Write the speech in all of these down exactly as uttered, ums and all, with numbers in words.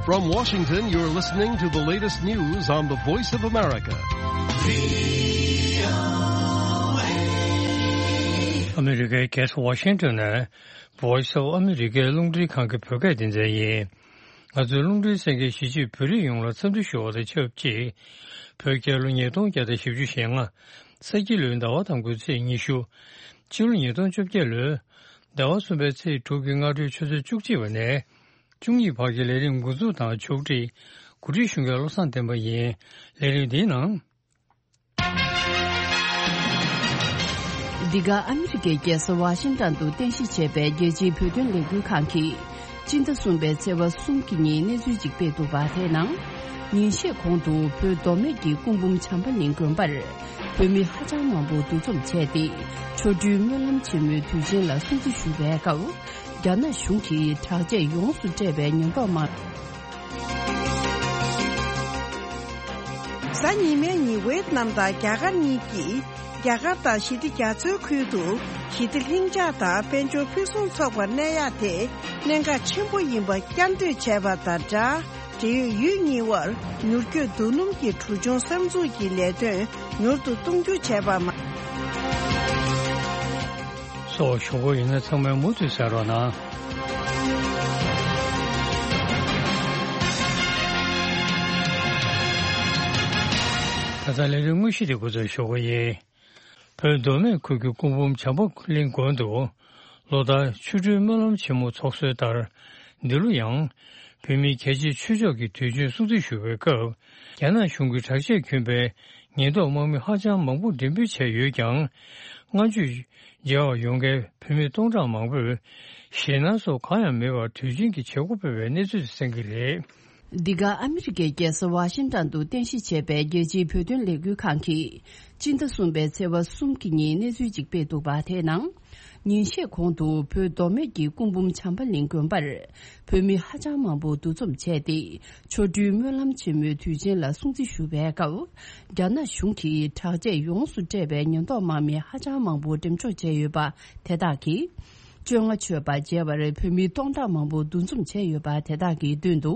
From Washington, you're listening to the latest news on the Voice of America. ཨ་མི་རི་ཀའི་རྒྱལ་ས་ཝ་ཤིང་ཊོན་ནས་Voice of America རླུང་འཕྲིན་ཁང་གི་བོད་སྐད་སྡེ་ཚན་ཡིན། ང་ཚོའི་རླུང་འཕྲིན་གསན་མཁན་གཞིས་བྱེས་བོད་རིགས་ཡོངས་ལ་འཚམས་འདྲི་ཞུ་བ་དང་ཆབས་ཅིག་བོད་རྒྱལ་ལོ་ཉིས་སྟོང་བརྒྱ་དང་བཞི་བཅུ་ཞེ་ལྔ། ས་ཁྱི་ལོའི་ཟླ་བ་དང་པོའི་ཚེས་ཉི་ཤུ། ཕྱི་ལོ་ཉིས་སྟོང་བཅོ་བརྒྱད་ལོའི་ཟླ་བ་གསུམ་པའི་ཚེས་དྲུག་གི་སྔ་དྲོའི་ཆུ་ཚོད་བཅུ་གཅིག་པ་ནས་བཅུ་གཉིས་བར་གྱི་ལས་རིམ་འགོ་འཛུགས་དང་ཕྱོགས་སྒྲིག་གོ་སྒྲིག་ཞུ་མཁན་བློ་བཟང་བསྟན་པ་ཡིན། ལས་རིམ་འདིའི་ནང་། འདི་ག་ཨ་མི་རི་ཀའི་རྒྱལ་ས་ཝ་ཤིང་ཊོན་དུ་རྟེན་གཞི་བྱས་པའི་རྒྱལ་སྤྱིའི་བོད་དོན་ལས་འགུལ་ཁང་གིས། སྤྱི་ཟླ་གསུམ་པའི་ཚེས་པ་གསུམ་གྱི་ཉིན་གནས་ཚུལ་ཅིག་སྤེལ་འདུག་པ། དེའི་ནང་། ཉིན་ཤས་གོང་དུ་བོད་མདོ་སྨད་ཀྱི་སྐུ་འབུམ་བྱམས་པ་གླིང་དགོན་པར་བོད་མི་ཧ་ཅང་མང་པོ་འདུ་འཛོམས་བྱས་ཏེ། ཆོ་འཕྲུལ་སྨོན་ལམ་ཆེན་མོའི་དུས་ཆེན་ལ་སྲུང་བརྩི་ཞུ་བའི་སྐབས། རྒྱ་ནག་གཞུང་གིས་དྲག་ཆས་ཡོངས་སུ་སྤྲས་པའི་ཉེན་རྟོག་དམག་གཟའ་ཉི་མའི་ཉིན་ཝེ་ཏི་ནམ་དང་རྒྱ་གར་གཉིས་ཀྱིས་རྒྱ་གར་དང་ཞི་བདེ་རྒྱ་མཚོའི་ཁུལ་དུ་ཞི་བདེ་ལྷིང་འཇགས་དང་དཔལ་འབྱོར་ཕུན་སུམ་ཚོགས་པ་གནས་ཡག་དེ་གནད་འགག་ཆེན་པོ་ཡིན་པ་བསྐྱར་ཟློས་བྱས་པ་དང་སྦྲགས། འབྲེལ་ཡོད་ཡུལ་གཉིས་དབར་མྱུར་སྐྱོད་རྡོ་སྣུམ་གྱི་གྲུ་ཆུང་གསར་འཛུགས་ཀྱི་ལས་དོན་མྱུར་དུ་གཏོང་རྒྱུ་བྱས་པ་མ། སོགས་ཞུ་སྒོ་ཡིན་ན་ཚང་མས་མུ་མཐུད་གསན་རོགས་གནང་། ད་ལྟ་ལས་རིམ་དངོས་གཞི་དེ་འགོ་འཛུགས་ཞུ་སྒོ་ཡིན། བོད་མདོ་སྨད་ཁུལ་གྱི་སྐུ་འབུམ་བྱམས་པ་གླིང་དགོན་དུ་ལོ་ལྟར་ཆོ་འཕྲུལ་སྨོན་ལམ་ཆེན་མོ་འཚོགས་སྲོལ་ལྟར། འདི་ལོ་ཡང་བོད་མིའི་རྒྱལ་གཅེས་ཆོས་ཕྱོགས་ཀྱི་དུས་ཆེན་སྲུང་བརྩི་ཞུ་བའི་སྐབས། རྒྱ་ནག་གཞུང་གི་དྲག་ཆས་བསྐྱོན་པའི་ཉེན་རྟོག་དམག་མི་ཧ་ཅང་མང་པོ་འགྲེམས་སྤེལ་བྱས་ཡོད་ཀྱང་། སྔ་མཇུག་མཇལ་བར་ཡོང་མཁན་བོད་མི་སྟོང་ཕྲག་མང་པོས་ཞེད་སྣང་སོགས་གང་ཡང་མེད་པར་དུས་ཆེན་གྱི་བྱེད་སྒོ་སྤེལ་བའི་གནས་ཚུལ་གསན་གྱི་རེད། འདི་ག་ཨ་མི་རི་ཀའི་རྒྱལ་ས་ཝ་ཤིང་ཊོན་དུ་རྟེན་གཞི་བྱས་པའི་རྒྱལ་སྤྱིའི་བོད་དོན་ལས་འགུལ་ཁང་གིས། སྤྱི་ཟླ་གསུམ་པའི་ཚེས་པ་གསུམ་གྱི་ཉིན་གནས་ཚུལ་ཅིག་སྤེལ་འདུག་པ། དེའི་ནང་། ཉིན་ཤས་གོང་དུ་བོད་མདོ་སྨད་ཀྱི་སྐུ་འབུམ་བྱམས་པ་གླིང་དགོན་པར་བོད་མི་ཧ་ཅང་མང་པོ་འདུ་འཛོམས་བྱས་ཏེ། ཆོ་འཕྲུལ་སྨོན་ལམ་ཆེན་མོའི་དུས་ཆེན་ལ་སྲུང་བརྩི་ཞུ་བའི་སྐབས། རྒྱ་ནག་གཞུང་གིས་དྲག་ཆས་ཡོངས་སུ་སྤྲས་པའི་ཉེན་རྟོག་དམག་མི་ཧ་ཅང་མང་པོ་འགྲེམས་འཇོག་བྱས་ཡོད་པ་དེ་དག་གིས། བཅོ་ལྔ་མཆོད་པ་མཇལ་བར་བོད་མི་སྟོང་ཕྲག་མང་པོ་འདུ་འཛོམས་བྱས་ཡོད་པ་དེ་དག་གི་མདུན་དུ།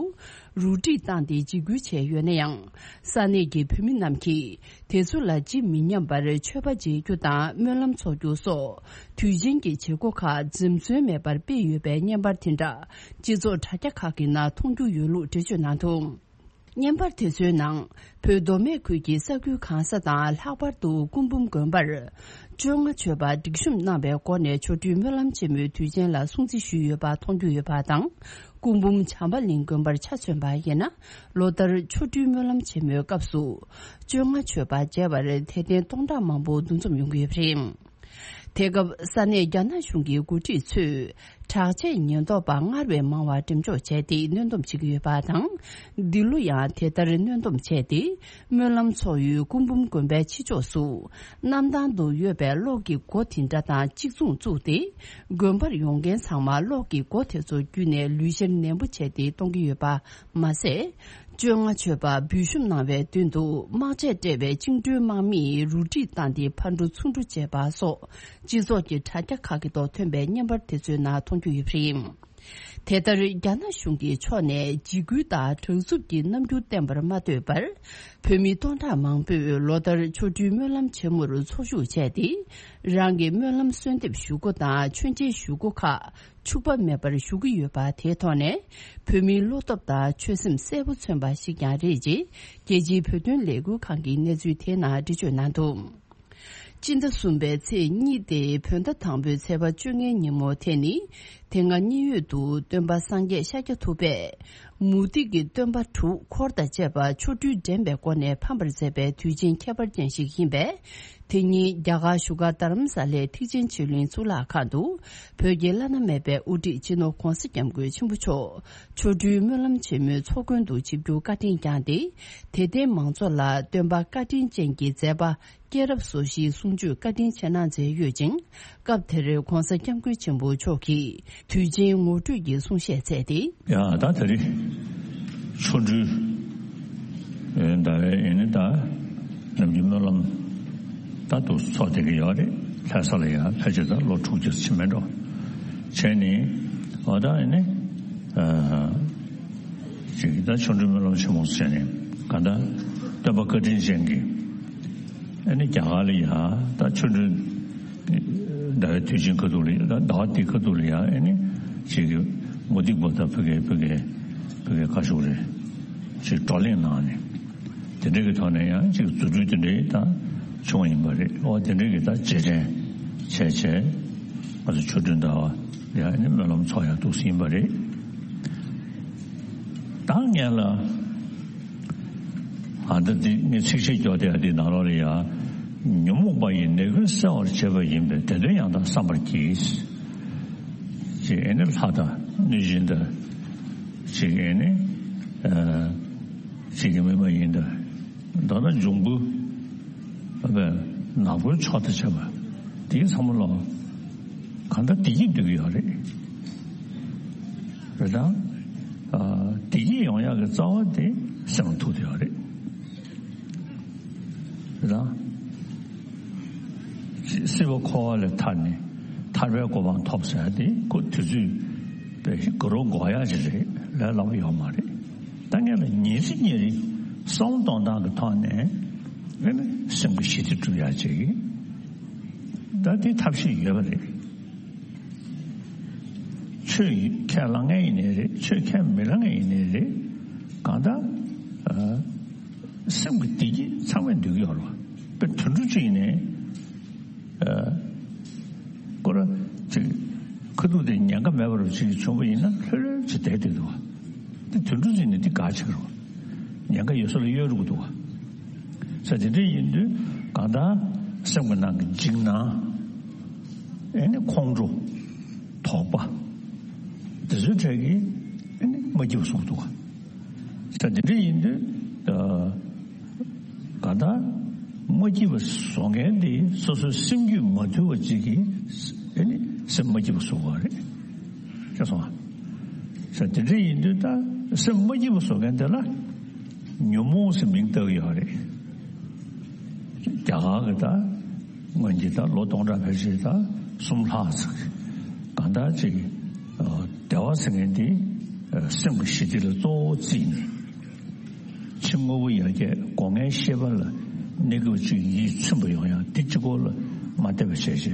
རུ་སྒྲིག་བཏང་སྟེ་འཇིགས་སྐུལ་བྱས་ཡོད་ན་ཡང་། ས་གནས་ཀྱི་བོད་མི་རྣམས་ཀྱིས་དེ་ཚོ་ལ་ཇི་མི་སྙམ་པར་མཆོད་པ་མཇལ་རྒྱུ་དང་སྨོན་ལམ་འཚོགས་རྒྱུ་སོགས་དུས་ཆེན་གྱི་བྱེད་སྒོ་ཁག་འཛེམ་ཟོན་མེད་པར་སྤེལ་ཡོད་པའི་བརྙན་པར་དེ་འདྲ་སྤྱི་ཚོགས་དྲ་རྒྱ་ཁག་གི་ནང་མཐོང་རྒྱུ་ཡོད་ལུགས་འགྲེལ་བརྗོད་གནང་འདུག་བརྙན་པར་དེ་ཚོའི་ནང་བོད་མདོ་སྨད་ཁུལ་གྱི་ས་ཁུལ་གང་ས་དང་ལྷག་པར་དུ་སྐུ་འབུམ་དགོན་པར་བཅོ་ལྔ་མཆོད་པ་སྒྲིག་གཤོམ་གནང་བའི་སྒོ་ནས་ཆོ་འཕྲུལ་སྨོན་ལམ་ཆེན་མོའི་དུས་ཆེན་ལ་སྲུང་བརྩི་ཞུས་ཡོད་པ་མཐོང་རྒྱུ་ཡོད་པ་དང་། སྐུ་འབུམ་བྱམས་པ་གླིང་དགོན་པར་ཆ་མཚོན་པ་ཡིན་ན། ལོ་ལྟར་ཆོ་འཕྲུལ་སྨོན་ལམ་ཆེན་མོའི་སྐབས་སུ། བཅོ་ལྔ་མཆོད་པ་མཇལ་བར་དད་ལྡན་སྟོང་ཕྲག་མང་པོ་འདུ་འཛོམས་ཡོང་གི་ཡོད་པ་རེད། དེ་སྐབས་ས་གནས་རྒྱ་ནག་གཞུང་གི་འགོ་ཁྲིད་ཚོས་དྲག་ཆས་ཉེན་རྟོག་པ་སྔར་བས་མང་བ་འགྲེམས་འཇོག་བྱས་ཏེ་གནོན་སྡོམ་བྱེད་ཀྱི་ཡོད་པ་དང་། འདི་ལོ་ཡང་དེ་ལྟར་གནོན་སྡོམ་བྱས་ཏེ། སྨོན་ལམ་ཚོགས་ཡུལ་སྐུ་འབུམ་དགོན་པའི་ཕྱི་ཕྱོགས་སུ། གནམ་ཐང་དུ་ཡོད་པའི་གློག་གི་སྒོ་དེ་འདྲ་དང་གཅིག་མཚུངས་བཙུགས་ཏེ། དགོན་པར་ཡོང་མཁན་ཚང་མ་གློག་གི་སྒོ་དེ་ཚོ་བརྒྱུད་ནས་ལུས་བཤེར་ནན་པོ་བྱས་ཏེ་གཏོང་གི་ཡོད་པ་མ་ཟད། བཅོ་ལྔ་མཆོད་པ་འབུལ་ཞུམ་གནང་བའི་མདུན་དུ་དམག་ཆས་སྤྲས་པའི་བཅིངས་འགྲོལ་དམག་མིས་རུ་སྒྲིག་བཏང་སྟེ་ཕར་འགྲོ་ཚུར་འགྲོ་བྱས་པ་སོགས་སྤྱི་ཚོགས་ཀྱི་དྲ་རྒྱ་ཁག་གི་ཐོག་ཐོན་པའི་བརྙན་པར་དེ་ཚོའི་ནང་མཐོང་རྒྱུ་ཡོད་པ་རེད། དེ་ལྟར་རྒྱ་ནག་གཞུང་གི་ཕྱོགས་ནས་འཇིགས་སྐུལ་དང་དྲག་རྩུབ་ཀྱི་རྣམ་འགྱུར་བསྟན་པར་མ་ལྟོས་པར། བོད་མི་སྟོང་ཕྲག་མང་པོས་ལོ་ལྟར་ཆོ་འཕྲུལ་སྨོན་ལམ་ཆེན་མོར་འཚོ་བཞུགས་བྱས་ཏེ། རང་གི་སྨོན་ལམ་གསོལ་འདེབས་ཞུ་སྒོ་དང་མཆོད་མཇལ་ཞུ་སྒོ་ཁག་འཕྱུགས་པ་མེད་པར་ཞུ་གི་ཡོད་པ་དེའི་ཐོག་ནས། བོད་མིའི་བློ་སྟོབས་དང་ཆོད་སེམས་གསལ་པོ་མཚོན་པ་ཞིག་ཀྱང་རེད་ཅེས། རྒྱལ་སྤྱིའི་བོད་དོན་ལས་འགུལ་ཁང་གི་གནས་ཚུལ་དེའི་ནང་འགྲེལ་བརྗོད་གནང་འདུག་སྤྱི་ཟླ་གསུམ་པའི་ཚེས་གཉིས་ཏེ་བོད་ཟླ་དང་པོའི་ཚེས་པ་བཅོ་ལྔའི་ཉིན་མོ་དེ་ནི། དེ་སྔ་མཉན་ཡོད་དུ་སྟོན་པ་སངས་རྒྱས་ཤཱཀྱ་ཐུབ་པས། མུ་སྟེགས་ཀྱི་སྟོན་པ་དྲུག་འཁོར་དང་བཅས་པ་ཆོ་འཕྲུལ་འགྲན་པའི་སྒོ་ནས་ཕམ་པར་མཛད་པའི་དུས་ཆེན་ཁྱད་པར་ཅན་ཞིག་ཡིན་པས། དེ་ཉིན་རྒྱ་གར་བཞུགས་སྒར་རྡ་རམ་ས་ལའི་ཐེག་ཆེན་ཆོས་གླིང་གཙུག་ལག་ཁང་དུ། བོད་ཀྱི་བླ་ན་མེད་པའི་དབུ་ཁྲིད་སྤྱི་ནོར་༧གོང་ས་༧སྐྱབས་མགོན་ཆེན་པོ་མཆོག་ཆོ་འཕྲུལ་སྨོན་ལམ་ཆེན་མོའི་ཚོགས་མགོན་དུ་ཆིབས་བསྒྱུར་བཀའ་དྲིན་བསྐྱངས་ཏེ། དད་ལྡན་མང་ཚོགས་ལ་སྟོན་པ་བཀའ་དྲིན་ཅན་གྱི་མཛད་པ། སྐྱེས་རབས་སོ་བཞིའི་གསུང་ཆོས་བཀའ་དྲིན་ཆེ་གནང་མཛད་ཡོད་ཅིང་། སྐབས་དེར་༧གོང་ས་༧སྐྱབས་མགོན་ཆེན་པོ་མཆོག་གིས་དུས་ཆེན་ངོ་སྤྲོད་ཀྱི་གསུང་བཤད་སྩལ་ཏེ། ཡ་ད་དེ་རིང་ཆོ་འཕྲུལ་ཟླ་བའི་ཡིན་ནི་ད་ནམ་རྒྱུན་སྨོན་ལམ་ད་དུ་ཚོགས་བསྡད་ཀྱི་ཡོད་རེད། ལྷ་ས་ལ་ཡ་ཕལ་ཆེར་ད་ལོ་དྲུག་ཅུ་ཕྱིན་མེད་འགྲོ། བྱས་ནས་འོ་ད་ཡིན་ནི། ཅིག་ད་ཆོ་འཕྲུལ་སྨོན་ལམ་ཆེན་མོ་ཟེར་ནས་གང་ལྟར་སྟོན་པ་བཀའ་དྲིན་ཅན་གྱི་ཨ་ནི་རྒྱ་གར་ལ་ཡ་ད་ཆོ་འཕྲུལ་ཟླ་བའི་དུས་ཆེན་ཁ་ཐུག་ལ་ཡ་ད་ཟླ་བ་འདི་ཁ་ཐུག་ལ་ཡ་ཨ་ནི་ཅིག་གི་མུ་སྟེགས་པ་དང་བོད་སྐད་བོད་སྐད་བོད་སྐད་བཀའ་ཤོག་རེད་ཅིག་བགྲོ་གླེང་གནང་ནས་དེ་འདྲ་གི་ཐོག་ནས་ཡང་ཅིག་རྫུ་འཕྲུལ་དེ་འདྲའི་ད་བྱུང་ཡིན་པ་རེད། ཨོ་དེ་འདྲའི་གི་ད་རྗེས་དྲན་བྱས་བྱས་ང་ཚོ་ཆོ་འཕྲུལ་ཟླ་བ་ཡ་ཨ་ནི་སྨོན་ལམ་ཚོགས་ཡག་འདུག་ཟིན་པ་རེད། ད་ངས་ལ། ཨ་ད་འདི་ངས་ཚིག་བཤད་སྐྱོར་དེ་འདི་ནང་ལོགས་ལ་ཡ། ཉོན་མོངས་པ་ཡི་ནད་ཀུན་སེལ་བར་བྱེད་པ་ཡིན་པས་དེ་དོན་ཡང་དག་བསམ་པར་གྱིས། ཅེས་ཨེ་ནི་ལྷ་དང་གནོད་སྦྱིན་དང་། ཅེས་ཨེ་ནི། ཅེས་ཀྱི་མི་མ་ཡིན་དང་། མདོར་ན་འབྱུང་པོ། ཨ་བས་ནག་པོའི་ཕྱོགས་དང་བཅས་པ། དེའི་ཚང་མ་ལ་གང་ལྟར་བདེ་སྐྱིད་འདོད་ཀྱི་ཡོད་རེད། རེད་དང་། བདེ་སྐྱིད་ཡོང་ཡག་གི་རྩ་བ་དེ་སེམས་ལ་ཐུག་བསྡད་ཡོད་རེད། རེད་དང་། སྲིད་པ་འཁོར་བ་ལས་ཐར་ནས་ཐར་པའི་གོ་འཕང་ཐོབ་ཟེར་ཡ་དེ་ཁོ་དུས་ཚོད་པའི་དགའ་རབ་འགོར་ཡག་ཅིག་རེད་ལས་སླ་པོ་ཡོད་མ་རེད། ད་ངས་ལ་ཉིན་རེ་ཉིན་རེ་བསམ་བློ་གཏོང་སྟངས་ཀྱི་ཐོག་ནས་ཨེ་ནི་སེམས་ཀྱི་ཞི་བདེ་སྒྲུབ་ཡག་ཅིག་ད་དེ་ཐབས་ཤེས་ཡོད་པ་རེད། ཆོས་ཁས་བླངས་མཁན་ཡིན་ནའི་རེད། ཆོས་ཁས་མི་བླངས་མཁན་ཡིན་ནའི་རེད། གང་ལྟར་ཨ་སེམས་ཀྱི་བདེ་སྐྱིད་ཚང་མས་འདོད་ཀྱི་ཡོད་རེད་བ། དཔེ་དུད་འགྲོ་གཅིག་ཡིན་ནའི་ཨ་ཁོ་ར་ཅིག་ཁ་ཐུག་དེ་ཉེན་ཁ་མེད་པ་རུ་ཅིག་བྱུང་བ་ཡིན་ན་ལྷོད་ལྷོད་ཅིག་བསྡད་བསྡད་འདུག་བ། དེ་དུད་འགྲོ་ཟེར་ནས་དེ་དགའ་ཆེ་གི་རེད་བ། ཉེན་ཁ་ཡོད་ས་ལ་གཡོལ་འགྲོ་གི་འདུག་བ། ས་དེ་འདྲ་ཡིན་དུས་གང་ལྟར་སེམས་ཀྱི་ནང་གི་འཇིགས་སྣང་། ཨེ་ནི་ཁོང་ཁྲོ། དོགས་པ། དེ་ཚོའི་གྲས་ཀྱིས་ཨེ་ནི་མ་སྐྱིད་པ་བཟོ་གི་འདུག་ག་ས་དེ་འདྲ་ཡིན་དུས་ཨ་གང་ལྟར་མ་སྐྱིད་པ་བཟོ་མཁན་དེ་སོ་སོའི་སེམས་རྒྱུད་མ་དུལ་བ་ཅིག་གིས་ཨེ་ནི་སེམས་མ་སྐྱིད་པ་བཟོ་གི་ཡོད་རེད། ཤེས་སོང་ང་། ས་དེ་འདྲ་ཡིན་དུས་ད་སེམས་མ་སྐྱིད་པ་བཟོ་མཁན་དེ་ལ་ཉོན་མོངས་ཟེར་མིང་བཏགས་ཀྱི་ཡོད་རེད། རྒྱ་གར་གྱི་ད་སྔོན་གྱི་ད་ལོ་སྟོང་ཕྲག་ཕལ་ཆེར་ད་གསུམ་ལྷག་ཙམ་གང་ལྟར་ཅིག་ཨ་བདེ་བ་ཟེར་མཁན་དེ་ཨ་སེམས་ཀྱི་ཞི་བདེ་ལ་གཙོ་བོ་བརྩིས་ནས་ཕྱི་དངོས་པོ་ཡར་རྒྱས་སྒོ་ལྔའི་ཤེས་པ་ལ་གནས་སྐབས་བཅུ་ཡིད་ཚིམ་པ་ཡོང་ཡག་དེ་གཅིག་པོ་ལ་མ་བལྟས་པ་བྱས་བྱས་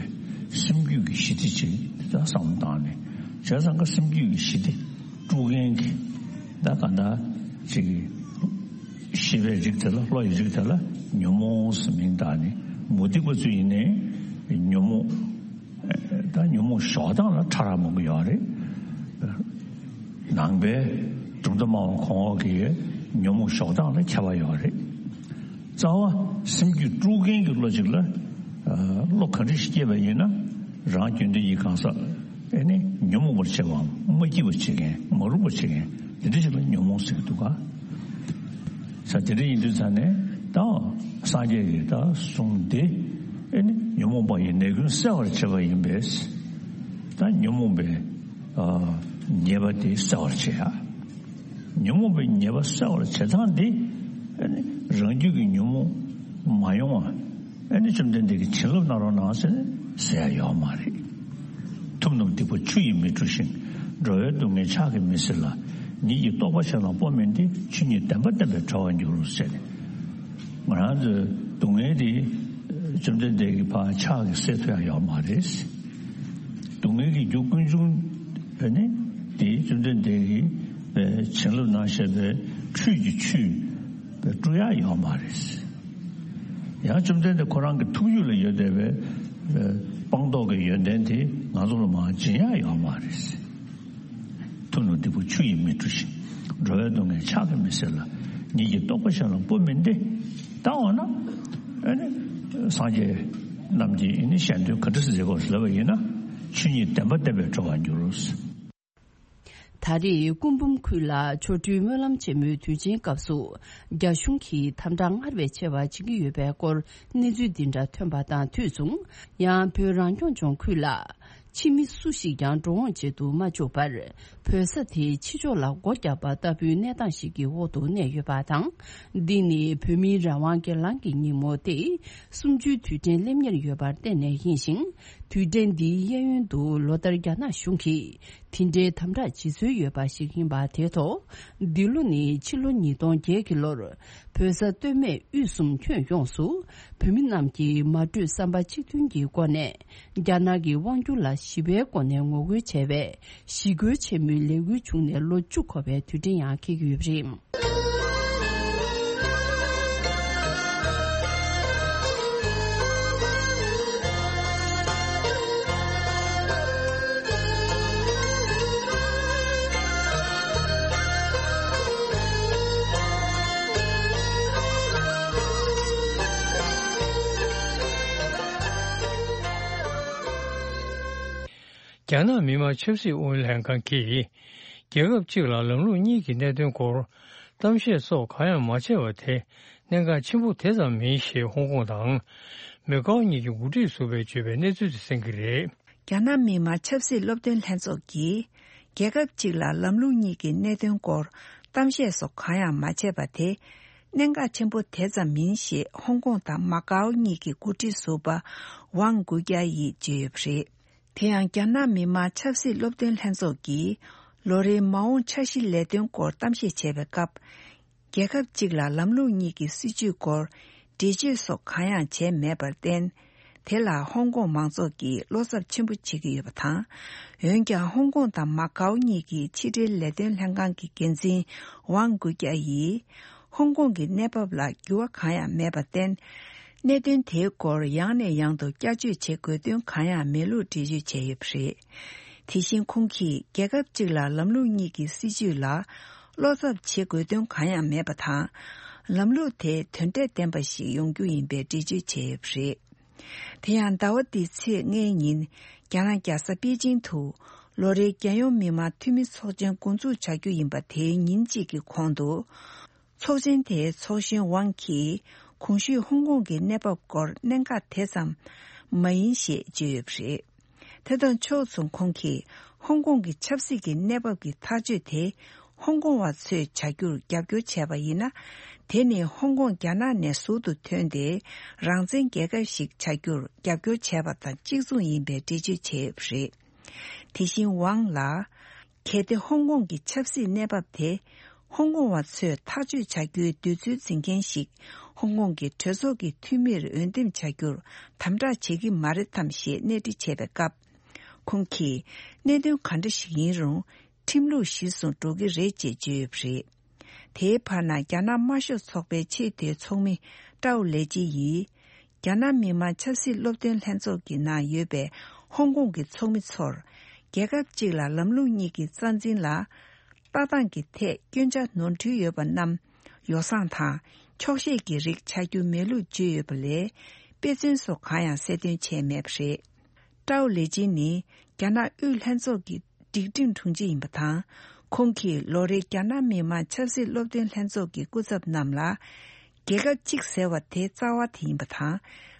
སེམས་རྒྱུད་ཀྱི་ཞི་བདེ་ཅིག་ད་བསམ་བློ་བཏང་ནས་བྱས་ཙང་ཀ་སེམས་རྒྱུད་ཀྱི་ཞི་བདེ་དཀྲུག་མཁན་གྱི་ད་གང་ལྟར་ཅིག་ཤེས་པའི་རིགས་དེ་ལ་བློ་ཡི་རིགས་དེ་ལ་ཉོན་མོངས་ཟེར་མིང་བཏགས་ནས་མུ་སྟེགས་པ་ཚོ་ཡིན་ནའི་ཉོན་མོངས་ད་ཉོན་མོངས་ཞོག་དང་ལ་ཕྲ་རགས་མང་པོ་ཡོད་རེད། ནང་པའི་གྲུབ་མཐའ་སྨྲ་བ་གོང་འོག་གི་ཉོན་མོངས་ཞོག་དང་ལ་ཁྱད་པར་ཡོད་རེད། རྩ་བ་སེམས་རྒྱུད་དཀྲུག་མཁན་གྱི་བློ་གཅིག་ལ་བློ་ག་འདྲ་ཞིག་སྐྱེས་པ་ཡིན་ན་རང་རྒྱུད་འདི་ཡི་གང་ཟག་ཨེ་ནི་ཉོན་མོངས་པར་བྱེད་པའམ་མ་སྐྱིད་པར་བྱེད་མཁན་མ་རུངས་པར་བྱེད་མཁན་དེ་འདྲ་ཞིག་ལ་ཉོན་མོངས་ཟེར་གྱི་འདུག་ག་ས་དེ་འདྲ་ཡིན་དུས་ཙང་ནས་ད་སངས་རྒྱས་ཀྱི་ད་གསུང་དེ་ཨེ་ནི་ཉོན་མོངས་པ་ཡི་ནད་ཀུན་སེལ་བར་བྱེད་པ་ཡིན་པས་ད་ཉོན་མོངས་པའི་ཉེས་པ་དེ་སེལ་བར་བྱེད་ཡ། ཉོན་མོངས་པའི་ཉེས་པ་སེལ་བར་བྱེད་སྟངས་འདི་ཨེ་ནི་རང་རྒྱུད་ཀྱི་ཉོན་མོངས་མ་ཡོང་བ་ཨེ་ནི་བཅོམ་ལྡན་འདས་ཀྱིས་བྱིན་རླབས་གནང་རོགས་གནང་ཟེར་ནས་ཟེར་ཡ་ཡོད་མ་རེད། ཐུབ་རྣམས་སྡིག་པ་ཆུ་ཡིས་མི་འཁྲུ་ཞིང་། འགྲོ་བའི་སྡུག་བསྔལ་ཕྱག་གིས་མི་སེལ་ལ། ཉིད་ཀྱི་རྟོགས་པ་ཆེ་ལ་སྤོ་མིན་ཏེ། ཆོས་ཉིད་བདེན་པ་བསྟན་པས་གྲོལ་བར་འགྱུར་ཟེར་ནས། ང་རང་ཚོའི་སྡུག་བསྔལ་དེ་བཅོམ་ལྡན་འདས་ཀྱིས་ཕར་ཕྱག་གིས་སེལ་ཐུབ་ཡ་ཡོད་མ་རེད། སྡུག་བསྔལ་གྱི་རྒྱུ་ཀུན་འབྱུང་ནི་དེ་བཅོམ་ལྡན་འདས་ཀྱིས་བྱིན་རླབས་གནང་བཞག་པའི་ཁྲུས་ཀྱི་ཆུས་བཀྲུ་ཡ་ཡོད་མ་རེད། ཡང་བཅོམ་ལྡན་འདས་ཁོ་རང་གི་ཐུགས་རྒྱུད་ལ་ཡོད་བསྡད་པའི་སྤངས་རྟོགས་ཀྱི་ཡོན་ཏན་དེ་ང་ཚོ་ལ་མར་སྦྱིན་ཡ་ཡོད་མ་རེད། ཐུབ་རྣམས་སྡིག་པ་ཆུ་ཡིས་མི་འཁྲུ་ཞིང་། འགྲོ་བའི་སྡུག་བསྔལ་ཕྱག་གིས་མི་སེལ་ལ། ཉིད་ཀྱི་རྟོགས་པ་ཆེ་ལ་སྤོ་མིན་ཏེ། ད་འོ་ན། ཨ་ནི། སངས་རྒྱས་རྣམས་ཀྱིས་ཨ་ནི་ཞལ་འདོན་ག་འདྲ་མཛད་དགོས་ལབ་པ་ཡིན་ན། ཆོས་ཉིད་བདེན་པ་བསྟན་པས་གྲོལ་བར་འགྱུར། ད་རེས་སྐུ་འབུམ་ཁུལ་ལ་ཆོ་འཕྲུལ་སྨོན་ལམ་ཆེན་མོའི་དུས་ཆེན་སྐབས་སུ་རྒྱ་གཞུང་གིས་དམ་དྲག་སྔར་བས་ཆེ་བ་བྱེད་ཀྱི་ཡོད་པའི་སྐོར་གནས་ཚུལ་འདི་འདྲ་ཐོན་པ་དང་དུས་མཚུངས། ཡང་བོད་རང་སྐྱོང་ལྗོངས་ཁུལ་ལ་ཕྱི་མི་སུ་ཞིག་ཀྱང་འགྲོ་འོང་བྱེད་དུ་མ་བཅུག་པར། བོད་ས་དེའི་ཕྱི་ཕྱོགས་ལ་སྒོ་བརྒྱབ་པ་ལྟ་བུའི་གནས་སྟངས་ཤིག་གི་འོག་ཏུ་གནས་ཡོད་པ་དང་། འདི་ནི་བོད་མིའི་རང་དབང་སྒེར་ལངས་ཀྱི་ཉིན་མོ་སྟེ། གསུམ་བཅུའི་དུས་དྲན་སླེབས་ཉེར་ཡོད་པར་བརྟེན་ནས་ཡིན་ཞིང་། དུས་དྲན་འདིའི་གཡས་གཡོན་དུ་ལོ་ལྟར་རྒྱ་ནག་གཞུང་གིས་དེ་འདྲའི་དམ་དྲག་བྱེད་སྲོལ་ཡོད་པ་ཞིག་ཡིན་པ་དེའི་ཐོག་འདི་ལོ་ནི་ཕྱི་ལོ་ཉིས་སྟོང་བརྒྱད་ཀྱི་ལོར་བོད་ས་སྟོད་སྨད་དབུས་གསུམ་ཁྱོན་ཡོངས་སུ་བོད་མི་རྣམས་ཀྱིས་མ་གྲོས་བསམ་པ་གཅིག་མཐུན་གྱི་སྒོ་ནས་རྒྱ་ནག་གི་དབང་སྒྱུར་ལ་ཞི་བའི་སྒོ་ནས་ངོ་རྒོལ་བྱས་པས། ཞི་རྒོལ་ཆེན་མོའི་ལས་འགུལ་བྱུང་ནས་ལོ་བཅུ་འཁོར་བའི་དུས་དྲན་ཡང་འཁེལ་གྱི་ཡོད་པ་རེད། རྒྱ་ནག་མི་དམངས་ཆབ་སྲིད་ཨུ་ཡོན་ལྷན་ཁང་གིས། རྒྱལ་ཁབ་གཅིག་ལ་ལམ་ལུགས་གཉིས་ཀྱི་གནད་དོན་སྐོར་གཏམ་བཤད་སོགས་གང་ཡང་མ་བྱས་པ་དེ་གནད་འགག་ཆེན་པོ་དེ་ཙམ་མིན་ཞེས་ཧོང་ཀོང་དང་མེ་ཀའོ་གཉིས་ཀྱི་འགོ་ཁྲིད་ཟུར་པས་བརྗོད་པའི་གནས་ཚུལ་དེ་གསན་གྱི་རེད། རྒྱ་ནག་མི་དམངས་ཆབ་སྲིད་སློབ་སྟོན་ལྷན་ཚོགས་ཀྱིས་རྒྱལ་ཁབ་གཅིག་ལ་ལམ་ལུགས་གཉིས་ཀྱི་གནད་དོན་སྐོར་གཏམ་བཤད་སོགས་གང་ཡང་མ་བྱས་པ་དེ་གནད་འགག་ཆེན་པོ་དེ་ཙམ་མིན་ཞེས་ཧོང་ཀོང་དང་མ་ཀའོ་གཉིས་ཀྱི་འགོ་ཁྲིད་ཟུར་པ་ཝང་གུ་ཀྱ་ཡིས་བརྗོད་ཡོད་པ་རེད། དེ་ཡང་རྒྱ་ནག་མི་དམངས་ཆབ་སྲིད་སློབ་སྟོན་ལྷན་ཚོགས་ཀྱིས་ལོ་རེའི་མ་འོངས་འཆར་གཞི་ལས་དོན་སྐོར་གཏམ་བཤད་བྱས་པའི་སྐབས། རྒྱལ་ཁབ་གཅིག་ལ་ལམ་ལུགས་གཉིས་ཀྱི་སྲིད་བྱུས་སྐོར་འགྲེལ་བརྗོད་སོགས་གང་ཡང་བྱས་མེད་པར་བརྟེན། དེ་ལ་ཧོང་ཀོང་མང་ཚོགས་ཀྱིས་བློ་འཚབ་ཆེན་པོ་བྱེད་ཀྱི་ཡོད་པ་དང་། འོན་ཀྱང་ཧོང་ཀོང་དང་མ་ཀའོ་གཉིས་ཀྱི་ཕྱི་འབྲེལ་ལས་དོན་ལྷན་ཁང་གི་འགན་འཛིན་ཝང་གུ་ཀྱ་ཡིས། ཧོང་ཀོང་གི་གནས་བབ་ལ་འགྱུར་བ་གང་ཡང་མེད་པར་བརྟེན། གནད་དོན་དེའི་སྐོར་ཡང་ནས་ཡང་དུ་བསྐྱར་བརྗོད་བྱེད་དགོས་དོན་གང་ཡང་མེད་ལུགས་འགྲེལ་བརྗོད་བྱས་ཡོད་པ་རེད། དེ་བཞིན་ཁོང་གིས་རྒྱལ་ཁབ་གཅིག་ལ་ལམ་ལུགས་གཉིས་ཀྱི་སྲིད་བྱུས་ལ་བློ་འཚབ་བྱེད་དགོས་དོན་གང་ཡང་མེད་པ་དང་། ལམ་ལུགས་དེ་དོན་འབྲས་ལྡན་པ་ཞིག་ཡོང་རྒྱུ་ཡིན་པའི་འགྲེལ་བརྗོད་བྱས་ཡོད་པ་རེད། དེ་ཡང་ཟླ་བ་འདིའི་ཚེས་ལྔའི་ཉིན་རྒྱ་ནག་རྒྱལ་ས་པེ་ཅིང་དུ་ལོ་རེའི་རྒྱལ་ཡོངས་མི་དམངས་འཐུས་མི་ཚོགས་ཆེན་འགོ་འཛུགས་བྱ་རྒྱུ་ཡིན་པ་དེའི་ཉིན་གཅིག་གི་གོང་དུ། ཚོགས་ཆེན་དེའི་ཚོགས་གཞོན་ཝང་གིས་གོང་ཞུས་ཧོང་ཀོང་གི་གནས་བབ་སྐོར་གནད་འགག་དེ་ཙམ་མ་ཡིན་ཞེས་བརྗོད་ཡོད་པ་རེད། དེ་དང་ཕྱོགས་མཚུངས་ཁོང་གིས་ཧོང་ཀོང་གི་ཆབ་སྲིད་ཀྱི་གནས་བབ་ཀྱི་ཐག་གཅོད་དེ་ཧོང་ཀོང་བ་ཚོས་བྱ་རྒྱུར་རྒྱབ་སྐྱོར་བྱས་པ་ཡིན་ན། དེ་ནི་ཧོང་ཀོང་རྒྱ་ནག་ནས་ཟུར་དུ་ཐོན་ཏེ་རང་བཙན་རྒྱལ་ཁབ་ཞིག་བྱ་རྒྱུར་རྒྱབ་སྐྱོར་བྱས་པ་དང་གཅིག་མཚུངས་ཡིན་པའི་འགྲེལ་བརྗོད་བྱས་ཡོད་པ་རེད། དེ་བཞིན་ཝང་ལ། གལ་ཏེ་ཧོང་ཀོང་གི་ཆབ་སྲིད་གནས་བབ་དེ་ཧོང་ཀོང་བ་ཚོས་ཐག་གཅོད་བྱ་རྒྱུའི་འདོད་ཚུལ་འཛིན་མཁན་ཞིག་ཧོང་ཀོང་གི་གྲོས་ཚོགས་ཀྱི་འཐུས་མིར་འོས་འདེམས་བྱ་རྒྱུར་དམ་དྲག་བྱེད་ཀྱི་མ་རེད་དམ་ཞེས་གནས་འདྲི་བྱས་པའི་སྐབས། ཁོང་གིས་གནད་དོན་ག་འདྲ་ཞིག་ཡིན་རུང་ཁྲིམས་ལུགས་གཞིར་བཟུང་འགྲོ་གི་རེད་ཅེས་བརྗོད་ཡོད་པ་རེད། དེའི་བར་ན་རྒྱ་ནག་དམར་ཤོག་ཚོགས་པའི་ཆེས་མཐོའི་ཚོགས་མི་ཀྲའོ་ལེ་ཅི་ཡིས། རྒྱ་ནག་མི་དམངས་ཆབ་སྲིད་སློབ་སྟོན་ལྷན་ཚོགས་ཀྱི་ནང་ཡོད་པའི་ཧོང་ཀོང་གི་ཚོགས་མི་ཚོར། རྒྱལ་ཁབ་གཅིག་ལ་ལམ་ལུགས་གཉིས་ཀྱི་རྩ་འཛིན་ལ། ལྟ་སྟངས་ཀྱི་ཐད་སྐྱོན་ཆ་ནོར་འཁྲུལ་ཡོད་པ་རྣམས་ཡོ་བསྲང་དང་འཁྱོག་བཤད་ཀྱི་རིགས་ཆགས་རྒྱུ་མེད་ལུགས་བརྗོད་ཡོད་པ་ལས། དཔེ་མཚོན་སོགས་གང་ཡང་གསལ་སྟོན་བྱས་མེད་པ་རེད། ཀྲའོ་ལེ་ཅིན་ནི་རྒྱ་ནག་དབུས་ལྷན་ཚོགས་ཀྱི་སྒྲིག་ཁྲིམས་དྲུང་ཆེ་ཡིན་པ་དང་། ཁོང་གིས་ལོ་རེའི་རྒྱ་ནག་མི་དམངས་ཆབ་སྲིད་སློབ་སྟོན་ལྷན་ཚོགས་ཀྱི་སྐུ་ཚབ་རྣམས་ལ། རྒྱལ་ཁབ་གཅིག་ཟེར་བ་དེ་རྩ་བ་དེ་ཡིན་པ་དང་།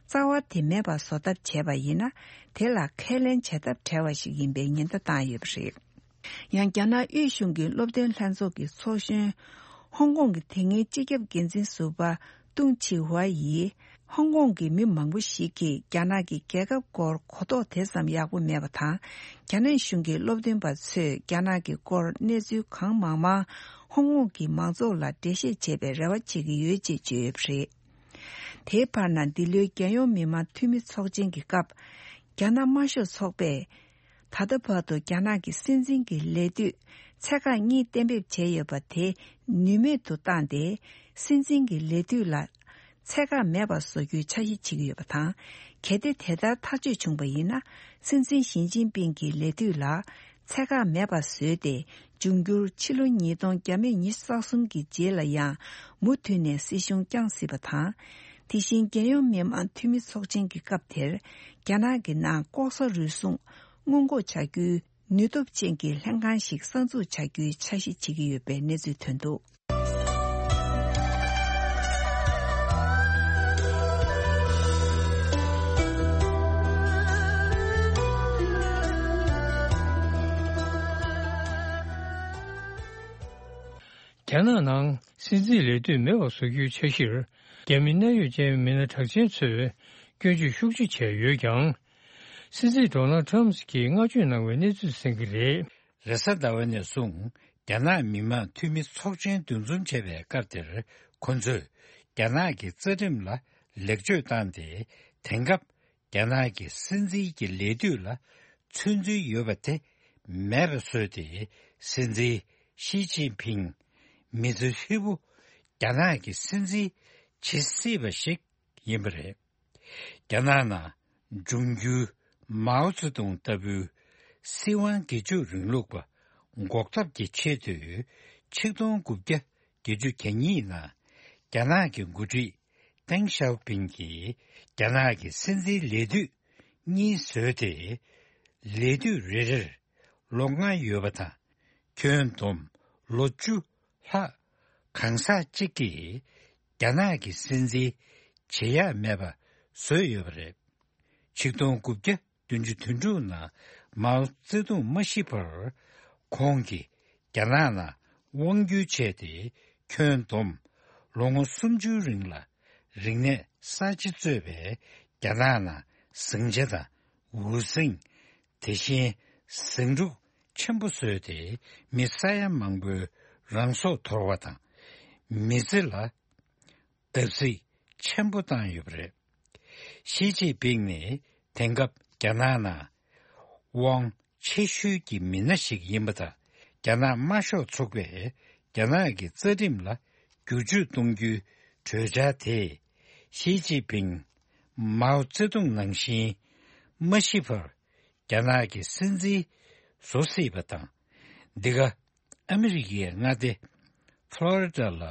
རྩ་བ་དེ་མེད་པ་བཟོ་ཐབས་བྱས་པ་ཡིན་ན། དེ་ལ་ཁས་ལེན་བྱེད་ཐབས་བྲལ་བ་ཞིག་ཡིན་པའི་ཉེན་བརྡ་བཏང་ཡོད་པ་རེད། ཡང་རྒྱ་ནག་དབུས་གཞུང་གི་སློབ་སྟོན་ལྷན་ཚོགས་ཀྱི་ཚོགས་གཞོན། ཧོང་ཀོང་གི་དེ་སྔའི་སྤྱི་ཁྱབ་འགན་འཛིན་ཟུར་པ་ཏུང་ཆི་ཧྭ་ཡིས། ཧོང་ཀོང་གི་མི་མང་པོ་ཞིག་གིས་རྒྱ་ནག་གི་རྒྱལ་ཁབ་སྐོར་གོ་རྟོགས་དེ་ཙམ་ཡག་པོ་མེད་པ་དང་། རྒྱ་ནག་གཞུང་གི་སློབ་སྟོན་པ་ཚོས་རྒྱ་ནག་གི་སྐོར་གནས་ཚུལ་གང་མང་མང་ཧོང་ཀོང་གི་མང་ཚོགས་ལ་འགྲེལ་བཤད་བྱེད་པའི་རེ་བ་བྱེད་ཀྱི་ཡོད་ཅེས་བརྗོད་ཡོད་པ་རེད། དེའི་བར་ན་འདི་ལོའི་རྒྱལ་ཡོངས་མི་དམངས་འཐུས་མི་ཚོགས་ཆེན་གྱི་སྐབས། རྒྱ་ནག་དམར་ཤོག་ཚོགས་པས། ད་ལྟ་བར་དུ་རྒྱ་ནག་གི་སྲིད་འཛིན་གྱི་ལས་དུས་ཚད་བཀག་གཉིས་གཏན་འབེབས་བྱས་ཡོད་པ་དེ་ནུས་མེད་དུ་བཏང་སྟེ། སྲིད་འཛིན་གྱི་ལས་དུས་ལ་ཚད་བཀག་མེད་པར་བཟོ་རྒྱུའི་འཆར་གཞི་བྱེད་ཀྱི་ཡོད་པ་དང་། གལ་ཏེ་དེ་ལྟར་ཐག་གཅོད་བྱུང་བ་ཡིན་ན། སྲིད་འཛིན་ཞི་ཅིན་ཕིང་གི་ལས་དུས་ལ་ཚད་བཀག་མེད་པར་བཟོས་ཏེ། འབྱུང་འགྱུར་ཕྱི་ལོ་ཉིས་སྟོང་བརྒྱ་མེད་ཉི་ཤུ་རྩ་གསུམ་གྱི་རྗེས་ལ་ཡང་མུ་མཐུད་ནས་སྲིད་གཞུང་བསྐྱངས་སྲིད་པ་དང་། དེ་བཞིན་རྒྱལ་ཡོངས་མི་དམངས་འཐུས་མི་ཚོགས་ཆེན་གྱི་སྐབས་དེར་རྒྱ་ནག་གི་ནང་ལྐོག་ཟ་རུལ་སུངས་སྔོན་འགོག་བྱ་རྒྱུའི་ནུས་སྟོབས་ཅན་གྱི་ལྷན་ཁང་ཞིག་གསར་འཛུགས་བྱ་རྒྱུའི་འཆར་གཞི་བྱེད་ཀྱི་ཡོད་པའི་གནས་ཚུལ་ཐོན་འདུག། རྒྱ་ནག་ནང་སྲིད་འཛིན་ལས་དུས་མེད་པ་བཟོ་རྒྱུའི་འཆར་གཞིར། རྒྱ་མི་གནད་ཡོད་ཅན་མི་སྣ་གྲགས་ཅན་ཚོས་སྐྱོན་བརྗོད་ཤུགས་ཆེ་བྱས་ཡོད་ཀྱང་། སྲིད་འཛིན་ཌོ་ནལ་ཊམ་གྱིས་བསྔགས་བརྗོད་གནང་བའི་གནས་ཚུལ་གསན་གྱི་རེད། རེས་གཟའ་ཟླ་བ་ནས་བཟུང་རྒྱ་ནག་མི་དམངས་འཐུས་མི་ཚོགས་ཆེན་འདུ་འཛོམས་བྱས་པའི་སྐབས་དེར། ཁོ་ཚོས་རྒྱ་ནག་གི་རྩ་ཁྲིམས་ལ་ལེགས་བཅོས་བཏང་སྟེ། དེང་སྐབས་རྒྱ་ནག་གི་སྲིད་འཛིན་གྱི་ལས་དུས་ལ་ཚོད་འཛིན་ཡོད་པ་དེ་མེད་པ་བཟོས་ཏེ། སྲིད་འཛིན་ཞི་ཅིན་ཕིང་མི་ཚེ་ཧྲིལ་པོ་རྒྱ་ནག་གི་སྲིད་འཛིན་བྱེད་སྲིད་པ་ཞིག་ཡིན་པ་རེད། རྒྱ་ནག་ནང་འབྱུང་འགྱུར་མའོ་ཙེ་ཏུང་ལྟ་བུའི་སྲིད་དབང་སྒེར་གཅོད་རིང་ལུགས་པ་འགོག་ཐབས་ཀྱི་ཆེད་དུ། ཆིག་སྟོང་དགུ་བརྒྱ་བརྒྱད་ཅུ་གྱ་གཉིས་ནང་རྒྱ་ནག་གི་འགོ་ཁྲིད་ཏེང་ཞའོ་ཕིང་གིས་རྒྱ་ནག་གི་སྲིད་འཛིན་ལས་དུས་གཉིས་བཟོས་ཏེ། ལས་དུས་རེ་རེར་ལོ་ལྔ་ཡོད་པ་དང་། ཁྱོན་བསྡོམས་ལོ་བཅུ་ལྷག་གང་ཟག་གཅིག་གིས་རྒྱ་ནག་གི་སྲིད་འཛིན་བྱེད་ཡག་མེད་པ་བཟོས་ཡོད་པ་རེད། ཆིག་སྟོང་དགུ་བརྒྱ་བདུན་ཅུ་དོན་དྲུག་ནང་མའོ་ཙེ་ཏུང་མ་ཤི་བར་ཁོང་གིས་རྒྱ་ནག་ནང་དབང་བསྒྱུར་བྱས་ཏེ། ཁྱོན་བསྡོམས་ལོ་ངོ་སུམ་ཅུའི་རིང་ལ་རིག་གནས་གསར་བརྗེ་གཙོས་པའི་རྒྱ་ནག་ནང་ཟིང་ཆ་དང་འུར་ཟིང་། དེ་བཞིན་ཟིང་འཁྲུག་ཆེན་པོ་བཟོས་ཏེ། མི་ས་ཡ་མང་པོའི་རང་སྲོག་དོར་བ་དང་། མི་ཚེ་ལ་བརྡབ་གསིག་ཆེན་པོ་བཏང་ཡོད་པ་རེད། ཞི་ཅིན་ཕིང་ནི་དེང་སྐབས་རྒྱ་ནག་ནང་དབང་ཆེ་ཤོས་ཀྱི་མི་སྣ་ཞིག་ཡིན་པ་དང་། རྒྱ་ནག་དམར་ཤོག་ཚོགས་པས་རྒྱ་ནག་གི་རྩ་ཁྲིམས་ལ་བསྒྱུར་བཅོས་གཏོང་རྒྱུའི་གྲོས་འཆར་དེས། ཞི་ཅིན་ཕིང་མའོ་ཙེ་ཏུང་ནང་བཞིན་མ་ཤི་བར་རྒྱ་ནག་གི་སྲིད་འཛིན་བཟོ་སྲིད་པ་དང་། འདི་ག་ཨ་མི་རི་ཀའི་མངའ་སྡེ་ཕློ་རི་ཌ་ལ་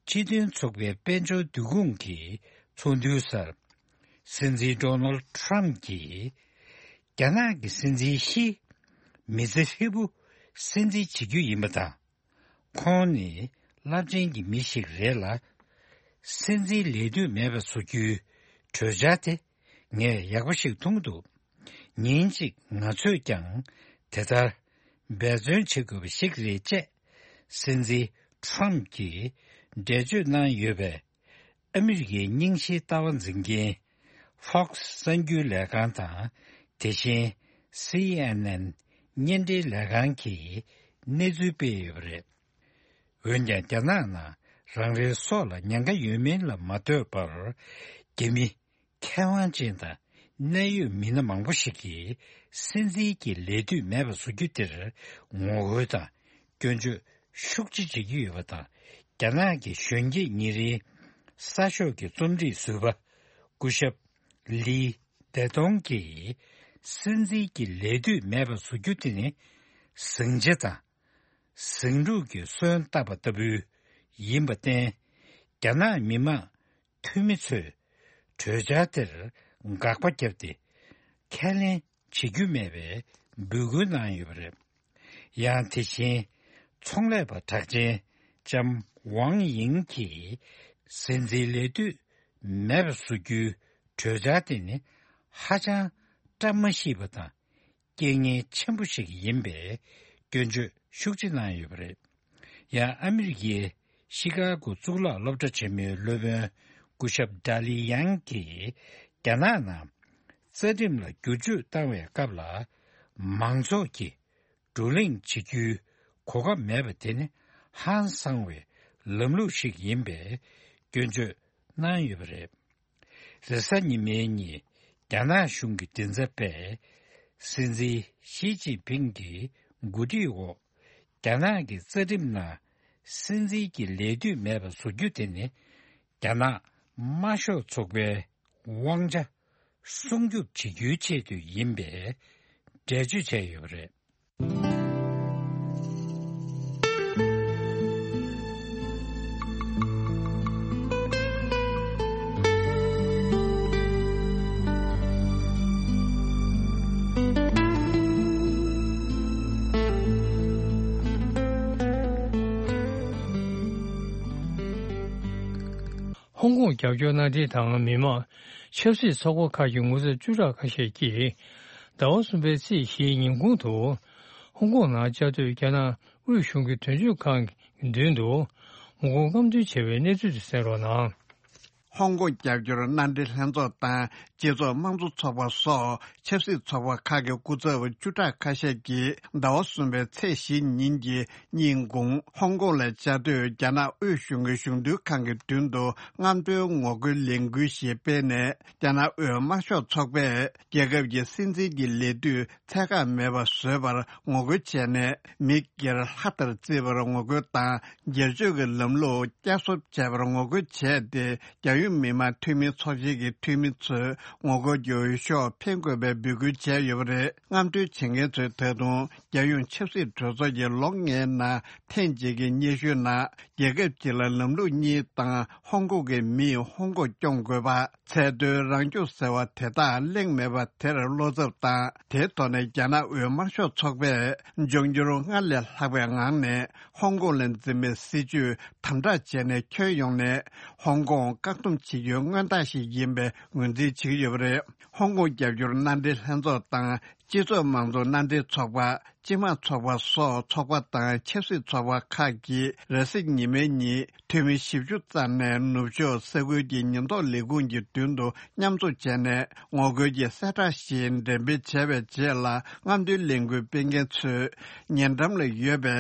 སྤྱི་མཐུན་ཚོགས་པའི་དཔལ་འབྱོར་འདུ་ཁང་གི་ཚོགས་འདུའི་སར། སྲིད་འཛིན་ཌོ་ནལ་ཊམ་གྱིས་རྒྱ་ནག་གི་སྲིད་འཛིན་ཞི་མི་ཚེ་ཧྲིལ་པོ་སྲིད་འཛིན་བྱེད་རྒྱུ་ཡིན་པ་དང་། ཁོང་ནི་རླབས་ཆེན་གྱི་མི་ཞིག་རེད་ལ། སྲིད་འཛིན་ལས་དུས་མེད་པ་བཟོ་རྒྱུའི་གྲོས་འཆར་དེ་ངས་ཡག་པོ་ཞིག་མཐོང་གི་འདུག་ཉིན་གཅིག་ང་ཚོས་ཀྱང་དེ་ལྟར་འབད་བརྩོན་བྱེད་དགོས་པ་ཞིག་རེད་ཅེས། སྲིད་འཛིན་ཊམ་གྱིས་འགྲེལ་བརྗོད་གནང་ཡོད་པས། ཨ་མི་རི་ཀའི་རྙིང་ཞིང་ལྟ་བ་འཛིན་མཁན་Fox་གསར་འགྱུར་ལས་ཁང་དང་། དེ་བཞིན་སི་ཨེན་ཨེན་བརྙན་འཕྲིན་ལས་ཁང་གིས་གནས་ཚུལ་སྤེལ་ཡོད་པ་རེད། འོན་ཀྱང་། རྒྱ་ནག་ནང་རང་རེའི་སྲོག་ལ་ཉེན་ཁ་ཡོད་མིན་ལ་མ་ལྟོས་པར། རྒྱ་མི་མཁས་དབང་ཅན་དང་གནད་ཡོད་མི་སྣ་མང་པོ་ཞིག་གིས་སྲིད་འཛིན་གྱི་ལས་དུས་མེད་པ་བཟོ་རྒྱུ་དེར་ངོ་རྒོལ་དང་སྐྱོན་བརྗོད་ཤུགས་ཆེ་བྱེད་ཀྱི་ཡོད་པ་དང་། རྒྱ་ནག་གི་གཞོན་སྐྱེས་ཉིན་རེའི་གསར་ཤོག་གི་རྩོམ་སྒྲིག་ཟུར་པ་སྐུ་ཞབས་ལི་ཏེ་ཏོང་གིས། སྲིད་འཛིན་གྱི་ལས་དུས་མེད་པ་བཟོ་རྒྱུ་དེ་ནི་ཟིང་ཆ་དང་ཟིང་འཁྲུག་གི་སོན་བཏབ་པ་ལྟ་བུ་ཡིན་པར་བརྟེན། རྒྱ་ནག་མི་དམངས་འཐུས་མི་ཚོས་གྲོས་འཆར་དེར་དགག་པ་བརྒྱབ་སྟེ། ཁས་ལེན་བྱེད་རྒྱུ་མེད་པའི་འབོད་སྐུལ་གནང་ཡོད་པ་རེད། ཡང་དེ་བཞིན་ཚོང་ལས་པ་གྲགས་ཅན་ལྕམ་ཝང་ཡིང་གིས། སྲིད་འཛིན་ལས་དུས་མེད་པ་བཟོ་རྒྱུའི་གྲོས་འཆར་དེ་ནི་ཧ་ཅང་བཀྲ་མ་ཤིས་པ་དང་། རྐྱེན་ངན་ཆེན་པོ་ཞིག་ཡིན་པའི་སྐྱོན་བརྗོད་ཤུགས་ཆེ་གནང་ཡོད་པ་རེད། ཡང་ཨ་མི་རི་ཀའི་ཤི་ཀ་གོ་གཙུག་ལག་སློབ་གྲྭ་ཆེན་མོའི་སློབ་དཔོན་སྐུ་ཞབས་ཌ་ལི་ཡང་གིས། རྒྱ་ནག་ནང་རྩ་ཁྲིམས་ལ་བསྒྱུར་བཅོས་བཏང་བའི་སྐབས་ལ། མང་ཚོགས་ཀྱིས་བགྲོ་གླེང་བྱེད་རྒྱུའི་གོ་སྐབས་མེད་པ་དེ་ནི་ཧང་སང་བའི་ལམ་ལུགས་ཤིག་ཡིན་པའི་སྐྱོན་བརྗོད་གནང་ཡོད་པ་རེད། རེས་གཟའ་ཉི་མའི་ཉིན། རྒྱ་ནག་གཞུང་གི་མགྲིན་ཚབ་པས། སྲིད་འཛིན་ཞི་ཅིན་ཕིང་གི་འགོ་ཁྲིད་འོག་རྒྱ་ནག་གི་རྩ་ཁྲིམས་ནང་སྲིད་འཛིན་གྱི་ལས་དུས་མེད་པ་བཟོ་རྒྱུ་དེ་ནི། རྒྱ་ནག་དམར་ཤོག་ཚོགས་པའི་དབང་ཆ་སྲུང་སྐྱོབ་བྱེད་རྒྱུའི་ཆེད་དུ་ཡིན་པའི་འགྲེལ་བརྗོད་བྱས་ཡོད་པ་རེད། ཧོང་ཀོང་རྒྱབ་སྐྱོར་གནང་མཁན་དང་མི་མང་ཆབ་སྲིད་ཚོགས་པ་ཁག་གི་ངོ་ཚབ་བཅུ་ཕྲག་ཁ་ཤས་ཀྱིས། ཟླ་བ་གསུམ་པའི་ཚེས་བཞིའི་ཉིན་གུང་དུ། ཧོང་ཀོང་ནང་བཅའ་སྡོད་རྒྱ་ནག་དབུས་གཞུང་གི་དོན་གཅོད་ཁང་གི་མདུན་དུ་ངོ་རྒོལ་རྔམ་སྟོན་བྱས་པའི་གནས་ཚུལ་དེ་གསན་རོགས་གནང་། ཧོང་ཀོང་རྒྱབ་སྐྱོར་མནའ་འབྲེལ་ལྷན་ཚོགས་དང་། སྤྱི་ཚོགས་དམངས་གཙོ་ཚོགས་པ་སོགས་ཆབ་སྲིད་ཚོགས་པ་ཁག་གི་སྐུ་ཚབ་བཅུ་ཕྲག་ཁ་ཤས་ཀྱིས་ཟླ་བ་གསུམ་པའི་ཚེས་བཞི་ཉིན་གྱི་ཉིན་གུང་ཧོང་ཀོང་ལ་བཅའ་སྡོད་རྒྱ་ནག་དབུས་གཞུང་གི་གཞུང་འདུལ་ཁང་གི་མདུན་དུ་རྔམ་སྟོན་ངོ་རྒོལ་ལས་འགུལ་ཞིག་སྤེལ་ནས། རྒྱ་ནག་དབུས་དམར་ཤོག་ཚོགས་པས་རྒྱལ་ཁབ་ཀྱི་སྲིད་འཛིན་གྱི་ལས་དུས་ཚད་བཀག་མེད་པ་བཟོས་པར་ངོ་རྒོལ་བྱས་ནས། མི་སྒེར་ལྷ་ལྟར་བརྩི་བར་ངོ་རྒོལ་དང་། སྒེར་གཅོད་ཀྱི་ལམ་ལུགས་བསྐྱར་གསོ་བྱས་པར་ངོ་རྒོལ་བྱས་ཏེ། རྒྱལ་ཡོངས་མི་དམངས་འཐུས་མི་ཚོགས་ཆེན་གྱི་འཐུས་མི་ཚོས་ངོ་རྒོལ་གྱི་འོས་ཤོག་འཕེན་དགོས་པའི་འབོད་སྐུལ་བྱས་ཡོད་པ་རེད། རྔམ་སྟོན་བྱེད་མཁན་ཚོས་ད་དུང་རྒྱལ་ཡོངས་ཆབ་སྲིད་གྲོས་ཚོགས་ཀྱི་ལོ་ལྔའི་ནང་ཐེངས་གཅིག་གི་སྙན་ཞུའི་ནང་། རྒྱལ་ཁབ་གཅིག་ལ་ལམ་ལུགས་གཉིས་དང་། ཧོང་ཀོང་གི་མིས་ཧོང་ཀོང་སྐྱོང་དགོས་པ། ཚད་མཐོའི་རང་སྐྱོང་ཟེར་བ་དེ་དག་གླེང་མེད་པ་དེར་བློ་འཚབ་དང་། དེའི་ཐོག་ནས་རྒྱ་ནག་དབུས་དམར་ཤོག་ཚོགས་པས་འབྱུང་འགྱུར་སྔར་ལས་ལྷག་པའི་ངང་ནས་ཧོང་ཀོང་ལ་འཛིན་པའི་སྲིད་བྱུས་དམ་དྲག་བྱས་ནས། ཁྱོན་ཡོངས་ནས་ཧོང་ཀོང་བཀག་སྡོམ་བྱེད་རྒྱུའི་མངོན་རྟགས་ཤིག་ཡིན་པའི་ངོས་འཛིན་བྱེད་ཀྱི་ཡོད་པ་རེད། ཧོང་ཀོང་རྒྱབ་སྐྱོར་མནའ་འབྲེལ་ལྷན་ཚོགས་དང་། སྤྱི་ཚོགས་དམངས་གཙོ་མནའ་འབྲེལ་ཚོགས་པ། སྤྱི་དམངས་ཚོགས་པ་སོགས་ཚོགས་པ་དང་ཆབ་སྲིད་ཚོགས་པ་ཁག་གིས་རེས་གཟའ་ཉི་མའི་ཉིན་འཐུས་མི་བཞི་བཅུ་ཙམ་ནས་ནུབ་ཕྱོགས་ས་ཁུལ་གྱི་ཉེན་རྟོག་ལས་ཁུངས་ཀྱི་མདུན་དུ་མཉམ་འཛོམས་བྱས་ནས། ངོ་རྒོལ་གྱི་གསལ་བསྒྲགས་ཤིག་འགྲེམས་སྤེལ་བྱས་པའི་རྗེས་ལ། རྔམ་སྟོན་ལས་འགུལ་སྤེལ་མཁན་ཚོས་ཉེ་འགྲམ་ལ་ཡོད་པའི་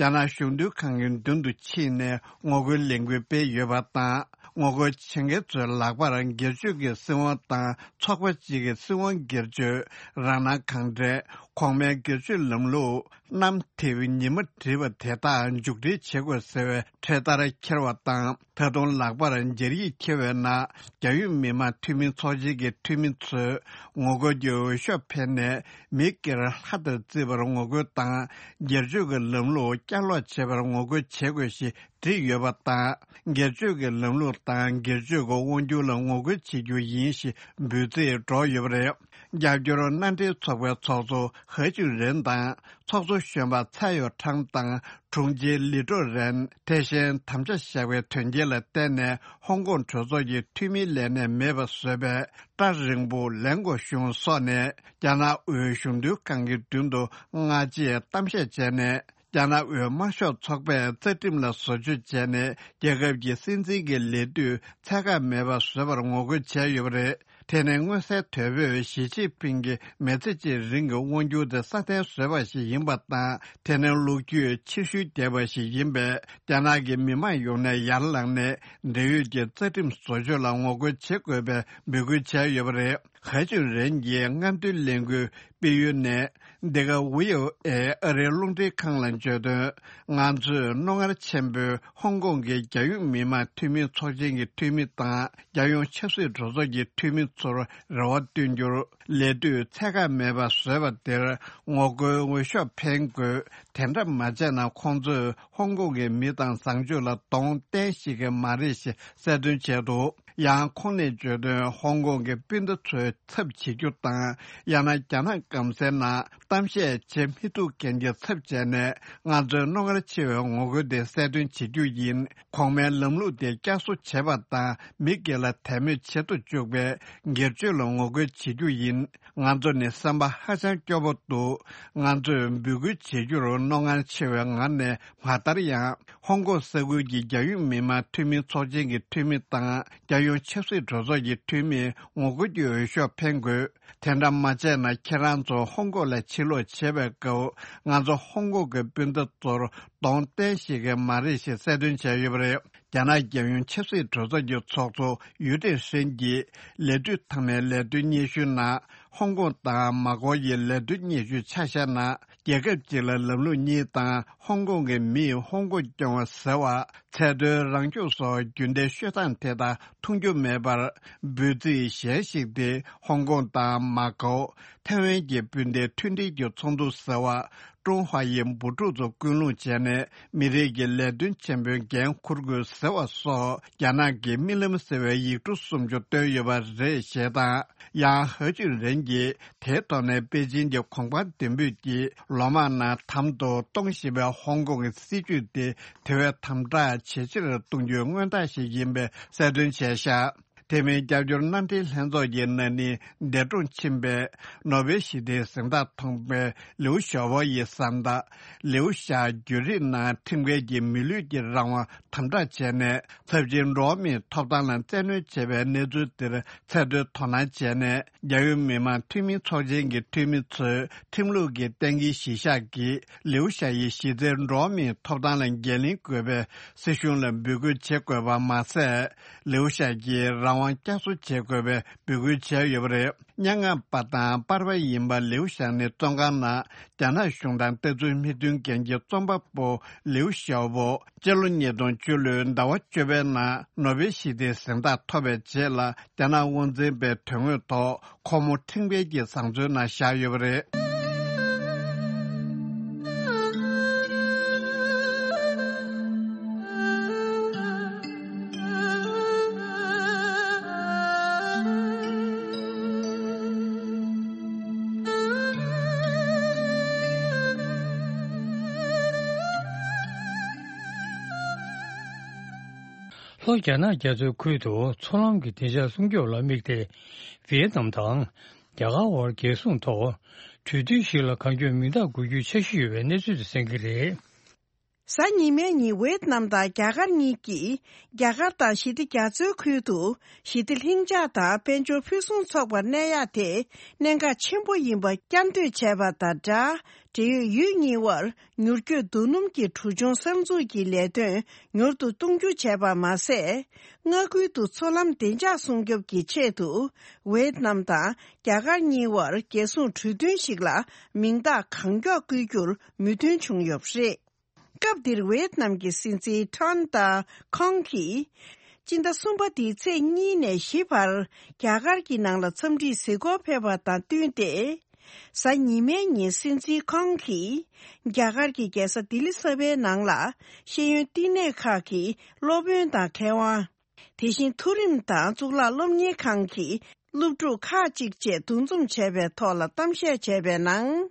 རྒྱ་ནག་གཞུང་འདུལ་ཁང་གི་མདུན་དུ་ཕྱིན་ནས་ངོ་རྒོལ་ལས་འགུལ་སྤེལ་ཡོད་པ་དང་། ངོ་རྒོལ་བྱེད་མཁན་ཚོའི་ལག་པར་སྒེར་གཅོད་ཀྱི་སྲིད་དབང་དང་། ཚོགས་པ་གཅིག་གི་སྲིད་དབང་སྒེར་གཅོད། རང་སྣང་གང་དྲན། གོང་མའི་སྒེར་གཅོད་ལམ་ལུགས། གནམ་འཐིབས་ཉི་མ་བྲིས་པ་དེ་དག་མཇུག་སྒྲིལ་བྱེད་དགོས་ཟེར་བའི་འཕྲེད་དར་འཁྱེར་བ་དང་། ད་དུང་ལག་པར་སྦྱར་ཡིག་འཁྱེར་བའི་ནང་། རྒྱལ་ཡོངས་མི་དམངས་འཐུས་མི་ཚོགས་ཆེན་གྱི་འཐུས་མི་ཚོས་ངོ་རྒོལ་གྱི་འོས་ཤོག་འཕེན་ནས། མི་སྒེར་ལྷ་ལྟར་བརྩི་བར་ངོ་རྒོལ་དང་། སྒེར་གཅོད་ཀྱི་ལམ་ལུགས་བསྐྱར་ལོག་བྱེད་པར་ངོ་རྒོལ་བྱེད་དགོས་ཞེས་བྲིས་ཡོད་པ་དང་། སྒེར་གཅོད་ཀྱི་ལམ་ལུགས་དང་སྒེར་གཅོད་ཀྱི་དབང་སྒྱུར་ལ་ངོ་རྒོལ་བྱེད་རྒྱུ་ཡིན་ཞེས་འབོད་ཚིག་སྒྲོག་ཡོད་པ་རེད། རྒྱབ་སྐྱོར་མནའ་འབྲེལ་ཚོགས་པའི་ཚོགས་གཙོ་ཧེ་ཅུན་རེན་དང་། ཚོགས་གཙོ་གཞོན་པ་ཚའེ་ཡོ་ཁྲང་དང་། དྲུང་ཆེ་ལི་ཀྲོ་རེན། དེ་བཞིན་དམ་བཅའ་བཞག་པའི་དོན་རྐྱེན་ལ་བརྟེན་ནས། ཧོང་ཀོང་གྲོས་ཚོགས་ཀྱི་འཐུས་མི་ལས་གནས་མེད་པ་བཟོས་པའི་ཀྲ་རིང་པོ་ལེང་གོ་ཞུང་སོགས་ནས། རྒྱ་ནག་དབུས་གཞུང་འདུལ་ཁང་གི་མདུན་དུ་སྔ་རྗེས་གཏམ་བཤད་བྱས་ནས། རྒྱ་ནག་དབུས་དམར་ཤོག་ཚོགས་པས་རྩ་ཁྲིམས་ལ་བཟོ་བཅོས་བྱས་ནས། རྒྱལ་ཁབ་ཀྱི་སྲིད་འཛིན་གྱི་ལས་དུས་ཚད་བཀག་མེད་པ་བཟོས་པར་ངོ་རྒོལ་བྱས་ཡོད་པ་རེད། དེ་ནི་མངོན་གསལ་དོད་པོས་ཞི་ཅིན་ཕིང་གིས་མི་ཚེ་གཅིག་རིང་གི་དབང་སྒྱུར་དེ་སྲ་བརྟན་བཟོས་པ་ཞིག་ཡིན་པ་དང་། དེ་ནི་ལོ་རྒྱུས་ཕྱིར་བཤུལ་བསྡད་པ་ཞིག་ཡིན་པས། རྒྱ་ནག་གི་མི་དམངས་ཡོངས་ནས་ཡར་ལངས་ནས། འབྲེལ་ཡོད་ཀྱི་རྩ་ཁྲིམས་བཟོ་བཅོས་ལ་ངོ་རྒོལ་བྱེད་དགོས་པའི་འབོད་སྐུལ་བྱས་ཡོད་པ་རེད། ཧ་ཅུན་རེན་གྱིས་རྔམ་སྟོན་ལས་འགུལ་སྤེལ་ཡུལ་ནས། འདི་ག་ཝི་ཨོ་ཨེ་ཨ་རིའི་རླུང་འཕྲིན་ཁང་ལ་བརྗོད་དོན། ང་ཚོས་རྣོ་ངར་ཆེན་པོས་ཧོང་ཀོང་གི་རྒྱལ་ཡོངས་མི་དམངས་འཐུས་མི་ཚོགས་ཆེན་གྱི་འཐུས་མི་དང་། རྒྱལ་ཡོངས་ཆབ་སྲིད་གྲོས་ཚོགས་ཀྱི་འཐུས་མི་ཚོར་རེ་བ་བཏོན་རྒྱུར། ལས་དུས་ཚད་བཀག་མེད་པ་བཟོས་པ་དེར་ངོ་རྒོལ་འོས་ཤོག་འཕེན་དགོས། དེ་འདྲ་མ་བྱས་ན། ཁོང་ཚོས་ཧོང་ཀོང་གི་མི་དང་བཟང་སྤྱོད་ལ་གདོང་བསྟན་ཤེས་ཀྱི་མ་རེད་ཞེས་གསལ་སྟོན་བྱས་འདུག་ཡང་ཁོང་ནས་བརྗོད་དོན། ཧོང་ཀོང་གི་སྤུན་ཟླ་ཚོའི་ཚབ་བྱེད་རྒྱུ་དང་། ཡང་ན་རྒྱ་ནག་སྐམ་སའི་ནང་གཏམ་བཤད་བྱེད་མི་ཐུབ་མཁན་གྱི་ཚབ་བྱས་ནས། ང་ཚོའི་རྣོ་ངར་ཆེ་བའི་ངོ་རྒོལ་དེ་གསལ་སྟོན་བྱེད་རྒྱུ་ཡིན། གོང་མའི་ལམ་ལུགས་དེ་བསྐྱར་གསོ་བྱེད་པ་དང་། མི་སྒེར་ལ་དད་མོས་བྱེད་དུ་བཅུག་པའི་སྒེར་གཅོད་ལ་ངོ་རྒོལ་བྱེད་རྒྱུ་ཡིན། ང་ཚོ་ནི་སེམས་པ་ཧ་ཅང་སྐྱོ་པོ་འདུག་ང་ཚོས་འབོད་སྐུལ་བྱེད་རྒྱུར་རྣོ་ངར་ཆེ་བའི་ངང་ནས་མ་བསྡད་ཡང་། ཧོང་ཀོང་ས་ཁུལ་གྱི་རྒྱལ་ཡོངས་མི་དམངས་འཐུས་མི་ཚོགས་ཆེན་གྱི་འཐུས་མི་དང་། རྒྱལ་ཡོངས་ཆབ་སྲིད་གྲོས་ཚོགས་ཀྱི་འཐུས་མིས་ངོ་རྒོལ་གྱི་འོས་ཤོག་འཕེན་དགོས། དེ་འདྲ་མ་བྱས་ན། ཁྱེད་རང་ཚོ་ཧོང་ཀོང་ལ་ཕྱིར་ལོག་བྱེད་པའི་སྐབས། ང་ཚོ་ཧོང་ཀོང་གི་སྤུན་ཟླ་ཚོར་གདོང་བསྟན་ཤེས་ཀྱི་མ་རེད་ཞེས་གསལ་སྟོན་བྱས་ཡོད་པ་རེད། རྒྱ་ནག་རྒྱལ་ཡོངས་ཆབ་སྲིད་གྲོས་ཚོགས་ཀྱི་ཚོགས་གཙོ་ཡུས་ཀྲེང་ཧྲེང་གིས་ལས་དུས་མཐའ་མའི་ལས་དོན་སྙན་ཞུའི་ནང་། ཧོང་ཀོང་དང་མ་ཀའོ་ཡི་ལས་དོན་སྙན་ཞུ་ཆ་བཞག་ན། རྒྱལ་ཁབ་གཅིག་ལ་ལམ་ལུགས་གཉིས་དང་། ཧོང་ཀོང་གི་མིས་ཧོང་ཀོང་སྐྱོང་བ་ཟེར་བ། ཚད་མཐོའི་རང་སྐྱོང་སོགས་རྒྱུན་ལྡན་ཤོད་སྟངས་དེ་དག་མཐོང་རྒྱུ་མེད་པར། འབོད་ཚིག་གཞན་ཞིག་སྟེ། ཧོང་ཀོང་དང་མ་ཀའོ། ཐའེ་ཝན་གྱི་སྤུན་ཟླའི་མཐུན་སྒྲིལ་གྱི་ཚོགས་འདུ་ཟེར་བ། ཀྲུང་ཧྭ་ཡི་འབུ་ཕྲུག་ཚོ་ཀུན་སློང་བྱས་ནས། མི་རིགས་ཀྱི་ལས་དོན་ཆེན་པོའི་འགན་འཁུར་དགོས་ཟེར་བ་སོགས། རྒྱ་ནག་གི་རྨི་ལམ་ཟེར་བའི་ཡིག་འབྲུ་སུམ་ཅུ་བཏོན་ཡོད་པ་རེད་ཞེས་དང་། ཡང་ཧ་ཅུན་རེན་གྱིས་དེའི་ཐོག་ནས་པེ་ཅིན་གྱི་གོང་འཕེལ་མདུན་སྤོས་ཀྱིས་ལོ་མང་ནང་དམ་དུ་གཏོང་བཞིན་པའི་ཧོང་ཀོང་གི་སྲིད་བྱུས་དེ་དེ་བས་དམ་དྲག་ཇེ་ཆེར་གཏོང་རྒྱུའི་མངོན་རྟགས་ཤིག་ཡིན་པའི་གསལ་སྟོན་བྱས་བཞག་དེ་མིན་རྒྱབ་སྐྱོར་མནའ་འབྲེལ་ལྷན་ཚོགས་ཀྱི་ན་ནིང་འདས་གྲོངས་ཕྱིན་པའི་ནོ་བེལ་ཞི་བདེའི་གཟེངས་རྟགས་ཐོབ་པའི་ལིའུ་ཞའོ་པོ་ཡི་བཟའ་ཟླ་ལིའུ་ཞའོ་བོ་བརྒྱུད་རིམ་ནང་ཁྲིམས་འགལ་གྱི་མི་ལུས་ཀྱི་རང་དབང་དམ་དྲག་བྱས་ནས། ཚབས་ཆེན་འགྲོ་བ་མིའི་ཐོབ་ཐང་ལ་བཙན་གནོན་བྱས་པའི་གནས་ཚུལ་དེར་ཚད་མཐོའི་དོ་སྣང་བྱས་ནས། རྒྱལ་ཡོངས་མི་དམངས་འཐུས་མི་ཚོགས་ཆེན་གྱི་འཐུས་མི་ཚོས་ཁྲིམས་ལུགས་ཀྱི་གཏན་འཁེལ་གཞི་བཞག་གིས་ལིའུ་ཞའོ་ཡི་གཞི་རྩའི་འགྲོ་བ་མིའི་ཐོབ་ཐང་ལ་འགན་ལེན་དགོས་པའི་སྲིད་གཞུང་ལ་འབོད་སྐུལ་བྱེད་དགོས་པ་མ་ཟད། ལིའུ་ཞའོ་གྱི་རང་དབང་བསྐྱར་གསོ་བྱེད་དགོས་པའི་འབོད་སྐུལ་བྱས་ཡོད་པ་རེད། སྙན་ངག་པ་དང་པར་པ་ཡིན་པ་ལིའུ་ཞའོ་ནི་བཙོན་ཁང་ནང་རྒྱ་ནག་གཞུང་དང་ལྟ་ཚུལ་མི་མཐུན་མཁན་གྱི་རྩོམ་པ་པོ་ལིའུ་ཞའོ་པོ་སྤྱི་ལོ་ཉིས་སྟོང་བཅུ་ལོའི་ཟླ་བ་བཅུ་པའི་ནང་ནོ་བེལ་ཞི་བདེའི་གཟེངས་རྟགས་ཐོབ་པའི་རྗེས་ལ། རྒྱ་ནག་དབང་འཛིན་པའི་དོན་དངོས་ཐོག་ཁོ་མོ་ཁྲིམས་འགལ་གྱི་བཟང་སྤྱོད་ནང་བཞག་ཡོད་པ་རེད། ལྷོ་རྒྱ་ནག་རྒྱ་མཚོའི་ཁུལ་དུ་མཚོ་ལམ་གྱི་བདེ་འཇགས་སྲུང་སྐྱོབ་ལ་དམིགས་ཏེ། ཝི་ཡེ་ནམ་དང་རྒྱ་གར་དབར་རྒྱལ་སྲུང་ཐོག་གྲོས་མཐུན་ཞིག་ལ་གང་མགྱོགས་མིང་རྟགས་འགོད་རྒྱུའི་འཆར་གཞི་ཡོད་པའི་གནས་ཚུལ་དེ་གསན་གྱི་རེད། གཟའ་ཉི་མའི་ཉིན་ཝེ་ཏི་ནམ་དང་རྒྱ་གར་གཉིས་ཀྱིས་རྒྱ་གར་དང་ཞི་བདེ་རྒྱ་མཚོའི་ཁུལ་དུ་ཞི་བདེ་ལྷིང་འཇགས་དང་དཔལ་འབྱོར་ཕུན་སུམ་ཚོགས་པར་གནས་ཡག་དེ་གནད་འགག་ཆེན་པོ་ཡིན་པ་བསྐྱར་ཟློས་བྱས་པ་དང་སྦྲགས། འབྲེལ་ཡོད་ཡུལ་གཉིས་དབར་མྱུར་སྐྱོད་རྡོ་སྣུམ་གྱི་གྲུ་ཆུང་གསར་འཛུགས་ཀྱི་ལས་དོན་མྱུར་དུ་གཏོང་རྒྱུ་བྱས་པ་མ་ཟད། མངའ་ཁུལ་དུ་མཚོ་ལམ་བདེ་འཇགས་སྲུང་སྐྱོབ་ཀྱི་ཆེད་དུ་ཝེ་ཏི་ནམ་དང་རྒྱ་གར་གཉིས་དབར་རྒྱལ་སྲུང་གྲོས་མཐུན་ཞིག་ལ་མིང་རྟགས་གང་མགྱོགས་བཀོད་རྒྱུར་མོས་མཐུན་བྱུང་ཡོད་པ་རེད། སྐབས་འདིར་ཝེ་ཏི་ནམ་གྱི་སྲིད་འཛིན་ཁྲོན་ཏཱ་ཁོང་གིས། སྤྱི་ཟླ་གསུམ་པ་འདིའི་ཚེས་གཉིས་ནས་བཞི་བར་རྒྱ་གར་གྱི་ནང་ལ་འཚམས་འདྲིའི་གཟིགས་སྐོར་ཕེབས་པ་དང་བསྟུན་ཏེ། གཟའ་ཉི་མའི་ཉིན་སྲིད་འཛིན་ཁོང་གིས་རྒྱ་གར་གྱི་རྒྱལ་ས་ལྡི་ལི་གསར་པའི་ནང་ལ་ཤེས་ཡོན་བསྟི་གནས་ཁག་གི་སློབ་དཔོན་དང་མཁས་དབང་། དེ་བཞིན་མཐོ་རིམ་དང་གཙུག་ལག་སློབ་གཉེར་ཁང་གི་སློབ་ཕྲུག་ཁག་ཅིག་བཅས་འདུ་འཛོམས་བྱས་པའི་ཐོག་ལ་གཏམ་བཤད་བྱས་པའི་ནང་།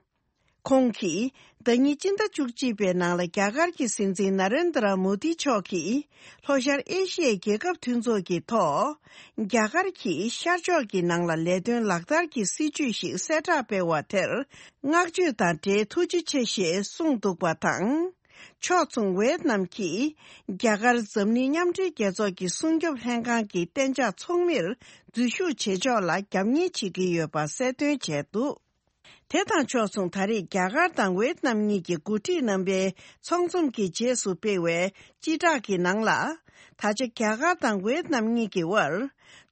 ཁོང་གིས་ཟླ་ཉིན་སྤྱི་ཟླ་བཅུ་གཅིག་པའི་ནང་ལ་རྒྱ་གར་གྱི་སྲིད་འཛིན་ན་རེན་དྲ་མོ་དི་མཆོག་གིས་ལྷོ་ཤར་ཨེ་ཤི་ཡའི་རྒྱལ་ཁབ་མཐུན་ཚོགས་ཀྱི་ཐོག་རྒྱ་གར་གྱིས་ཤར་ཕྱོགས་ཀྱི་ནང་ལ་ལས་དོན་ལག་བསྟར་གྱི་སྲིད་ཇུས་ཤིག་གསལ་བསྒྲགས་སྤེལ་བ་དེར་བསྔགས་བརྗོད་དང་འབྲེལ་ཐུགས་རྗེ་ཆེ་ཞེས་གསུངས་འདུག་པ་དང་། ཕྱོགས་མཚུངས་ཝེ་ཏི་ནམ་གྱིས་རྒྱ་གར་འཛམ་གླིང་མཉམ་འབྲེལ་རྒྱལ་ཚོགས་ཀྱི་སྲུང་སྐྱོབ་ལྷན་ཁང་གི་གཏན་འཇགས་ཚོགས་མིར་འཛུལ་ཞུགས་བྱེད་ཕྱོགས་ལ་རྒྱབ་གཉེར་བྱེད་ཀྱི་ཡོད་པ་གསལ་སྟོན་བྱས་འདུག་དེ་དང་ཕྱོགས་མཚུངས་ད་རེས་རྒྱ་གར་དང་ཝེ་ཏི་ནམ་གཉིས་ཀྱི་འགོ་ཁྲིད་རྣམ་པའི་ཚོགས་འཛོམས་ཀྱི་རྗེས་སུ་སྤེལ་བའི་སྤྱི་བསྒྲགས་ཀྱི་ནང་ལ། ད་ཆ་རྒྱ་གར་དང་ཝེ་ཏི་ནམ་གཉིས་ཀྱི་དབར་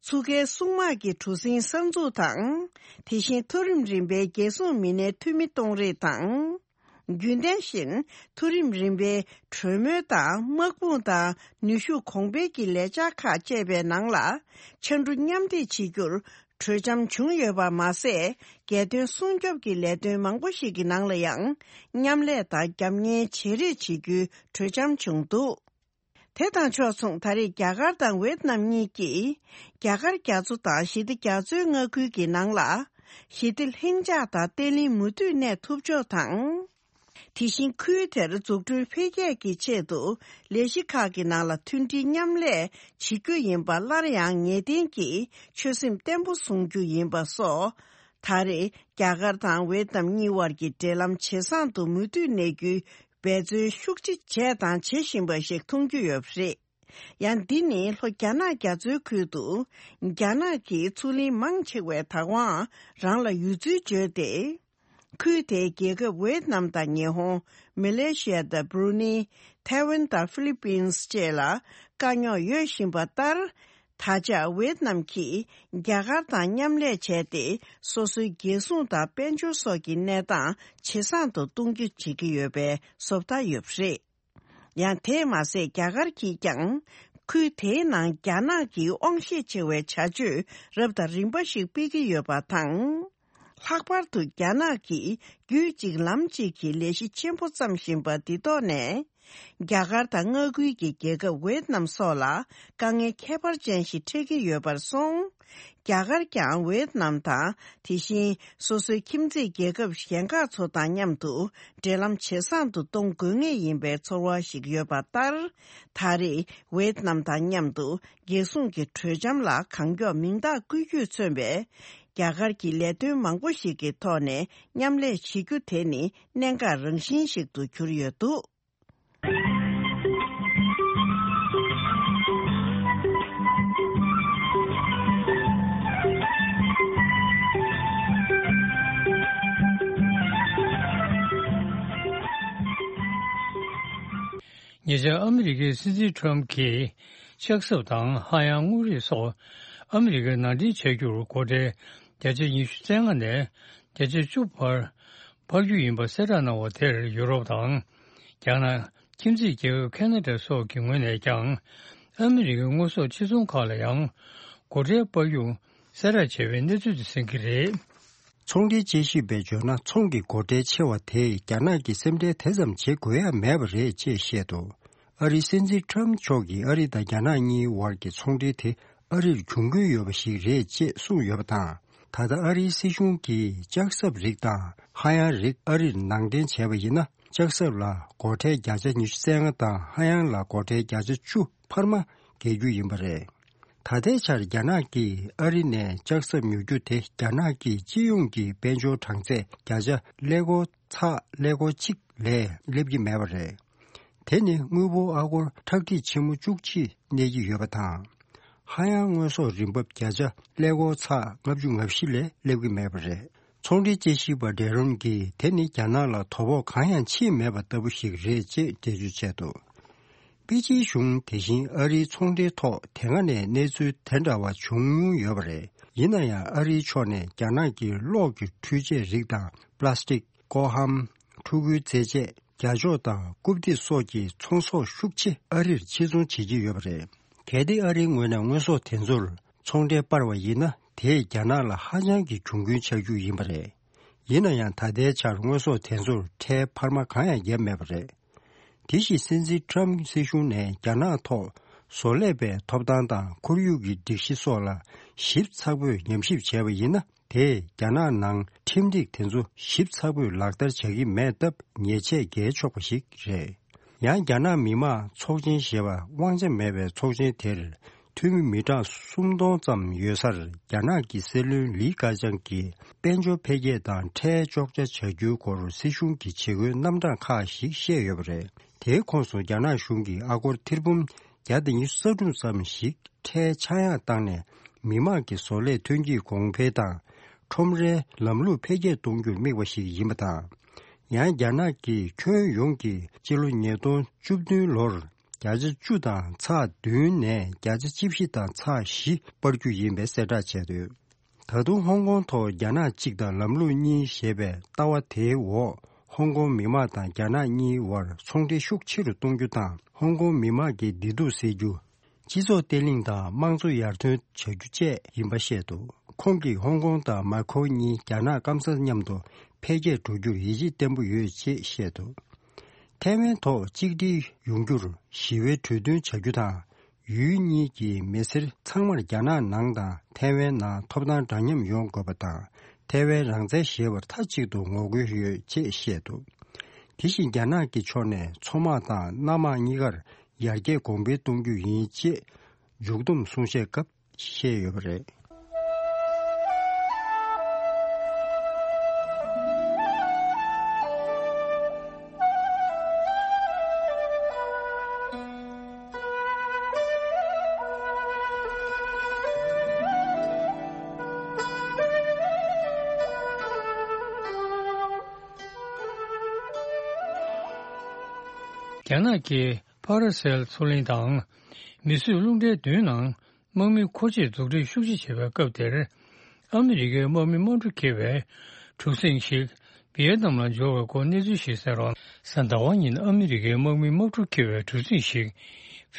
ཚུགས་ཁའི་སྲུང་དམག་གི་གྲུ་གཟིངས་གསར་འཛུགས་དང་། དེ་བཞིན་མཐོ་རིམ་རིམ་པའི་རྒྱལ་སྲུང་མི་སྣའི་འཐུས་མི་གཏོང་རེས་དང་། རྒྱུན་ལྡན་བཞིན་མཐོ་རིམ་རིམ་པའི་གྲོས་མོལ་དང་དམག་དཔུང་དང་ནུས་ཤུགས་གོང་འཕེལ་གྱི་ལས་འཆར་ཁག་བཅས་པའི་ནང་ལ་ཕྱར་གྲུ་མཉམ་འདེགས་བྱེད་རྒྱུར་གྲོས་འཆམ་བྱུང་ཡོད་པ་མ་ཟད། རྒྱལ་དོན་སྲུང་སྐྱོབ་ཀྱི་ལས་དོན་མང་པོ་ཞིག་གི་ནང་ལ་ཡང་མཉམ་ལས་དང་རྒྱབ་གཉེར་བྱེད་རེས་བྱེད་རྒྱུའི་གྲོས་འཆམ་བྱུང་འདུག་དེ་དང་ཕྱོགས་མཚུངས་ད་རེས་རྒྱ་གར་དང་ཝེ་ཏི་ནམ་གཉིས་ཀྱིས་རྒྱ་གར་རྒྱ་མཚོ་དང་ཞི་བདེ་རྒྱ་མཚོའི་མངའ་ཁུལ་གྱི་ནང་ལ་ཞི་བདེ་ལྷིང་འཇགས་དང་བརྟན་ལྷིང་མུ་མཐུད་གནས་ཐུབ་ཕྱོགས་དང་། དེ་བཞིན་ཁུལ་དེར་འཛུགས་སྐྲུན་འཕེལ་རྒྱས་ཀྱི་ཆེད་དུ་ལས་གཞི་ཁག་གི་ནང་ལ་མཐུན་སྒྲིལ་མཉམ་ལས་བྱེད་རྒྱུ་ཡིན་པ་སླར་ཡང་ངེས་གཏན་གྱིས་ཆོད་སེམས་བརྟན་པོ་བཟུང་རྒྱུ་ཡིན་པ་སོགས། ད་རེས་རྒྱ་གར་དང་ཝེ་ཏི་ནམ་གཉིས་དབར་གྱི་འབྲེལ་ལམ་ཇེ་བཟང་དུ་མུ་མཐུད་གནས་རྒྱུའི་འབད་བརྩོན་ཤུགས་ཆེ་བྱས་དང་བྱེད་བཞིན་པ་ཞིག་མཐོང་རྒྱུ་ཡོད་པ་རེད། ཡང་འདི་ནི་ལྷོ་རྒྱ་ནག་རྒྱ་མཚོའི་ཁུལ་དུ་རྒྱ་ནག་གིས་མཚོ་གླིང་མང་ཆེ་བའི་བདག་དབང་རང་ལ་ཡོད་ཚུལ་བརྗོད་དེ། ཁུལ་དེའི་རྒྱལ་ཁབ་ཝེ་ཏི་ནམ་དང་ཉི་ཧོང་། མ་ལེ་ཤི་ཡ་དང་བྷུ་རུ་ནི། ཐའེ་ཝན་དང་ཧྥི་ལི་པིན་སི་བཅས་ལ་དཀའ་རྙོག་ཡོད་བཞིན་པ་ལྟར། ད་ཆ་ཝེ་ཏི་ནམ་གྱིས་རྒྱ་གར་དང་མཉམ་ལས་བྱས་ཏེ། སོ་སོའི་རྒྱལ་སྲུང་དང་དཔལ་འབྱོར་སོགས་ཀྱི་གནས་སྟངས་ཇེ་བཟང་དུ་གཏོང་རྒྱུ་བྱེད་ཀྱི་ཡོད་པའི་བཟོ་ལྟ་ཡོད་པ་རེད། ཡང་དེས་མ་ཟད། རྒྱ་གར་གྱིས་ཀྱང་ཁུལ་དེའི་ནང་རྒྱ་ནག་གི་དབང་ཤེད་ཆེ་བའི་བྱ་སྤྱོད་རབ་དང་རིམ་པ་ཞིག་སྤེལ་གྱི་ཡོད་པ་དང་། ལྷག་པར་དུ་རྒྱ་ནག་གིས་རྒྱུད་གཅིག་ལམ་གཅིག་གི་ལས་གཞི་ཆེན་པོ་བརྩམས་བཞིན་པ་འདི་ཐོག་ནས། རྒྱ་གར་དང་མངའ་ཁུལ་གྱི་རྒྱལ་ཁབ་ཝེ་ཏི་ནམ་སོགས་ལ་དཀའ་ངལ་ཁྱད་པར་ཅན་ཞིག་འཕྲད་ཀྱི་ཡོད་པར་སོང་། རྒྱ་གར་ཀྱང་ཝེད་ནམ་དང་དེ་བཞིན་སོ་སོའི་ཁྱིམ་མཚེས་རྒྱལ་ཁབ་གཞན་ཁག་ཚོ་དང་མཉམ་དུ་འབྲེལ་ལམ་ཇེ་བཟང་དུ་གཏོང་དགོས་ངེས་ཡིན་པའི་ཚོར་བ་ཞིག་ཡོད་པ་ལྟར། ད་རེས་ཝེད་ནམ་དང་མཉམ་དུ་རྒྱལ་སྲུང་གི་གྲོས་འཆམ་ལ་གང་མགྱོགས་མིང་རྟགས་བཀོད་རྒྱུས་མཚོན་པའི་རྒྱ་གར་གྱི་ལས་དོན་མང་པོ་ཞིག་གི་ཐོག་ནས་མཉམ་ལས་བྱེད་རྒྱུ་དེ་ནི་གནད་འགག་རང་བཞིན་ཞིག་ཏུ་གྱུར་ཡོད་འདུག། ཉེ་ཆར་ཨ་མི་རི་ཀའི་སྲིད་འཛིན་ཊམ་གྱིས་ལྕགས་ཟམ་དང་ཧ་ཡང་དངོས་རིགས་སོགས་ཨ་མི་རི་ཀར་ནང་འདྲེན་བྱ་རྒྱུར་སྒོ་ཁྲལ་བརྒྱ་ཆ་ཉི་ཤུ་རྩ་ལྔ་ནས་བརྒྱ་ཆ་བཅུ་བར་འཕར་རྒྱུ་ཡིན་པ་གསལ་བསྒྲགས་གནང་བ་དེར་ཡུ་རོབ་དང་། རྒྱ་ནག་ཁྱིམ་མཚེས་རྒྱལ་ཁབ་ཁེ་ན་ཌ་སོགས་ཀྱི་ངོས་ནས་ཀྱང་ཨ་མི་རི་ཀའི་དངོས་ཟོག་ཕྱིར་ཚོང་ཁག་ལ་ཡང་སྒོ་ཁྲལ་སྤར་རྒྱུ་གསལ་བསྒྲགས་བྱས་པའི་གནས་ཚུལ་དེ་གསན་གྱི་རེད། ཚོང་འབྲེལ་དཔྱད་ཞིབ་པས་བརྗོད་ན། ཚོང་གི་སྒོ་ཁྲལ་ཆེ་བ་དེས་རྒྱ་ནག་གི་སེམས་ཁྲལ་དེ་ཙམ་བྱེད་དགོས་ཡ་མེད་པ་རེད་ཅེས་བཤད་འདུག། ཨ་རིའི་སྲིད་འཛིན་ཊམ་མཆོག་གིས་ཨ་རི་དང་རྒྱ་ནག་གཉིས་བར་གྱི་ཚོང་འབྲེལ་དེ་ཨ་རིར་གྱོང་གུན་ཡོད་པ་ཞིག་རེད་ཅེས་གསུངས་ཡོད་པ་དང་། ད་ལྟ་ཨ་རིའི་སྲིད་གཞུང་གིས་ལྕགས་ཟམ་རིགས་དང་ཧ་ཡང་རིགས་ཨ་རིར་ནང་འདྲེན་བྱས་པ་ཡིན་ན། ལྕགས་ཟམ་ལ་སྒོ་ཁྲལ་བརྒྱ་ཆ་ཉི་ཤུ་རྩ་ལྔ་དང་ཧ་ཡང་ལ་སྒོ་ཁྲལ་བརྒྱ་ཆ་བཅུ་འཕར་མ་འགེལ་རྒྱུ་ཡིན་པ་རེད། ད་ལྟའི་ཆར་རྒྱ་ནག་གིས་ཨ་རི་ནས་ལྕགས་ཟམ་ཉོ་རྒྱུ་དེ་རྒྱ་ནག་གི་སྤྱི་ཡོངས་ཀྱི་དཔལ་འབྱོར་གྲངས་ཚད་བརྒྱ་ཆ་ཀླད་ཀོར་ཚེག་ཀླད་ཀོར་གཅིག་ལས་སླེབས་ཀྱི་མེད་པ་རེད། དེ་ནི་དངུལ་ཕོགས་ཨ་སྒོར་ཁྲག་ཁྲིག་ཆེན་མོ་བཅུ་གཅིག་གནས་ཀྱི་ཡོད་པ་དང་། ཧ་ཡང་དངོས་ཟོག་རིན་འབབ་བརྒྱ་ཆ་ཀླད་ཀོར་ཚེག་ལྔ་བཅུ་ང་བཞི་ལས་སླེབས་ཀྱི་མེད་པ་རེད། ཚོང་འབྲེལ་དཔྱད་ཞིབ་པ་ཌེ་རོན་གྱིས་དེ་ནི་རྒྱ་ནག་ལ་དོ་ཕོག་གང་ཡང་ཕྱིན་མེད་པ་ལྟ་བུ་ཞིག་རེད་ཅེས་འགྲེལ་བརྗོད་བྱས་འདུག། པེ་ཅིན་གཞུང་དེ་བཞིན་ཨ་རིའི་ཚོང་འབྲེལ་ཐོག་དེ་སྔ་ནས་གནས་ཚུལ་དེ་འདྲ་བ་བྱུང་མྱོང་ཡོད་པ་རེད། ཡིན་ན་ཡང་ཨ་རིའི་ཕྱོགས་ནས་རྒྱ་ནག་གི་གློག་གི་འཕྲུལ་ཆས་རིགས་དང་། པ་ལ་སི་ཊིག་ཀོ་ཧམ། ཕྲུ་གུའི་རྩེད་ཆས། རྒྱ་ལྕོག་དང་རྐུབ་སྟེགས་སོགས་ཀྱི་ཚོང་ཟོག་ཤུགས་ཆེ་ཨ་རིར་ཕྱིར་ཚོང་བྱེད་ཀྱི་ཡོད་པ་རེད། གལ་ཏེ་ཨ་རིའི་ངོས་ནས་དངོས་ཟོག་དེ་ཚོར་ཚོང་ཁྲལ་སྤར་བ་ཡིན་ན། དེས་རྒྱ་ནག་ལ་ཧ་ཅང་གི་གྱོང་གུན་ཆགས་རྒྱུ་ཡིན་པ་རེད། ཡིན་ན་ཡང་། ད་ལྟའི་ཆར་དངོས་ཟོག་དེ་ཚོར་ཁྲལ་འཕར་མ་གང་ཡང་བརྒྱབ་མེད་པ་རེད། དེ་བཞིན་སྲིད་འཛིན་ཊམ་སྲིད་གཞུང་ནས་རྒྱ་ནག་ཐོག་བཟོ་ལས་པའི་ཐོབ་ཐང་དང་ཁོར་ཡུག་གི་སྒྲིག་གཞི་སོགས་ལ་ཞིབ་ཚགས་པོས་ཉམས་ཞིབ་བྱས་པ་ཡིན་ན། དེས་རྒྱ་ནག་ནང་ཁྲིམས་སྒྲིག་དེ་ཚོ་ཞིབ་ཚགས་པོས་ལག་བསྟར་བྱ་གི་མེད་སྟབས། ཉེས་ཆད་འགེལ་ཆོག་པ་ཞིག་རེད། ཡང་རྒྱ་ནག་མི་དམངས་ཚོགས་ཆེན་ཞེས་པ་དབང་ཆ་མེད་པའི་ཚོགས་ཆེན་དེར་འཐུས་མི་མི་གྲངས་སུམ་སྟོང་ཙམ་ཡོད་སར། རྒྱ་ནག་གི་སྲིད་བློན་ལི་ཁེ་ཆང་གིས་དཔལ་འབྱོར་འཕེལ་རྒྱས་དང་ཁྲལ་གཅོག་ཆ་བྱ་རྒྱུའི་སྐོར་སྲིད་གཞུང་གི་བྱེད་སྒོའི་རྣམ་གྲངས་ཁག་ཞིག་བཤད་ཡོད་པ་རེད། དེའི་ཁོངས་སུ་རྒྱ་ནག་གཞུང་གིས་ཨ་སྒོར་ཐེར་འབུམ་བརྒྱ་དང་ཉི་ཤུ་རྩ་དྲུག་ཙམ་ཞིག་ཁྲལ་ཆག་ཡང་བཏང་ནས། མི་དམངས་ཀྱི་བཟོ་ལས་ཐོན་སྐྱེད་གོང་འཕེལ་དང་ཁྲོམ་རའི་ལམ་ལུགས་འཕེལ་རྒྱས་གཏོང་རྒྱུར་དམིགས་པ་ཞིག་ཡིན་པ་དང་། ཡང་རྒྱ་ནག་གིས་ཁྱོན་ཡོངས་ཀྱི་སྤྱི་ལོ་ཉིས་སྟོང་བཅུ་བདུན་ལོར་བརྒྱ་ཆ་བཅུ་དང་ཚེག་བདུན་ནས་བརྒྱ་ཆ་བཅུ་བཞི་དང་ཚེག་བཞི་སྤར་རྒྱུ་ཡིན་པའི་གསལ་བསྒྲགས་བྱས་འདུག། ད་དུང་ཧོང་ཀོང་ཐོག་རྒྱ་ནག་གཅིག་དང་ལམ་ལུགས་གཉིས་ཞེས་པའི་ལྟ་བ་དེའི་འོག་ཧོང་ཀོང་མི་དམངས་དང་རྒྱ་ནག་གཉིས་དབར་ཚོང་འབྲེལ་ཤུགས་ཆེ་རུ་གཏོང་རྒྱུ་དང་། ཧོང་ཀོང་མི་དམངས་ཀྱི་བདེ་སྡུག་སེལ་རྒྱུ། སྤྱི་ཚོགས་བརྟན་ལྷིང་དང་དམངས་གཙོ་ཡར་ཐོན་བྱ་རྒྱུ་བཅས་ཡིན་པ་བཤད་འདུག། ཁོང་གིས་ཧོང་ཀོང་དང་མཱ་ཁོའུ་གཉིས་རྒྱ་ནག་སྐམ་སར་མཉམ་དུ་འཕེལ་རྒྱས་འགྲོ་རྒྱུར་ཡིད་ཆེས་བརྟན་པོ་ཡོད་ཅེས་བཤད་འདུག། ཐའེ་ཝན་ཐོག་གཅིག་སྒྲིལ་ཡོང་རྒྱུར་ཞི་བའི་གྲོས་མཐུན་བྱ་རྒྱུ་དང་། ཡུལ་གཉིས་ཀྱི་མི་སེར་ཚང་མར་རྒྱ་ནག་ནང་དང་ཐའེ་ཝན་ནང་ཐོབ་ཐང་འདྲ་མཉམ་ཡོང་དགོས་པ་དང་། ཐའེ་ཝན་རང་བཙན་ཞེས་པར་མཐའ་གཅིག་ཏུ་ངོ་རྒོལ་ཡོད་ཅེས་བཤད་འདུག། དེ་བཞིན་རྒྱ་ནག་གི་ཕྱོགས་ནས་མཚོ་དམག་དང་གནམ་དམག་གཉིས་ཀར་ཡར་རྒྱས་གོང་འཕེལ་གཏོང་རྒྱུ་ཡིན་ཅེས་མཇུག་བསྡོམས་གསུང་བཤད་སྐབས་བཤད་ཡོད་པ་རེད། རྒྱ་ནག་གི་ཕ་ར་སེལ་མཚོ་གླིང་དང་། མི་གསོད་རླུང་རྟའི་མདུན་ནང་དམག་མི་མཁོ་ཆས་འཛུགས་སྐྲུན་ཤུགས་ཆེ་བྱེད་པའི་སྐབས་དེར། ཨ་མི་རི་ཀའི་དམག་མི་དམག་གྲུ་འཁྱེར་བའི་གྲུ་གཟིངས་ཤིག་ཝི་ཡེ་ནམ་ལ་འབྱོར་བའི་སྐོར་གནས་ཚུལ་ཞིག་གསན་རོགས། གཟའ་ཟླ་བ་ཉིན་ཨ་མི་རི་ཀའི་དམག་མི་དམག་གྲུ་འཁྱེར་བའི་གྲུ་གཟིངས་ཤིག་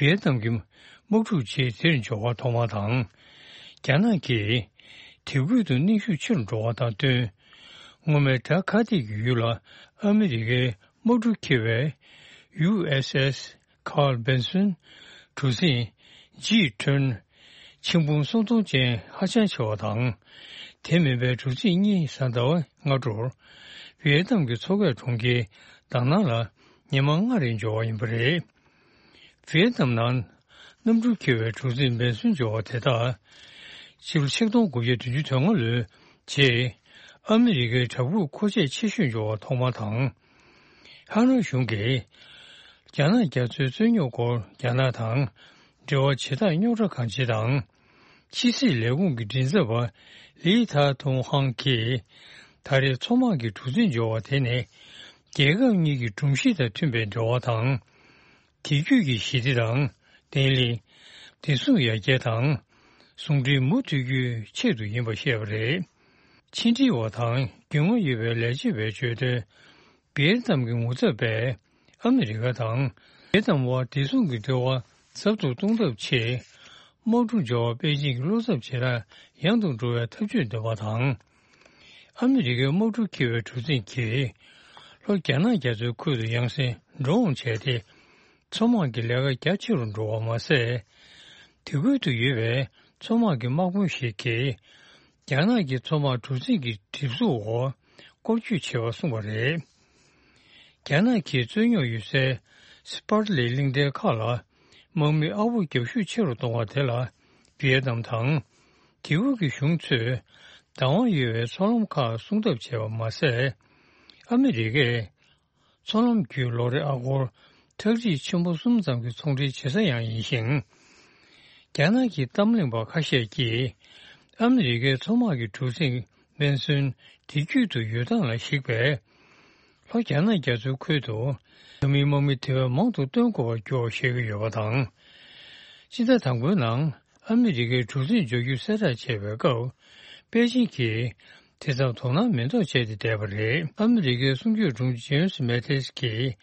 ཝི་ཡེ་ནམ་གྱི་དམག་འཁྲུག་རྗེས་དེར་འབྱོར་བ་ཐོག་མ་དང་། རྒྱ་ནག་གིས་དེ་ཁུལ་དུ་གནོན་ཤུགས་ཆེ་རུ་འགྲོ་བ་དང་བསྟུན། སྔོན་མའི་བྲག་ཁ་སྡེ་གི་ཡུལ་ལ་ཨ་མི་རི་ཀའི་དམག་གྲུ་འཁྱེར་བའི་ཡུ་ཨེས་ཨེས་Carl Vinson གྲུ་གཟིངས་ཇི་ཊོན་ ཆིག་འབུམ་སུམ་སྟོང་ཅན་ཧ་ཅང་ཆེ་བ་དང་། དེ་མིན་པའི་གྲུ་གཟིངས་གཉིས་གཟའ་ཟླ་བ་སྔ་དྲོར་ཝི་ཡེ་ནམ་གྱི་མཚོ་ཁའི་གྲོང་ཁྱེར་དཱ་ནང་ལ་ཉི་མ་ལྔ་རིང་འབྱོར་བ་ཡིན་པ་རེད། ཝི་ཡེ་ནམ་ནང་གནམ་གྲུ་འཁྱེར་བའི་གྲུ་གཟིངས་འབེན་སོན་འབྱོར་བ་དེ་དག་ཕྱི་ལོ་ཆིག་སྟོང་དགུ་བརྒྱ་བདུན་ཅུ་དོན་ལྔ་ལོའི་རྗེས་ཨ་མི་རི་ཀའི་བྲག་ཕུག་མཁོ་ཆས་ཆེ་ཤོས་འབྱོར་བ་ཐོག་མ་དང་། ཧ་ནོ་གཞུང་གིས་རྒྱ་ནག་རྒྱ་མཚོའི་རྩོད་རྙོག་སྐོར་རྒྱ་ནག་དང་འབྲེལ་བ་བྱེད་སྟངས་རྙོག་དྲ་གང་ཆེ་དང་། ཕྱི་སྲིད་ལས་ཁུངས་ཀྱི་མགྲིན་ཚབ་པ་ལི་ཐ་ཐུང་ཧང་གིས་ད་རེས་མཚོ་དམག་གི་གྲུ་གཟིངས་འབྱོར་བ་དེ་ནི་རྒྱལ་ཁབ་གཉིས་ཀྱི་སྒྲོམ་གཞི་དང་མཐུན་པའི་འབྲེལ་བ་དང་། དེང་དུས་ཀྱི་ཞི་བདེ་དང་བརྟན་ལྷིང་། བདེ་སྲུང་ཡར་རྒྱས་དང་ཟུང་འབྲེལ་མུ་མཐུད་རྒྱུའི་ཆེད་དུ་ཡིན་པ་བཤད་པ་རེད། ཕྱི་འབྲེལ་བ་དང་རྒྱུས་མངའ་ཡོད་པའི་ལས་བྱེད་པས་བརྗོད་དོན། ཝི་ཡེ་ནམ་གྱི་ངོ་ཚབ་པས་ཨ་མི་རི་ཀ་དང་ཝི་ཡེ་ནམ་དབར་བདེ་སྲུང་གི་འབྲེལ་བ་ཟབ་ཏུ་གཏོང་ཐབས་ཆེད་དམག་གྲུ་འབྱོར་བ་པེ་ཅིང་གི་བློ་འཚབ་ཇེ་ལེགས་ཡང་དུ་འགྲོ་བའི་ཐབས་ཇུས་འདོན་པ་དང་། ཨ་མི་རི་ཀའི་དམག་གྲུ་འཁྱེར་བའི་གྲུ་གཟིངས་ཀྱིས་ལྷོ་རྒྱ་ནག་རྒྱ་མཚོའི་ཁུལ་དུ་ཡང་སེ་འགྲོ་འོང་བྱས་ཏེ། མཚོ་དམག་གི་ལས་ཀ་རྒྱ་ཆེ་རུ་འགྲོ་བ་མ་ཟད། དེ་ཁུལ་དུ་ཡོད་པའི་མཚོ་དམག་གི་དམག་དཔོན་ཞིག་གིས་རྒྱ་ནག་གི་མཚོ་དམག་གྲུ་གཟིངས་ཀྱི་གྲིབ་གཟུགས་འོག་སྐོར་སྐྱོད་བྱས་པ་གསུངས་པ་རེད། རྒྱ་ནག་གིས་རྩོད་རྙོག་ཡོད་སའི་སི་པར་ལི་གླིང་ཕྲན་ཁག་ལ་དམག་མི་ཨ་ཕོ་རྒྱག་ཤུགས་ཆེ་རུ་གཏོང་བ་དེ་ལ་ཝི་ཡེ་ནམ་དང་དེ་ཁུལ་གྱི་གཞུང་ཚོས་བདག་དབང་ཡོད་པའི་མཚོ་ལམ་ཁག་སྲུང་ཐབས་བྱས་པ་མ་ཟད། ཨ་མི་རི་ཀས་མཚོ་ལམ་བརྒྱུད་ལོ་རེ་ཨ་སྒོར་ཁྲག་ཁྲིག་ཆེན་པོ་གསུམ་ཙམ་གྱི་ཚོང་འབྲེལ་བྱེད་ས་ཡང་ཡིན་ཞིང་། རྒྱ་ནག་གི་གཏམ་གླེང་པ་ཁ་ཤས་ཀྱིས་ཨ་མི་རི་ཀའི་མཚོ་དམག་གི་གྲུ་གཟིངས་སྨན་སོན་དེ་རྒྱུད་དུ་ཡོད་སྟངས་ལ་གཞིགས་པས། ལྷོ་རྒྱ་ནག་རྒྱ་མཚོའི་ཁུལ་དུ་འཛམ་གླིང་དམག་མི་དེ་བས་མང་དུ་སྟོན་དགོས་པར་འགྱུར་བ་བཤད་ཀྱི་ཡོད་པ་དང་། སྤྱི་ཟླ་དང་པོའི་ནང་ཨ་མི་རི་ཀའི་གྲུ་གཟིངས་འབྱོར་རྒྱུ་གསལ་བསྒྲགས་བྱས་པའི་སྐབས། པེ་ཅིང་གིས་དེ་ཙམ་དོ་སྣང་མེད་མདོག་བྱས་ཏེ་བསྡད་པ་རེད། ཨ་མི་རི་ཀའི་གསུང་སྐྱོང་དྲུང་ཆེ་ཇེམ་སི་མེ་ཏིས་ཀྱིས་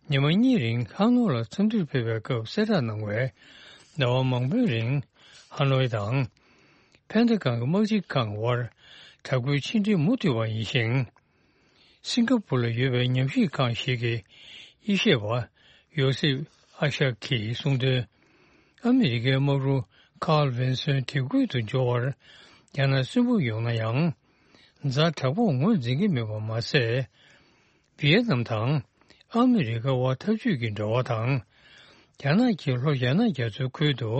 ཉི་མ་གཉིས་རིང་ཧ་ནོ་ལ་འཚམས་འདྲིར་ཕེབས་པའི་སྐབས་གསལ་བསྒྲགས་གནང་བས། ཟླ་བ་མང་པོའི་རིང་ཧ་ནོའི་དང་། ཕན་ཐེ་ཁང་གི་དམག་སྤྱི་ཁང་དབར་དྲག་པོའི་ཕྱི་འབྲེལ་མུ་མཐུད་པ་ཡིན་ཞིང་། སིང་ག་པུར་ལ་ཡོད་པའི་ཉམས་ཞིབ་ཁང་ཞིག་གི་དབྱེ་ཞེས་པ་ཡོ་སེབ་ཨ་ཤག་གིས་གསུངས་དོན། ཨ་མི་རི་ཀའི་དམག་གྲུ་ཁཱརལ་ཝིན་སོན་དེ་ཁུལ་དུ་འབྱོར་བར་རྒྱ་ནག་སུན་པོ་ཡོང་ན་ཡང་། ཛ་དྲག་པོར་ངོས་འཛིན་གྱི་མེད་པ་མ་ཟད། ཝི་ཡེ་ནམ་དང་ཨ་མི་རི་ཀ་དབར་འཐབ་ཇུས་ཀྱི་འབྲེལ་བ་དང་། རྒྱ་ནག་གིས་ལྷོ་རྒྱ་ནག་རྒྱ་མཚོའི་ཁུལ་དུ་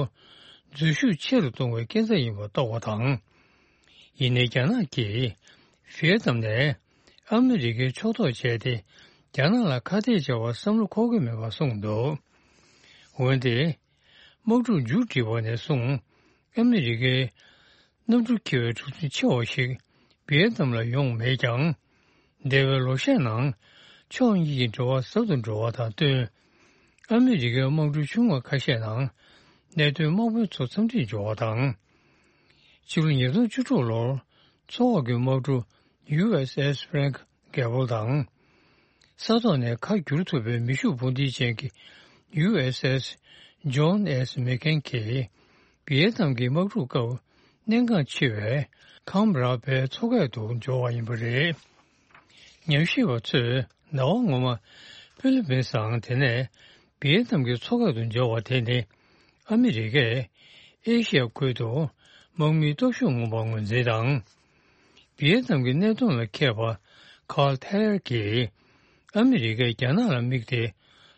འཛུལ་ཞུགས་ཆེ་རུ་གཏོང་བའི་སྐྱེ་འཚར་ཡིན་པ་རྟོགས་པ་དང་། ཡིན་ནའི་རྒྱ་ནག་གིས་ཝི་ཡེ་ནམ་ནས་ཨ་མི་རི་ཀའི་ཕྱོགས་གཏོགས་བྱས་ཏེ། རྒྱ་ནག་ལ་ཁ་གཏད་བཅག་པར་བསམ་བློ་འཁོར་གྱི་མེད་པར་གསུངས་འདུག་འོན་ཏེ། དམག་འཁྲུག་མཇུག་སྒྲིལ་བ་ནས་བཟུང་ཨ་མི་རི་ཀའི་གནམ་གྲུ་འཁྱེར་བའི་གྲུ་གཟིངས་ཆེ་བ་ཞིག་ཝི་ཡེ་ནམ་ལ་ཡོང་མེད་ཀྱང་། འདས་པའི་ལོ་ཤས་ནང་ཕྱོགས་གཉིས་ཀྱི་འབྲེལ་བ་ཟབ་ཏུ་འགྲོ་བ་དང་བསྟུན། ཨ་མི་རི་ཀའི་དམག་གྲུ་ཆུང་བ་ཁ་ཤས་ནང་གནད་དོན་དམག་དཔོན་ཚོ་འཚམས་འདྲིར་འབྱོར་བ་དང་། ཕྱི་ལོ་ཉིས་སྟོང་བཅུ་དྲུག་ལོར་མཚོ་འོག་གི་དམག་གྲུ་ཡུ་ཨེས་ཨེས་Frank Gable དང་། ས་ཐོག་ནས་ཁ་བསྒྱུར་ཐུབ་པའི་མེ་ཤུགས་འཕུར་མདེལ་ཅན་གྱི་ཡུ་ཨེས་ཨེས་John S. McCain གྱིས་ཝི་ཡེ་ནམ་གྱི་དམག་འཁྲུག་སྐབས་གནད་འགག་ཆེ་བའི་ཁམ་ར་པའི་མཚོ་ཁ་དུ་འབྱོར་བ་ཡིན་པ་རེད། ཉམས་ཞིབ་པ་ཚོས་ཟླ་བ་སྔོན་མ་ཧྥི་ལི་པིན་སི་དང་དེ་ནས་ཝི་ཡེ་ནམ་གྱི་མཚོ་ཁ་དུ་འབྱོར་བ་དེ་ནི་ཨ་མི་རི་ཀས་ཨེ་ཤི་ཡ་ཁུལ་དུ་དམག་མིའི་སྟོབས་ཤུགས་མངོན་པར་ངོས་འཛིན་དང་། ཝི་ཡེ་ནམ་གྱི་གནད་དོན་ལ་མཁས་པ་ཁཱརལ་ཐེ་ལེར་གྱིས་ཨ་མི་རི་ཀས་རྒྱ་ནག་ལ་དམིགས་ཏེ་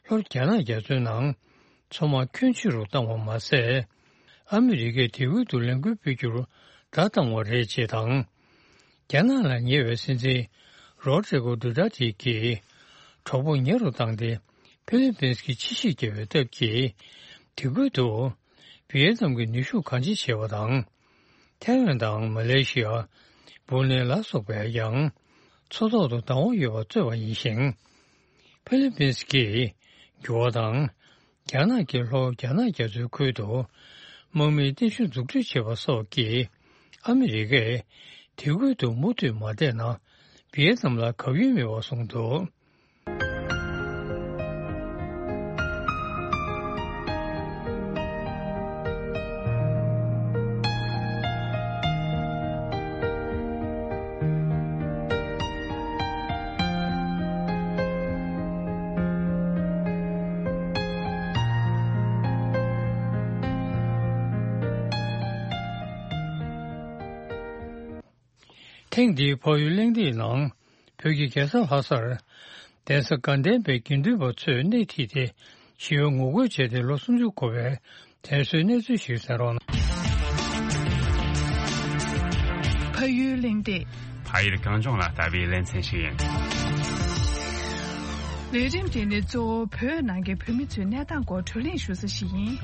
ལྷོ་རྒྱ་ནག་རྒྱ་མཚོའི་ནང་མཚོ་དམག་ཁྱོན་ཆེ་རུ་བཏང་བ་མ་ཟད། ཨ་མི་རི་ཀས་དེ་ཁུལ་དུ་ལས་འགུལ་སྤེལ་རྒྱུར་བརྡ་བཏང་བ་རེད་ཅེས་དང་། རྒྱ་ནག་ལ་ཉེ་བའི་སྲིད་འཛིན་རོ་ཌི་རི་གོ་ཌུ་ཏར་ཏེ་གྱིས་གྲོགས་པོ་ཉེ་རུ་བཏང་སྟེ་ཧྥི་ལི་པིན་སི་གི་ཕྱི་བཤིག་བརྒྱབ་པའི་སྟབས་ཀྱིས་དེ་ཁུལ་དུ་ཝི་ཡེ་ནམ་གྱི་ནུས་ཤུགས་གང་ཆེ་བྱས་པ་དང་། ཐའེ་ཝན་དང་མ་ལེ་ཤི་ཡ། སྦུ་ནེ་ལ་སོགས་པས་ཡང་མཚོ་ཐོག་ཏུ་བདག་དབང་ཡོད་པ་རྩོད་པ་ཡིན་ཞིང་། ཧྥི་ལི་པིན་སི་གིས་འགྱུར་བ་དང་། རྒྱ་ནག་གིས་ལྷོ་རྒྱ་ནག་རྒྱ་མཚོའི་ཁུལ་དུ་དམག་མིའི་རྟེན་གཞི་འཛུགས་སྐྲུན་བྱས་པ་སོགས་ཀྱིས་ཨ་མི་རི་ཀས་དེ་ཁུལ་དུ་མུ་མཐུད་མ་བསྡད་ན་ཝི་ཡེ་ནམ་ལ་གབ་ཡུལ་མེད་པར་བཟུང་འདུག་ཐེངས་འདིའི་ཕ་ཡུལ་གླེང་སྟེགས་ནང་། བོད་ཀྱི་རྒྱལ་ས་ལྷ་སར། གདན་ས་དགའ་ལྡན་པའི་དགེ་འདུན་པ་ཚོས་སྣེ་ཁྲིད་དེ། ཞི་བའི་ངོ་རྒོལ་བྱས་ཏེ་ལོ་སུམ་ཅུ་འཁོར་བའི་དྲན་གསོའི་གནས་ཚུལ་ཞིག་གསན་རོགས་གནང་། ཕ་ཡུལ་གླེང་སྟེགས། ཕ་ཡུལ་གངས་ལྗོངས་ལ་ལྟ་བའི་ལེ་ཚན་ཞིག་ཡིན། ལས་རིམ་འདི་ནི་གཙོ་བོ་བོད་ནང་གི་བོད་མི་ཚོའི་གནས་སྟངས་སྐོར་བགྲོ་གླེང་ཞུ་ས་ཞིག་ཡིན།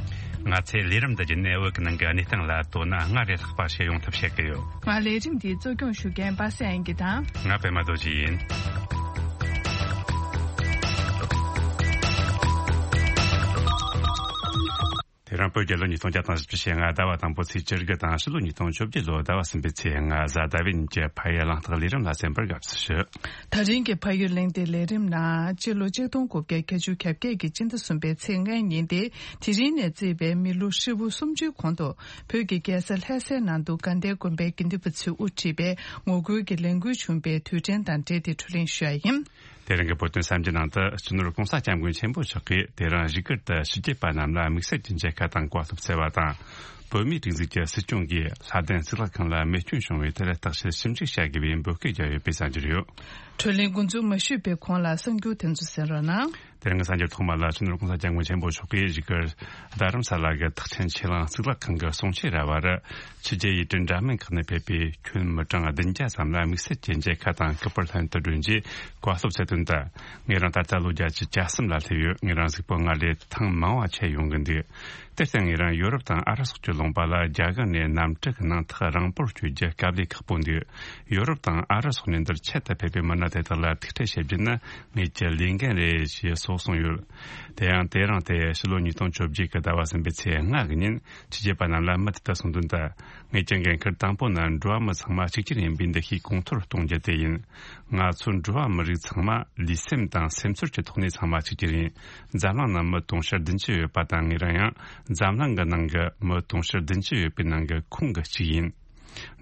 ང་ཚོས་ལས་རིམ་འདི་བརྒྱུད་ནས་བོད་ཀྱི་ནང་གི་གནས་སྟངས་ལ་དོ་སྣང་སྔར་ལས་ལྷག་པ་ཞིག་ཡོང་ཐབས་བྱེད་ཀྱི་ཡོད། ང་ལས་རིམ་འདིའི་གཙོ་སྐྱོང་ཞུ་མཁན་པ་སངས་དབྱངས་སྐྱིད་དང་། ང་པད་མ་རྡོ་རྗེ་ཡིན། དེ་རིང་བོད་རྒྱལ་ལོ་ཉིས་སྟོང་བརྒྱ་དང་བཞི་བཅུ་ཞེ་ལྔ་ཟླ་བ་དང་པོ་ཚེས་བཅུ་དགུ་དང་ཕྱི་ལོ་ཉིས་སྟོང་བཅོ་བརྒྱད་ལོ་ཟླ་བ་གསུམ་པའི་ཚེས་ལྔ་གཟའ་ཟླ་བའི་ཉིན་གྱི་ཕ་ཡུལ་གླེང་སྟེགས་ལས་རིམ་ལ་གསན་པར་དགའ་བསུ་ཞུ། ད་རིང་གི་ཕ་ཡུལ་གླེང་སྟེགས་ལས་རིམ་ནང་སྤྱི་ལོ་ཆིག་སྟོང་དགུ་བརྒྱ་བརྒྱད་ཅུ་གྱ་བརྒྱད་ཀྱི་སྤྱི་ཟླ་གསུམ་པའི་ཚེས་ལྔའི་ཉིན་ཏེ། དེ་རིང་ནས་བརྩིས་པའི་མི་ལོ་ཧྲིལ་པོ་སུམ་ཅུའི་གོང་དུ་བོད་ཀྱི་རྒྱལ་ས་ལྷ་སའི་ནང་དུ་དགའ་ལྡན་དགོན་པའི་དགེ་འདུན་པ་ཚོས་དབུ་ཁྲིད་པའི་ངོ་རྒོལ་གྱི་ལས་འགུལ་བྱུང་པའི་དུས་དྲན་དང་འབྲེལ་ཏེ་བགྲོ་གླེང་ཞུ་ཡ་ཡིན། དེ་རིང་གི་བོད་དོན་གསར་འགྱུར་ནང་དུ་སྤྱི་ནོར་༸གོང་ས་༸སྐྱབས་མགོན་ཆེན་པོ་མཆོག་གིས་དེ་རིང་བཞུགས་སྒར་དུ་ཕྱི་རྒྱལ་པ་རྣམས་ལ་དམིགས་བསལ་གྱི་མཇལ་ཁ་དང་བཀའ་སློབ་སྩལ་བ་དང་། བོད་མིའི་སྒྲིག་འཛུགས་ཀྱི་སྲིད་སྐྱོང་གིས་ལྷ་ལྡན་གཙུག་ལག་ཁང་ལ་རྨས་སྐྱོན་བྱུང་བའི་དེ་ལ་བརྟག་དཔྱད་ཞིབ་འཇུག་བྱ་དགོས་པའི་འབོད་སྐུལ་བརྒྱབ་ཡོད་པའི་གསར་འགྱུར་ཡོད། བགྲོ་གླེང་འགོ་འཛུགས་མ་ཞུས་པའི་གོང་ལ་གསར་འགྱུར་དེ་ཚོ་གསན་རོགས་གནང་། དེ་རིང་གི་གསར་འགྱུར་ཐོག་མ་ལ་སྤྱི་ནོར་༸གོང་ས་༸སྐྱབས་མགོན་ཆེན་པོ་མཆོག་གིས་བཞུགས་སྒར་རྡ་རམ་ས་ལ་གི་ཐེག་ཆེན་ཆོས་གླིང་གཙུག་ལག་ཁང་གི་གསུང་ཆོས་ར་བར། ཕྱི་རྒྱལ་ཡུལ་གྲུ་འདྲ་མིན་ཁག་ནས་ཕེབས་པའི་ཁྱོན་མི་གྲངས་བདུན་བརྒྱ་ཙམ་ལ་དམིགས་བསལ་གྱི་མཇལ་ཁ་དང་སྐུ་པར་ལྷན་དུ་བསྒྲོན་རྗེས་བཀའ་སློབ་སྩལ་དོན་ལྟར། ངེད་རང་ད་ལྟ་ལོ་བརྒྱད་ཅུ་གྱ་གསུམ་ལ་སླེབས་ཡོད། ངེད་རང་གཟུགས་པོ་སྔར་ལས་ཐང་མང་བ་ཆགས་ཡོང་གི་འདུག་དེར་བརྟེན་ངེད་རང་ཡོ་རོབ་དང་ཨ་རི་སོགས་ཀྱི་ལུང་པ་ལ་རྒྱ་གར་ནས་གནམ་གྲུ་གི་ནང་ཐག་རིང་པོར་བསྐྱོད་རྒྱུ་དཀའ་ལས་ཁག་པོ་འདུག་ཡོ་རོབ་དང་ཨ་རི་སོགས་ནས་འདིར་ཆེད་དུ་ཕེབས་པའི་མི་སྣ་དེ་དག་ལ་ཐུག་འཕྲད་བྱེད་རྒྱུ་ནི་ངེད་ཀྱི་ལས་འགན་རེད་ཞེས་སོགས་གསུངས་ཡོད། དེ་ཡང་དེ་རིང་སྟེ་ཕྱི་ལོ་ཉིས་སྟོང་བཅོ་བརྒྱད་ཀྱི་ཟླ་བ་གསུམ་པའི་ཚེས་ལྔ་གི་ཉིན་ཕྱི་རྒྱལ་པ་རྣམས་ལ་མི་དེ་ལྟར་གསུངས་དོན་ལྟར། ངེད་ཀྱི་འགན་ཁུར་དང་པོ་ནི་འགྲོ་བ་མི་ཚང་མ་གཅིག་གྱུར་ཡིན་པའི་འདུ་ཤེས་གོང་མཐོར་གཏོང་རྒྱུ་དེ་ཡིན། ང་ཚོ་འགྲོ་བ་མི་རིགས་ཚང་མ་ལུས་སེམས་དང་སེམས་ཚོར་གྱི་ཐོག་ནས་ཚང་མ་གཅིག་གྱུར་ཡིན། འཛམ་གླིང་ནང་མི་དུང་ཕྱུར་བདུན་ཅུ་ཡོད་པ་དང་ངེད་རང་ཡང་འཛམ་གླིང་གི་ནང་གི་མི་དུང་ཕྱུར་བདུན་ཅུ་ཡོད་པའི་ནང་གི་ཁོངས་ཀྱི་གཅིག་ཡིན།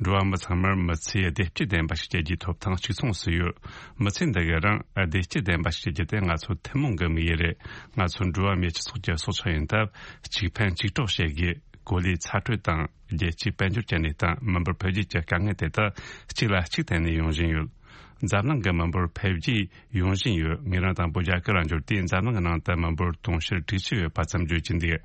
འགྲོ་བ་མི་ཚང་མར་མི་ཚེའི་བདེ་སྐྱིད་ལྡན་པ་ཞིག་སྐྱེལ་རྒྱུའི་ཐོབ་ཐང་གཅིག་མཚུངས་སུ་ཡོད། མི་ཚེ་འདི་གའི་རིང་བདེ་སྐྱིད་ལྡན་པ་ཞིག་སྐྱེལ་རྒྱུ་དེ་ང་ཚོ་ཐུན་མོང་གི་དམིགས་ཡུལ་རེད། ང་ཚོ་འགྲོ་བ་མིའི་སྤྱི་ཚོགས་ཀྱི་སྲོག་ཆགས་ཡིན་སྟབས་གཅིག་ཕན་གཅིག་གྲོགས་བྱེད་དགོས། གོ་ལའི་ཚ་དྲོད་དང་རྒྱལ་སྤྱིའི་དཔལ་འབྱོར་གྱི་གནས་སྟངས། མི་འབོར་འཕེལ་རྒྱས་ཀྱི་དཀའ་ངལ་དེ་དག་གཅིག་ལ་གཅིག་བརྟེན་ནས་ཡོང་བཞིན་ཡོད། འཛམ་གླིང་གི་མི་འབོར་འཕེལ་རྒྱས་ཡོང་བཞིན་ཡོད། ངེད་རང་དང་པོ་རྒྱ་གར་ལ་འབྱོར་དུས་འཛམ་གླིང་གི་ནང་དུ་མི་འབོར་དུང་ཕྱུར་དྲུག་ཅུ་ཡོད་པ་ཙམ་བརྗོད་ཀྱི་འདུག་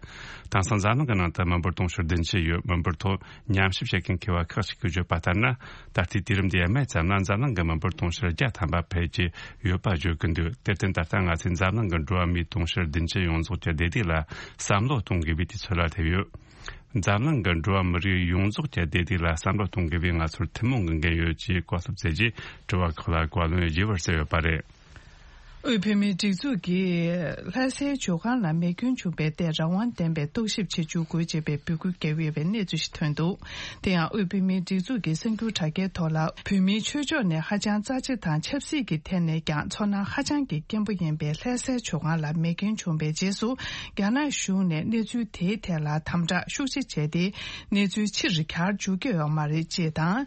དེང་སང་འཛམ་གླིང་གི་ནང་དུ་མི་འབོར་དུང་ཕྱུར་བདུན་ཅུ་ཡོད། མི་འབོར་ཐོག་ཉམས་ཞིབ་བྱེད་མཁན་མཁས་པ་ཁག་ཅིག་གིས་བརྗོད་པ་ལྟར་ན། ད་ལྟའི་དུས་རིམ་འདིའི་སྨད་ཙམ་ན་འཛམ་གླིང་གི་མི་འབོར་དུང་ཕྱུར་བརྒྱ་ཐམ་པ་འཕེལ་གྱི་ཡོད་པ་བརྗོད་ཀྱི་འདུག་དེར་བརྟེན་ད་ལྟ་ང་ཚོས་འཛམ་གླིང་གི་འགྲོ་བ་མིའི་དུང་ཕྱུར་བདུན་ཅུ་ཡོངས་རྫོགས་ཀྱི་བདེ་སྡུག་ལ་བསམ་བློ་གཏོང་དགོས་པའི་དུས་ཚོད་ལ་སླེབས་ཡོད། འཛམ་གླིང་གི་འགྲོ་བ་མི་རིགས་ཡོངས་རྫོགས་ཀྱི་བདེ་སྡུག་ལ་བསམ་བློ་གཏོང་དགོས་པའི་ང་ཚོར་ཐུན་མོང་གི་འགན་ཡོད་ཅེས་བཀའ་སློབ་སྩལ་རྗེས་དྲི་བ་ཁག་ལ་བཀའ་ལན་རྒྱས་པར་སྩལ་ཡོད་པ་རེད། དབུས་བོད་མིའི་སྒྲིག་འཛུགས་ཀྱིས་ལྷ་སའི་ཇོ་ཁང་ལ་རྨས་སྐྱོན་བྱུང་བའི་ཐད་རང་དབང་ལྡན་པའི་རྟོག་ཞིབ་བྱེད་འཇུག་དགོས་ཅེས་པའི་འབོད་སྐུལ་བརྒྱབ་ཡོད་པའི་གནས་ཚུལ་ཞིག་ཐོན་འདུག་དེ་ཡང་དབུས་བོད་མིའི་སྒྲིག་འཛུགས་ཀྱི་གསར་འགྱུར་དྲ་རྒྱའི་ཐོག་ལ། བོད་མིའི་ཆོས་ཕྱོགས་ནས་ཧ་ཅང་རྩ་ཆེ་དང་ཆབ་སྲིད་ཀྱི་ཐད་ནས་ཀྱང་ཚོར་སྣང་ཧ་ཅང་གི་སྐྱེན་པོ་ཡིན་པའི་ལྷ་སའི་ཇོ་ཁང་ལ་རྨས་སྐྱོན་བྱུང་བའི་རྗེས་སུ། རྒྱ་ནག་གཞུང་ནས་གནས་ཚུལ་དེའི་ཐད་ལ་དམ་དྲག་ཤུགས་ཆེ་བྱས་ཏེ། གནས་ཚུལ་ཕྱིར་གྱར་འཇུག་གི་ཡོད་མ་རེད་ཅེས་དང་།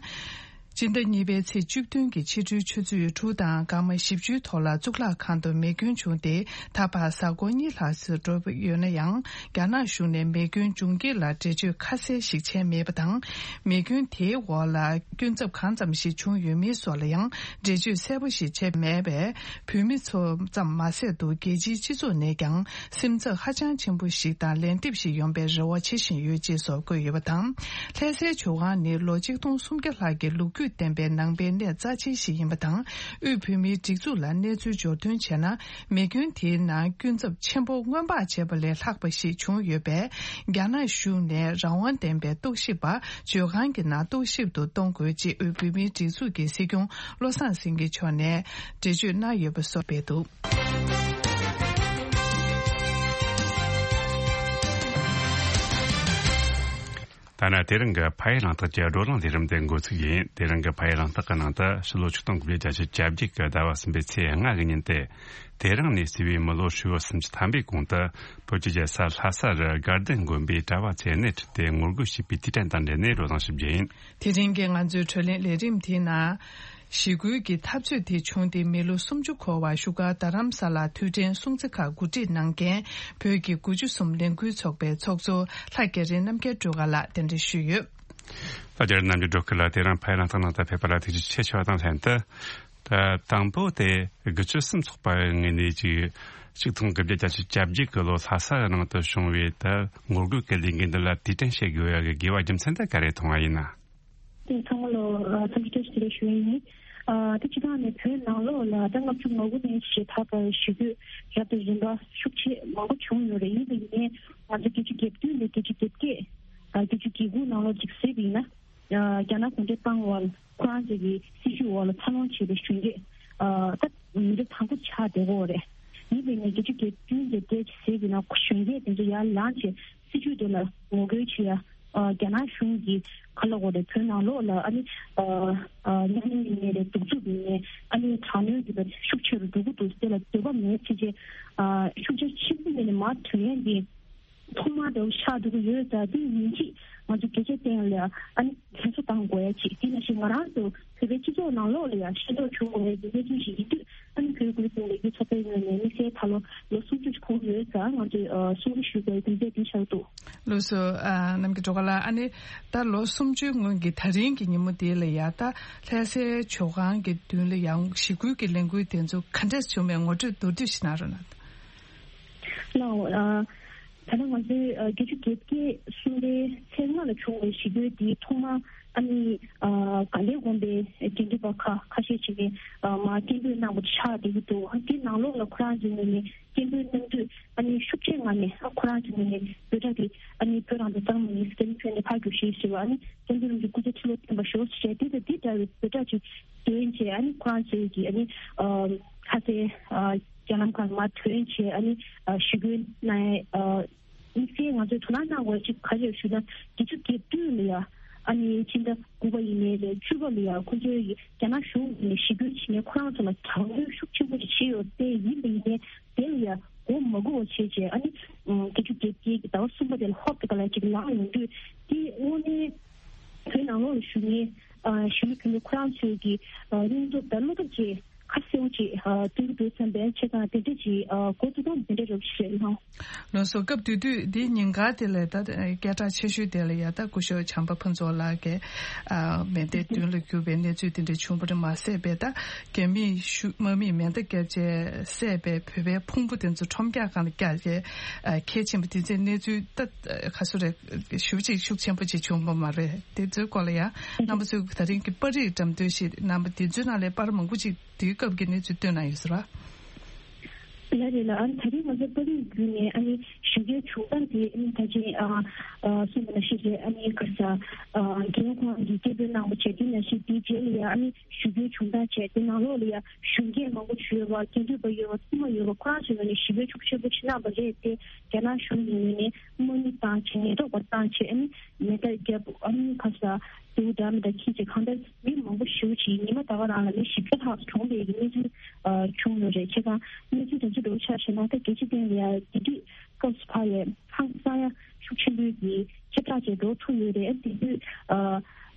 སྤྱི་ཟླ་གཉིས་པའི་ཚེས་བཅུ་བདུན་གྱི་ཕྱི་དྲོའི་ཆུ་ཚོད་དྲུག་དང་སྐར་མ་བཞི་བཅུའི་ཐོག་ལ་གཙུག་ལག་ཁང་དུ་རྨས་སྐྱོན་བྱུང་སྟེ། ད་བར་གཟའ་འཁོར་གཉིས་ལྷག་ཙམ་འགྲོ་ཡོད་ན་ཡང་། རྒྱ་ནག་གཞུང་ནས་རྨས་སྐྱོན་བྱུང་རྐྱེན་ལ་འགྲེལ་བརྗོད་ཁ་གསལ་ཞིག་བྱས་མེད་པ་དང་། རྨས་སྐྱོན་དེའི་འོག་ལ་སྐྱོན་ཚབས་གང་ཙམ་ཞིག་བྱུང་ཡོད་མེད་སོགས་ལ་ཡང་འགྲེལ་བརྗོད་གསལ་པོ་ཞིག་བྱས་མེད་པས། བོད་མི་ཚོ་ཙམ་མ་ཟད་དུ་རྒྱལ་སྤྱིའི་སྤྱི་ཚོགས་ནས་ཀྱང་སེམས་འཚབ་ཧ་ཅང་ཆེན་པོ་ཞིག་དང་ལན་འདེབས་ཤིག་ཡོང་པའི་རེ་བ་བྱེད་བཞིན་ཡོད་ཅེས་སོགས་བཀོད་ཡོད་པ་དང་། ལྷ་སའི་ཇོ་ཁང་ནི་ལོ་ཆིག་སྟོང་སུམ་བརྒྱ་ལྷག་གི་ལོ་རྒྱུས་ལྡན་པའི་ནང་པའི་གནས་རྩ་ཆེན་ཞིག་ཡིན་པ་དང་། དབུས་བོད་མིའི་སྒྲིག་འཛུགས་ལ་གནས་ཚུལ་འབྱོར་ཐོན་བྱས་ན། རྨས་སྐྱོན་དེའི་ནང་སྐྱོན་ཚབས་ཆེན་པོ་སྔོན་དཔག་བྱས་པ་ལས་ལྷག་པ་ཞིག་བྱུང་ཡོད་པས། རྒྱ་ནག་གཞུང་ནས་རང་དབང་ལྡན་པའི་རྟོག་ཞིབ་པ་ཇོ་ཁང་གི་ནང་རྟོག་ཞིབ་ཏུ་གཏོང་དགོས་ཅེས་དབུས་བོད་མིའི་སྒྲིག་འཛུགས་ཀྱི་སྲིད་སྐྱོང་བློ་བཟང་སེང་གེ་མཆོག་ནས་འགྲེལ་བརྗོད་གནང་ཡོད་པ་སོགས་སྤེལ་འདུག་ད་ནི་དེ་རིང་གི་ཕ་ཡུལ་གླེང་སྟེགས་ཀྱི་བགྲོ་གླེང་ལས་རིམ་དེ་འགོ་ཚུགས་ཡིན། དེ་རིང་གི་ཕ་ཡུལ་གླེང་སྟེགས་ཀྱི་ནང་དུ་ཕྱི་ལོ་ཆིག་སྟོང་དགུ་བརྒྱ་བརྒྱད་ཅུ་གྱ་བརྒྱད་ཀྱི་ཟླ་བ་གསུམ་པའི་ཚེས་ལྔ་གི་ཉིན་ཏེ། དེ་རིང་ནས་བརྩིས་པའི་མི་ལོ་ཧྲིལ་བོ་སུམ་ཅུ་ཐམ་པའི་གོང་དུ་བོད་ཀྱི་རྒྱལ་ས་ལྷ་སར་དགའ་ལྡན་དགོན་པའི་གྲྭ་བ་ཚོས་སྣེ་ཁྲིད་དེ་ངོ་རྒོལ་བྱས་པའི་དུས་དྲན་དང་འབྲེལ་ནས་བགྲོ་གླེང་ཞིབ་རྒྱས་ཡིན། དེ་རིང་གི་ང་ཚོའི་བགྲོ་གླེང་ལས་རིམ་དེའི་ནང་། ཞི་རྒོལ་གྱི་འཐབ་རྩོད་དེ་བྱུང་སྟེ་མི་ལོ་སུམ་ཅུ་འཁོར་བར་བཞུགས་སྒར་རྡ་རམ་ས་ལར་དུས་དྲན་སྲུང་བརྩི་ཁག་གོ་སྒྲིག་གནང་མཁན་བོད་ཀྱི་དགུ་བཅུ་གསུམ་ལས་འགུལ་ཚོགས་པའི་ཚོགས་གཙོ་ལྷ་རྒྱ་རི་རྣམ་རྒྱལ་སྒྲོལ་དཀར་ལགས་གདན་འདྲེན་ཞུས་ཡོད། ད་རྒྱ་རི་རྣམ་རྒྱལ་སྒྲོལ་སྐུ་ལགས་དེ་རིང་ཕ་གི་རང་ཐག་ནང་དུ་ཕེབས་པ་ལ་ཐུགས་རྗེ་ཆེ་ཞུ་བ་དང་ལྷན་དུ། ད་དང་པོ་དེ་དགུ་བཅུ་གསུམ་ཚོགས་པའི་ངོས་ནས་ཀྱི་ཆིག་སྟོང་དགུ་བརྒྱ་བརྒྱད་ཅུ་གྱ་བརྒྱད་ཀྱི་ལོ་ལྷ་ས་ནང་དུ་བྱུང་བའི་ད་ངོ་རྒོལ་གྱི་ལས་འགུལ་འདི་ལ་དུས་དྲན་བྱེད་དགོས་ཡ་གི་དགོས་པ་རྒྱུ་མཚན་དེ་ག་རེ་མཐོང་བ་ཡིན་ན། དེ་ཚང་མ་ལོ་ཨ་འཚམས་འདྲི་བཀྲ་ཤིས་བདེ་ལེགས་ཞུ་ཡ་ཡིན། ཨ་དེ་སྤྱི་བཏང་ནས་བོད་ནང་ལོགས་ལ་ད་ལྔ་བཅུ་ང་དགུ་ནས་བྱེ་བྲག་པར་ཞི་རྒོལ་རབ་དང་རིམ་པ་ཤུགས་ཆེ་མང་པོ་བྱུང་ཡོད་རེད། ཡིན་པ་ཡིན་ནའི་ང་ཚོ་བརྒྱད་ཅུ་གྱ་བདུན་ནས་བརྒྱད་ཅུ་གྱ་བརྒྱད་ཨ་བརྒྱད་ཅུ་གྱ་དགུ་ནང་ལོགས་ཅིག་གཟིགས་པ་ཡིན་ན། ཨ་རྒྱ་ནག་གུང་ཁྲན་ཏང་ཝལ་ཁོ་རང་ཚོ་གི་སྲིད་བྱུས་འོག་ལ་འཚར་ལོངས་བྱས་པའི་གཞོན་སྐྱེས་ཨ་ད་མི་རབས་དང་པོ་ཆགས་བསྡད་ཀྱི་ཡོད་རེད། ཡིན་པ་ཡིན་ནའི་བརྒྱད་ཅུ་གྱ་བདུན་གྱ་བརྒྱད་ཅིག་གཟིགས་པ་ཡིན་ན་གཞོན་སྐྱེས་དེ་ཚོ་ཡར་ལངས་བྱས་སྲིད་བྱུས་དེ་ལ་ངོ་རྒོལ་བྱེད་ཡ། ཨ་རྒྱ་ནག་གཞུང་གིས་ག་ལབ་དགོས་རེད། བོད་ནང་ལོགས་ལ་ཨ་ནི་ཨ་ཨ་གཉའ་གནོན་ཡིན་ནའི་རེད། གདུག་རྩུབ་ཡིན་ནའི་ཨ་ནི་དྲག་གནོན་གྱི་བར་ཤུགས་ཆེ་རུ་འགྲོ་གི་འདུག་དེ་ལ་འདོད་པ་མེད་ཅེས་བྱས་ཨ་ཤུགས་རྐྱེན་ཆེན་པོ་མེད་ནས་མར་ཐོན་ཡ་འདི་ཐོག་མར་འདྲ་བོ་ཆགས་འགྲོ་གི་ཡོད་ཙང་། དེ་ཡིན་གཅིག་ང་ཚོ་གལ་ཆེ་བསྟན་ལ་ཨ་ནི་ལྷན་གསོ་བཏང་དགོས་ཡ་ཅིག་དེ་ནང་བཞིན་ང་རང་ཚོ་བོད་པའི་སྤྱི་ཚོགས་ནང་ལོགས་ལ་ཡང་ཤེས་རྟོགས་བྱུང་དགོས་ཡ་གི་གནས་ཚུལ་ཞིག་ཡིན་དུས། ཨ་ནི་བོད་ཁུལ་དུ་ལས་འགུལ་ཚོགས་པའི་ངོས་ནས་དམིགས་བསལ་ད་ལོ་ལོ་སུམ་ཅུ་འཁོར་ཡོད་ཙང་། ང་ཚོས་ཨ་གསུང་བཤད་ཞུ་དགོས་ཡ་དེ་འདྲ་དེ་ཆགས་འདུག་ལགས་སོ། ཨ་ནམ་རྒྱལ་སྒྲོལ་དཀར་ལགས། ཨ་ནི་ད་ལོ་སུམ་ཅུའི་སྔོན་གྱི་ད་རིང་གི་ཉིན་མོ་དེ་ལ་ཡ་ད་ལྷ་སའི་ཇོ་ཁང་གི་མདུན་ལ་ཡང་ཞི་རྒོལ་གྱི་ལས་འགུལ་དེ་ཚོ་ག་འདྲས་བྱུང་བའི་ངོ་སྤྲོད་མདོར་བསྡུས་ཤིག་གནང་རོགས་གནང་། ལགས་འོ། ཨ་ད་ནི་ང་ཚོའི་ཨ་བརྒྱད་ཅུ་གྱ་བརྒྱད་གསུམ་པའི་ཚེས་ལྔ་ལ་བྱུང་བའི་ཞི་རྒོལ་འདི་ཐོག་མར་ཨ་ནི་ཨ་དགའ་ལྡན་དགོན་པའི་དགེ་འདུན་པ་ཁ་ཁ་ཤས་ཅིག་གིས་ཨ་མར་སྐད་འབོད་གནང་བ་ཆགས་བསྡད་ཀྱི་འདུག་དེ་ནང་ལོགས་ལ་ཁོ་རང་ཚོའི་ངོས་ནས་སྐད་འབོད་གནང་དུས་ཨ་ནི་ཤུགས་ཆེའི་ངང་ནས་ཨ་ཁོ་རང་ཚོའི་ངོས་ནས་འབོད་སྒྲ་དེ་ཨ་ནི་བོད་རང་བཙན་གཙང་མ་ཡིན་ཟེར་ནས་ཕུལ་ནས་ཕར་རྒྱུགས་ཤིག་ཟེར་བ། ཨ་ནི་བཙན་པོའི་ལུང་གི་སྐུ་ཚེ་ཁྲི་ལོ་བརྟན་པར་ཤོག་ཟེར་བྱས་དེ་དང་དེ་འདྲ་བའི་འབོད་སྒྲ་ཅིག་འདོན་བྱས། ཨ་ནི་ཁོ་རང་ཚོའི་གི་ཨ་ནི་ཨ་ལྷ་སའི་ཨ་རྒྱ་ལམ་ཁར་མར་ཐོན་བྱས་ཨ་ནི་ཨ་ཞི་རྒོལ་གནང་ཡས། ཨ་དམིགས་བསལ་ང་ཚོས་དོ་སྣང་གནང་དགོས་ཅིག་ག་རེ་ཞུ་ན། བརྒྱད་ཅུ་གྱ་བདུན་ལ་ཡ་ཨ་ནི་ཕྱི་ཟླ་དགུ་པ་ཡིན་ནའི་རེད། བཅུ་པ་ལ་ཡ་ཁོ་ཚོའི་རྒྱ་ནག་གཞུང་ནས་ཞི་རྒོལ་བྱེད་མཁན་ཁོ་རང་ཚོ་ལ་དྲག་གནོན་ཤུགས་ཆེན་པོ་ཞིག་བྱས་ཡོད་པས། ཡིན་པ་ཡིན་ནའི་དེ་ལ་ཡ་མགོ་མ་སྒུར་བ་བྱས་བྱས་ཨ་ནི་ཨ་བརྒྱད་ཅུ་གྱ་བརྒྱད་ཀྱི་ཟླ་བ་གསུམ་པ་དེ་ལ་ཧོབ་ཏེ་ག་ལ་ཅིག་ལངས་ཡོང་དུས། དེ་དངོས་གནས་བོད་ནང་ལོགས་ལ་བཞུགས་མཁན་ཨ་གཞོན་ནུ་གུས་མོ་ཁོ་རང་ཚོའི་གི་ཨ་སྙིང་སྟོབས་དང་བློ་སྟོབས་ཀྱིས་ཁ་གསལ་པོ་ཅིག་ཨ་སྟོན་གྱི་འདུག་བསམ་པའི་ཆེད་དང་། དེ་འདྲ་ཅིག་ཨ་འགོ་ཐུག་སྟངས་དེ་འདྲ་རབ་ཞིག་རེད་སྣང་། ལགས་སོ། སྐབས་དེ་དུས་འདིའི་ཉིན་དཀར་དེ་ལ་ད་སྐད་གྲགས་ཆེ་ཤོས་དེ་ལ་ཡ་ད་སྐུ་ཞབས་བྱམས་པ་ཕུན་ཚོགས་ལགས་ཀྱིས་ཨ་མེ་མདའི་མདུན་ལ་རྒྱུག་པའི་གནས་ཚུལ་དེ་འདྲ་བྱུང་བ་རེད་མ་ཟད་པའི། ད་རྒྱ་མིས་ཤུ་དམག་མིས་མེ་མདའ་བརྒྱབ་བྱས་བསད་པའི་བོད་པའི་ཕུང་པོ་དེ་ཚོ་ཁྲོམ་རྒྱག་སྒང་ལ་བཀྱགས་བྱས་ཨ་ཁྱེར་ཕྱིན་པ་དེ་ཚོའི་གནས་ཚུལ་ད་ག་ཚོད་རེད། ཞེ་པོ་ཅིག་ཤུགས་ཆེན་པོ་ཅིག་བྱུང་བ་མ་རེད། དེ་ཚོའི་སྐོར་ལ་ཡང་རྣམ་པ་ཚོས་ད་རིང་གི་པར་རིས་འགྲེམས་སྟོན་ཞིག་གནང་བ་དེ་ཚོའི་ནང་ལས་པར་མང་པོ་ཅིག་དེའི་སྐབས་ཀྱི་གནས་ཚུལ་བཏོན་གནང་ཡོད་ཟེར་བ། ལགས་རེད་ལགས། ཨ་ནི་ད་རིང་ང་ཚོ་པར་རིས་བརྒྱུད་ནས་ཨ་ནི་ཞི་རྒོལ་བྱུང་སྟངས་དེ་ཨ་ནི་ད་ཅི་ཨ་ཨ་གསུངས་པ་ནང་བཞིན་རེད། ཨ་ནི་ག་རེ་ཟ་ཨ་རྒན་ཁོང་གིས་སྐད་འབོད་གནང་བ་བྱས། དེ་ནང་བཞིན་དེའི་རྗེས་ལ་ཡང་ཨ་ནི་ཞི་རྒོལ་བྱུང་སྟངས་བྱས། དེ་ནང་ལོགས་ལ་ཡང་གཞོན་སྐྱེས་མང་པོ་ཅིག་ཡོད་པ། སྐད་འབོད་པ་ཡོད་པ། དམག་ཡོད་པ། ཁོ་རང་ཚོའི་ངོས་ནས་ཞི་རྒོལ་ཤུགས་ཆེན་པོ་ཅིག་གནང་བ་རེད་དེ། རྒྱ་ནག་གཞུང་གི་ངོས་ནས་དམག་མི་བཏང་བྱས། ཉེན་རྟོག་པ་བཏང་བྱས། ཨ་ནི་མེ་མདའ་བརྒྱབ། ཨ་ནི་ག་རེ་ཟ་དེའུ་འདྲ་མི་འདྲ་འཁྱེར་བྱས། གང་ལྟར་མི་མང་པོ་ཞེ་པོ་ཅིག་ཉི་མ་ད་ག་རང་ལ་མི་བཞི་བརྒྱ་ལྷག་གྲོངས་པའི་གི་གནས་ཚུལ་ཨ་བྱུང་ཡོད་རེད། བྱས་ཙང་གནས་ཚུལ་དེ་ཚོ་འདྲ་བོ་ཆ་བཞག་ན། ད་རྒྱལ་སྤྱི་སྟེང་ལ་ཡང་དེ་དུས་སྐབས་སུ་བབས་པའི་ཧང་སང་ཡ་ཤུགས་ཆེན་པོའི་གི་ཁྱབ་བསྒྲགས་བྱས་འགྲོ་ཐུབ་ཡོད་རེད། དེ་དུས་ཨ་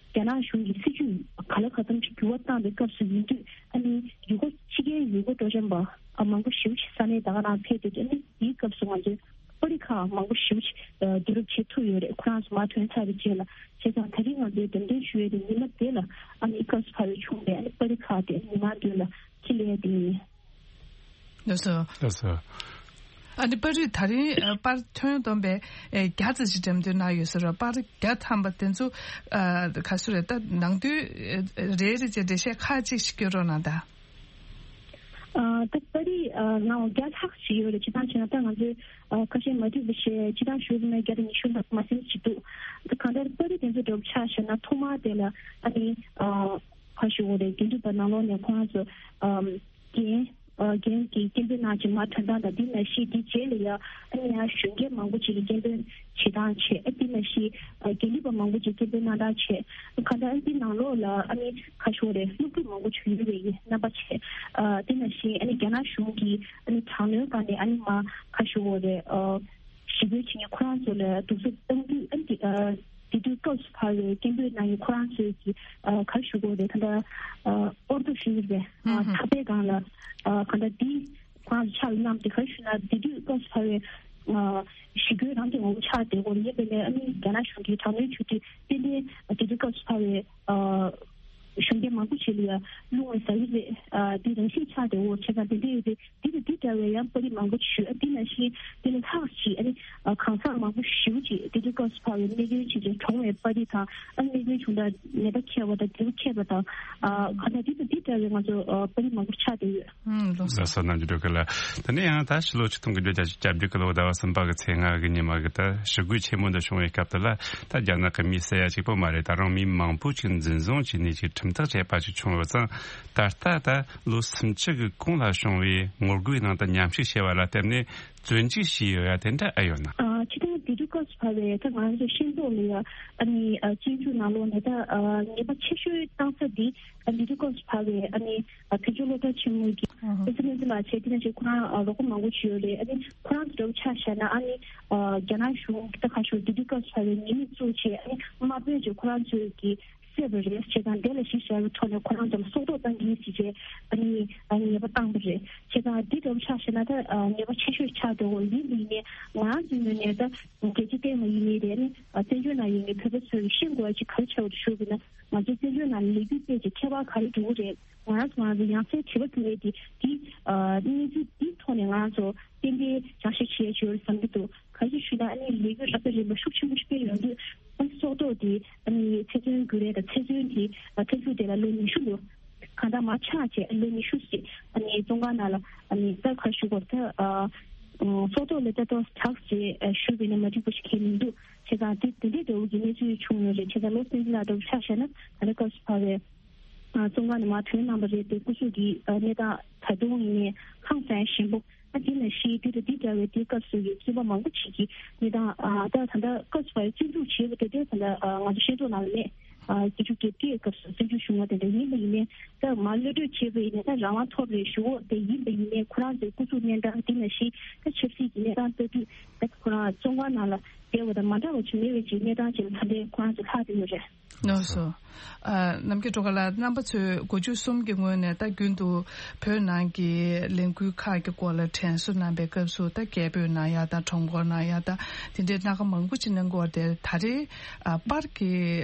རྒྱ་ནག་གཞུང་གི་སྲིད་བྱུས་ག་ལ་ག་ཙམ་ཅིག་འགྱུར་བ་བཏང་པའི་སྐབས་སུ་ཡིན་དུས། ཨ་ནི་ཡུལ་སྐོར་ཕྱི་རྒྱལ་ཡུལ་སྐོར་སྤྲོ་འཆམ་པ་ཨ་མང་པོ་ཞེ་པོ་ཅིག་ས་གནས་ད་ག་རང་ཕེབས་ཏེ། ཨ་ནི་དེའི་སྐབས་སུ་ང་ཚོས་པར་རིས་ཁག་མང་པོ་ཞེ་པོ་ཅིག་ཨ་བསྡུ་རུབ་བྱེད་ཐུབ་ཡོད་རེད། ཁོ་རང་ཚོ་མར་ཐོན་ཚར་བའི་རྗེས་ལ། བྱས་ཙང་ད་རིང་ང་ཚོས་འགྲེམས་སྟོན་ཞུ་ཡས་དེ་ཉི་མ་དེ་ལ་ཨ་ནི་སྐབས་སུ་བབས་པའི་བྱུང་བའི་ཨ་ནི་པར་རིས་ཁག་དེ་མི་མང་མདུན་ལ་ཁྱེར་སླེབས་ཡས་དེ་ཡིན། ལགས་སོ། ལགས་སོ། ཨ་ནི་པར་རིས་ད་རིང་ཨ་པར་ཐོན་བསྡོམས་པའི་ཨེ་བརྒྱ་ཙམ་ཞིག་འགྲེམས་སྟོན་གནང་ཡོད་ཟེར་བ། པར་བརྒྱ་ཐམ་པ་དེ་ཚོ་ཨ་ག་ཚོད་རེད། ད་ནང་དོན་ཨེ་རེ་རེ་བྱས་འགྲེལ་བཤད་ཁག་ཅིག་ཞིག་སྐྱོན་རོགས་གནང་དང་། ཨ་ད་པར་རིས་ཨ་ནང་བརྒྱ་ལྷག་ཞིག་ཡོད་རེད། སྤྱིར་བཏང་བྱས་ན་ད་ང་ཚོས་ཨ་ཁ་ཤས་མ་འགྲིག་པ་བཤད། སྤྱིར་བཏང་ཞུས་པ་ན་བརྒྱ་དང་ཉི་ཤུ་ལྷག་མ་ཟིན་ཅིག་འདུག་ད་གང་ལྟར་པར་རིས་དེ་ཚོ་འདྲ་པོ་ཆ་བཞག་ན། ཐོག་མར་དེ་ལ་ཨ་ནི་ཨ་ག་ཞུ་དགོས་རེད། དགེ་འདུན་པ་ནང་ལོགས་ནས་ཁོ་རང་ཚོ་ཨམ་རྒན་ཨ་རྒན་གྱིས་སྐད་འབོད་གནང་བྱས་མར་ཐོན་སྟངས་དང་། དེ་ནང་བཞིན་དེའི་རྗེས་ལ་ཡང་ཨ་ནི་ཡང་གཞོན་སྐྱེས་མང་པོ་ཅིག་གིས་སྐད་འབོད་བྱེད་སྟངས་བྱས། ཨ་དེ་ནང་བཞིན་ཨ་དགེ་འདུན་པ་མང་པོ་ཅིག་སྐད་འབོད་གནང་སྟངས་བྱས། གང་ལྟར་ཨ་ནི་དེའི་ནང་ལོགས་ལ་ཨ་ནི་ག་ཞུ་དགོས་རེད། སློབ་ཕྲུག་མང་པོ་ཅིག་ཡོད་པའི་རྣམ་པ་བྱས། ཨ་དེ་ནང་བཞིན་ཨ་ནི་རྒྱ་ནག་གཞུང་གིས་ཨ་ནི་དྲག་གནོན་སྒང་ནས་ཨ་ནི་མར་ག་ཞུ་དགོས་རེད། ཨ་ཞི་རྒོལ་བྱེད་མཁན་ཁོ་རང་ཚོ་ལ་གདུག་རྩུབ་གཏོང་དུས། ཨ་ནི་དེ་ཨ་དེ་དུས་སྐབས་སུ་བབས་པའི་སྐད་འབོད་གནང་མཁན་ཁོ་རང་ཚོའི་གི་ཨ་ག་རེ་ཞུ་དགོས་རེད། ད་ལྟ་ཨ་ཨོར་ཏོ་ཤི་ཡིན་པས་ཨ་ཧུམ་ཧུམ། ཐག་པའི་སྒང་ལ་ཨ་གང་ལྟར་དེ་ཁོ་རང་ཚོ་ཕྱག་ལ་བསྣམས་ཏེ། ག་རེ་ཞུ་ན་དེ་དུས་སྐབས་སུ་བབས་པའི་ ཞི་རྒོལ་རང་གི་ངོ་བོ་ཆགས་བསྡད་ཡོད་རེད། ཡིན་པས་ན་ཨ་ནི་རྒྱ་ནག་གཞུང་གིས་དྲག་གནོན་བྱུང་དུས་ཏན་ཏན་དེ་འདྲའི་སྐབས་སུ་བབས་པའི་གཞོན་སྐྱེས་མང་པོ་ཞིག་ལ་ཡང་རླུང་བ་ཟ་གི་རེད། འདི་རང་བཞིན་ཆགས་བསྡད་ཡོད། བྱས་ཙང་དེ་འདྲ་ཡོད་དུས་འདི་དང་འདི་འདྲ་བའི་ཡང་པར་རིས་མང་པོ་ཞིག་ཡོད། འདི་ནང་བཞིན་འདི་ལས་ལྷག་ཅིག་ཨ་ནི་གང་ཟག་མང་པོ་ཞེ་པོ་ཅིག་འདི་འདྲའི་སྐབས་སུ་བབས་པའི་རྨས་སྐྱོན་ཕྱིན་ཅིང་གྲོངས་པའི་པར་རིས་དང་། ཨ་ནི་རྨས་སྐྱོན་བྱུང་དང་ནད་པ་མཁས་པ་དང་འབྲས་བུ་མཁས་པ་དང་། ཨ་གང་ལྟར་འདི་དང་འདི་འདྲ་བའི་ང་ཚོ་ཨ་པར་རིས་མང་པོ་ཆགས་བསྡད་ཡོད། ཨུམ། ལགས་སོ། ལགས་སོ། རྣམ་འགྱུར་སྒྲོལ་དཀར་ལགས། དེ་ནས་ཡང་ད་ཕྱི་ལོ་ཆིག་སྟོང་དགུ་བརྒྱ་བརྒྱད་ཅུ་གྱ་དྲུག་གི་ལོ་ཟླ་བ་གསུམ་པ་གི་ཚེས་ལྔ་གི་ཉི་མ་གི་ད་ཞི་རྒོལ་ཆེན་མོ་འདི་བྱུང་བའི་སྐབས་དེ་ལ་ད་རྒྱ་ནག་གི་མི་ཟེར་ཡ་གཅིག་པོ་མ་རེད། ད་རུང་མི་མང་པོ་ཅིག་འཛིན་བཟུང་བྱས་ནས་ཅིག་ཁྲིམས་ཐག་བཅད་པ་ཅིག་བྱུང་ཡོད་ཙང་། ད་ལྟ་ད་ལོ་སུམ་ཅུ་གི་གོང་ལ་བྱུང་བའི་ངོ་རྒོལ་ནང་དུ་མཉམ་ཞུགས་བྱས་པ་ལ་བརྟེན་ནས་བཙོན་འཇུག་བྱས་ཡོད་ཡ་དེ་འདྲ་ཨེ་ཡོད་ན། ཨ་ཕྱི་ཟླ་དེ་དུས་སྐབས་སུ་བབས་པའི་ད་ང་ཚོ་ཤེས་རྟོགས་ལ་ཡ་ཨ་ནི་ཨ་བཙོན་འཇུག་ནང་ལོགས་ནས་ད་ཨ་ཉེས་པ་ཆེ་ཤོས་བཏང་ས་འདི་ཨ་དེ་དུས་སྐབས་སུ་བབས་པའི་ཨ་ནི་ཨ་བོད་ལྗོངས་སློབ་གྲྭ་ཆེན་མོ་གི་ཨ་ཧ་ཨེ་སི་མེ་སི་ལགས་བྱས། དེ་ནང་བཞིན་ཁོ་རང་ཨ་རོགས་པ་མང་པོ་ཞིག་ཡོད་རེད། ཨ་ནི་ཁོ་རང་ཚོ་འདྲ་པོ་ཆ་བཞག་ན་ཨ་ནི་ཨ་རྒྱ་ནག་གཞུང་ད་ག་ཞུ་དེ་དུས་སྐབས་སུ་བབས་པའི་ཉེས་མིང་བཙུགས་བྱས་ཨ་ནི་དམའ་འབེབས་བྱས་ཁོ་རང་ཚོས་ཀྱི་བསད་པ་རེད་བྱས་ཙང་། དེ་ལ་གཞི་བཞག་པའི་ཐོག་ནས་ཁོ་རང་ཚོ་ལ་སྲོག་ཐོག་བཏང་གི་ཡིན་ཟེར་བྱས་ཨ་ནི་ཨ་ཉེས་པ་བཏང་པ་རེད། བྱས་ཙང་འདི་འདྲ་པོ་ཆ་བཞག་ན་ད་ཨ་ཉེས་པ་ཆེ་ཤོས་ཆགས་འགྲོ་གི་ཡོད། ཡིན་པ་ཡིན་ནའི་ང་རང་ཚོའི་ངོས་ནས་ད་རྒྱལ་སྤྱི་སྟེང་ལ་ཡིན་ནའི་རེད། ཨ་ནི་བཙན་བྱོལ་ནང་ཡོད་མཁན་བོད་པ་ཚོས་ཤེས་དགོས་ཡ་ཅིག་ག་རེ་ཆགས་ཡོད་ཞུ་དགོས་ན། ང་ཚོ་བཙན་བྱོལ་ནང་ལས་འགུལ་སྤེལ་ཅིག་ཁྱད་པར་ག་རེ་འགྲོ་གི་རེད། ང་རང་ཚོ་ང་རང་ཚོ་ཡང་སེ་དྲི་བ་བསྐྱལ་ཡས་དེ་འདི་ཨ་གནས་ཚུལ་འདིའི་ཐོག་ནས་ང་རང་ཚོ་ཏན་ཏན་བསྐྱར་ཞིབ་བྱེད་ཡས་ཅིག་ཡོད་རེད་བསམ་གྱི་འདུག་ག་རེ་ཞུ་ན་ཨ་ནི་ལས་འགུལ་རབ་དང་རིམ་པ་ཤུགས་ཆེན་པོ་ཞིག་སྤེལ་ཡོང་དུས་ཨ་ནི་སྲོག་ཐོག་དེ་ཨ་ནི་ཚེ་བཙོན་དགོས་རེད་དང་། ཚེ་བཙོན་དེ་ཨ་ཚེ་མཇུག་དེ་ལ་ལོ་ཉི་ཤུ་ལོ་གང་ལྟར་མར་ཆག་བྱས་ལོ་ཉི་ཤུ་ཞིག་ཨ་ནི་བཙོན་ཁང་ནང་ལ་ཨ་ནི་ད་ག་རེ་ཞུ་དགོས་རེད། ད་ཨ་སྲོག་ཐོག་ལ་ད་ཏོག་དྲག་ཅེས་ཞུས་པས་ན་མ་འགྲིག་པ་ཞིག་གང་ཡང་མི་འདུག་བྱས་ཙང་དེ་དེ་འདྲའི་འདྲ་བོ་གི་གནས་ཚུལ་བྱུང་ཡོད་རེད། བྱས་ཙང་ལོ་སེང་ལ་འདྲ་བོ་ཆ་བཞག་ན་ད་ལྟ་སྐབས་སུ་བབས་པའི་ཨ་བཙོན་ཁང་ནས་མར་ཐོན་གནང་བ་རེད་དེ། སྐུ་གཟུགས་ཀྱི་ཨ་གནས་སྟངས་ད་དུང་ཡིན་ནའི་ཧང་སང་ཞན་པོ། ཨ་དེ་ནང་བཞིན་དེ་དང་དེ་འདྲ་བའི་དེའི་སྐབས་སུ་ཡི་བཙོན་པ་མང་པོ་ཞིག་གི་གནས་སྟངས་ཨ་ད་ད་ལྟ་སྐབས་སུ་བབས་བཙོན་འཇུག་བྱས་པ་དེ་འདྲའི་ད་ལྟ་ཨ་ང་ཚོ་ཤེས་རྟོགས་ནང་ལ་མེད། ཨ་བརྒྱད་ཅུ་གྱ་བརྒྱད་སྐབས་སུ་བཙོན་འཇུག་བྱུང་བ་དེ་འདྲ་ཡིན་པ་ཡིན་ནའི་ད་མར་གློད་གྲོལ་བྱས་པ་ཡིན་ནའི་ད་རང་དབང་ཐོབ་རེད་ཞུ་འོ་དེ་ཡིན་པ་ཡིན་ནའི་ཁོ་རང་ཚོའི་སྐུ་གཟུགས་གནས་སྟངས་དེ་ནང་བཞིན་ད་ཆབ་སྲིད་ཀྱི་གནས་སྟངས་ལྟ་དུས་ད་ཁོ་རང་བཙོན་ཁང་ནང་ལ་བསྡད་པ་དང་མ་འདྲ་བ་ཅིག་མེད་པའི་ཅིག་གནས་སྟངས་ཅིག་ལ་ད་ལྟའི་ཁོ་རང་ཚོ་ལྷག་བསྡད་ཡོད་རེད། ལགས་སོ། ཨ་རྣམ་རྒྱལ་སྒྲོལ་དཀར་ལགས། རྣམ་པ་ཚོས་དགུ་བཅུ་གསུམ་གྱི་སྔོན་ནས་ད་རྒྱུན་དུ་བོད་ནང་གི་ལས་འགུལ་ཁག་གི་སྐོར་ལ་དྲན་གསོ་གནང་པའི་སྐབས་སུ་ད་རྒྱལ་པོའི་ནང་ཡ་ད་གྲོང་ཁོག་ནང་ཡ་ད་དེ་འདྲའི་སྣ་ཁ་མང་པོ་ཅིག་གནང་གི་ཡོད་རེད་དེ། ད་རེས་ཨ་པར་གྱི་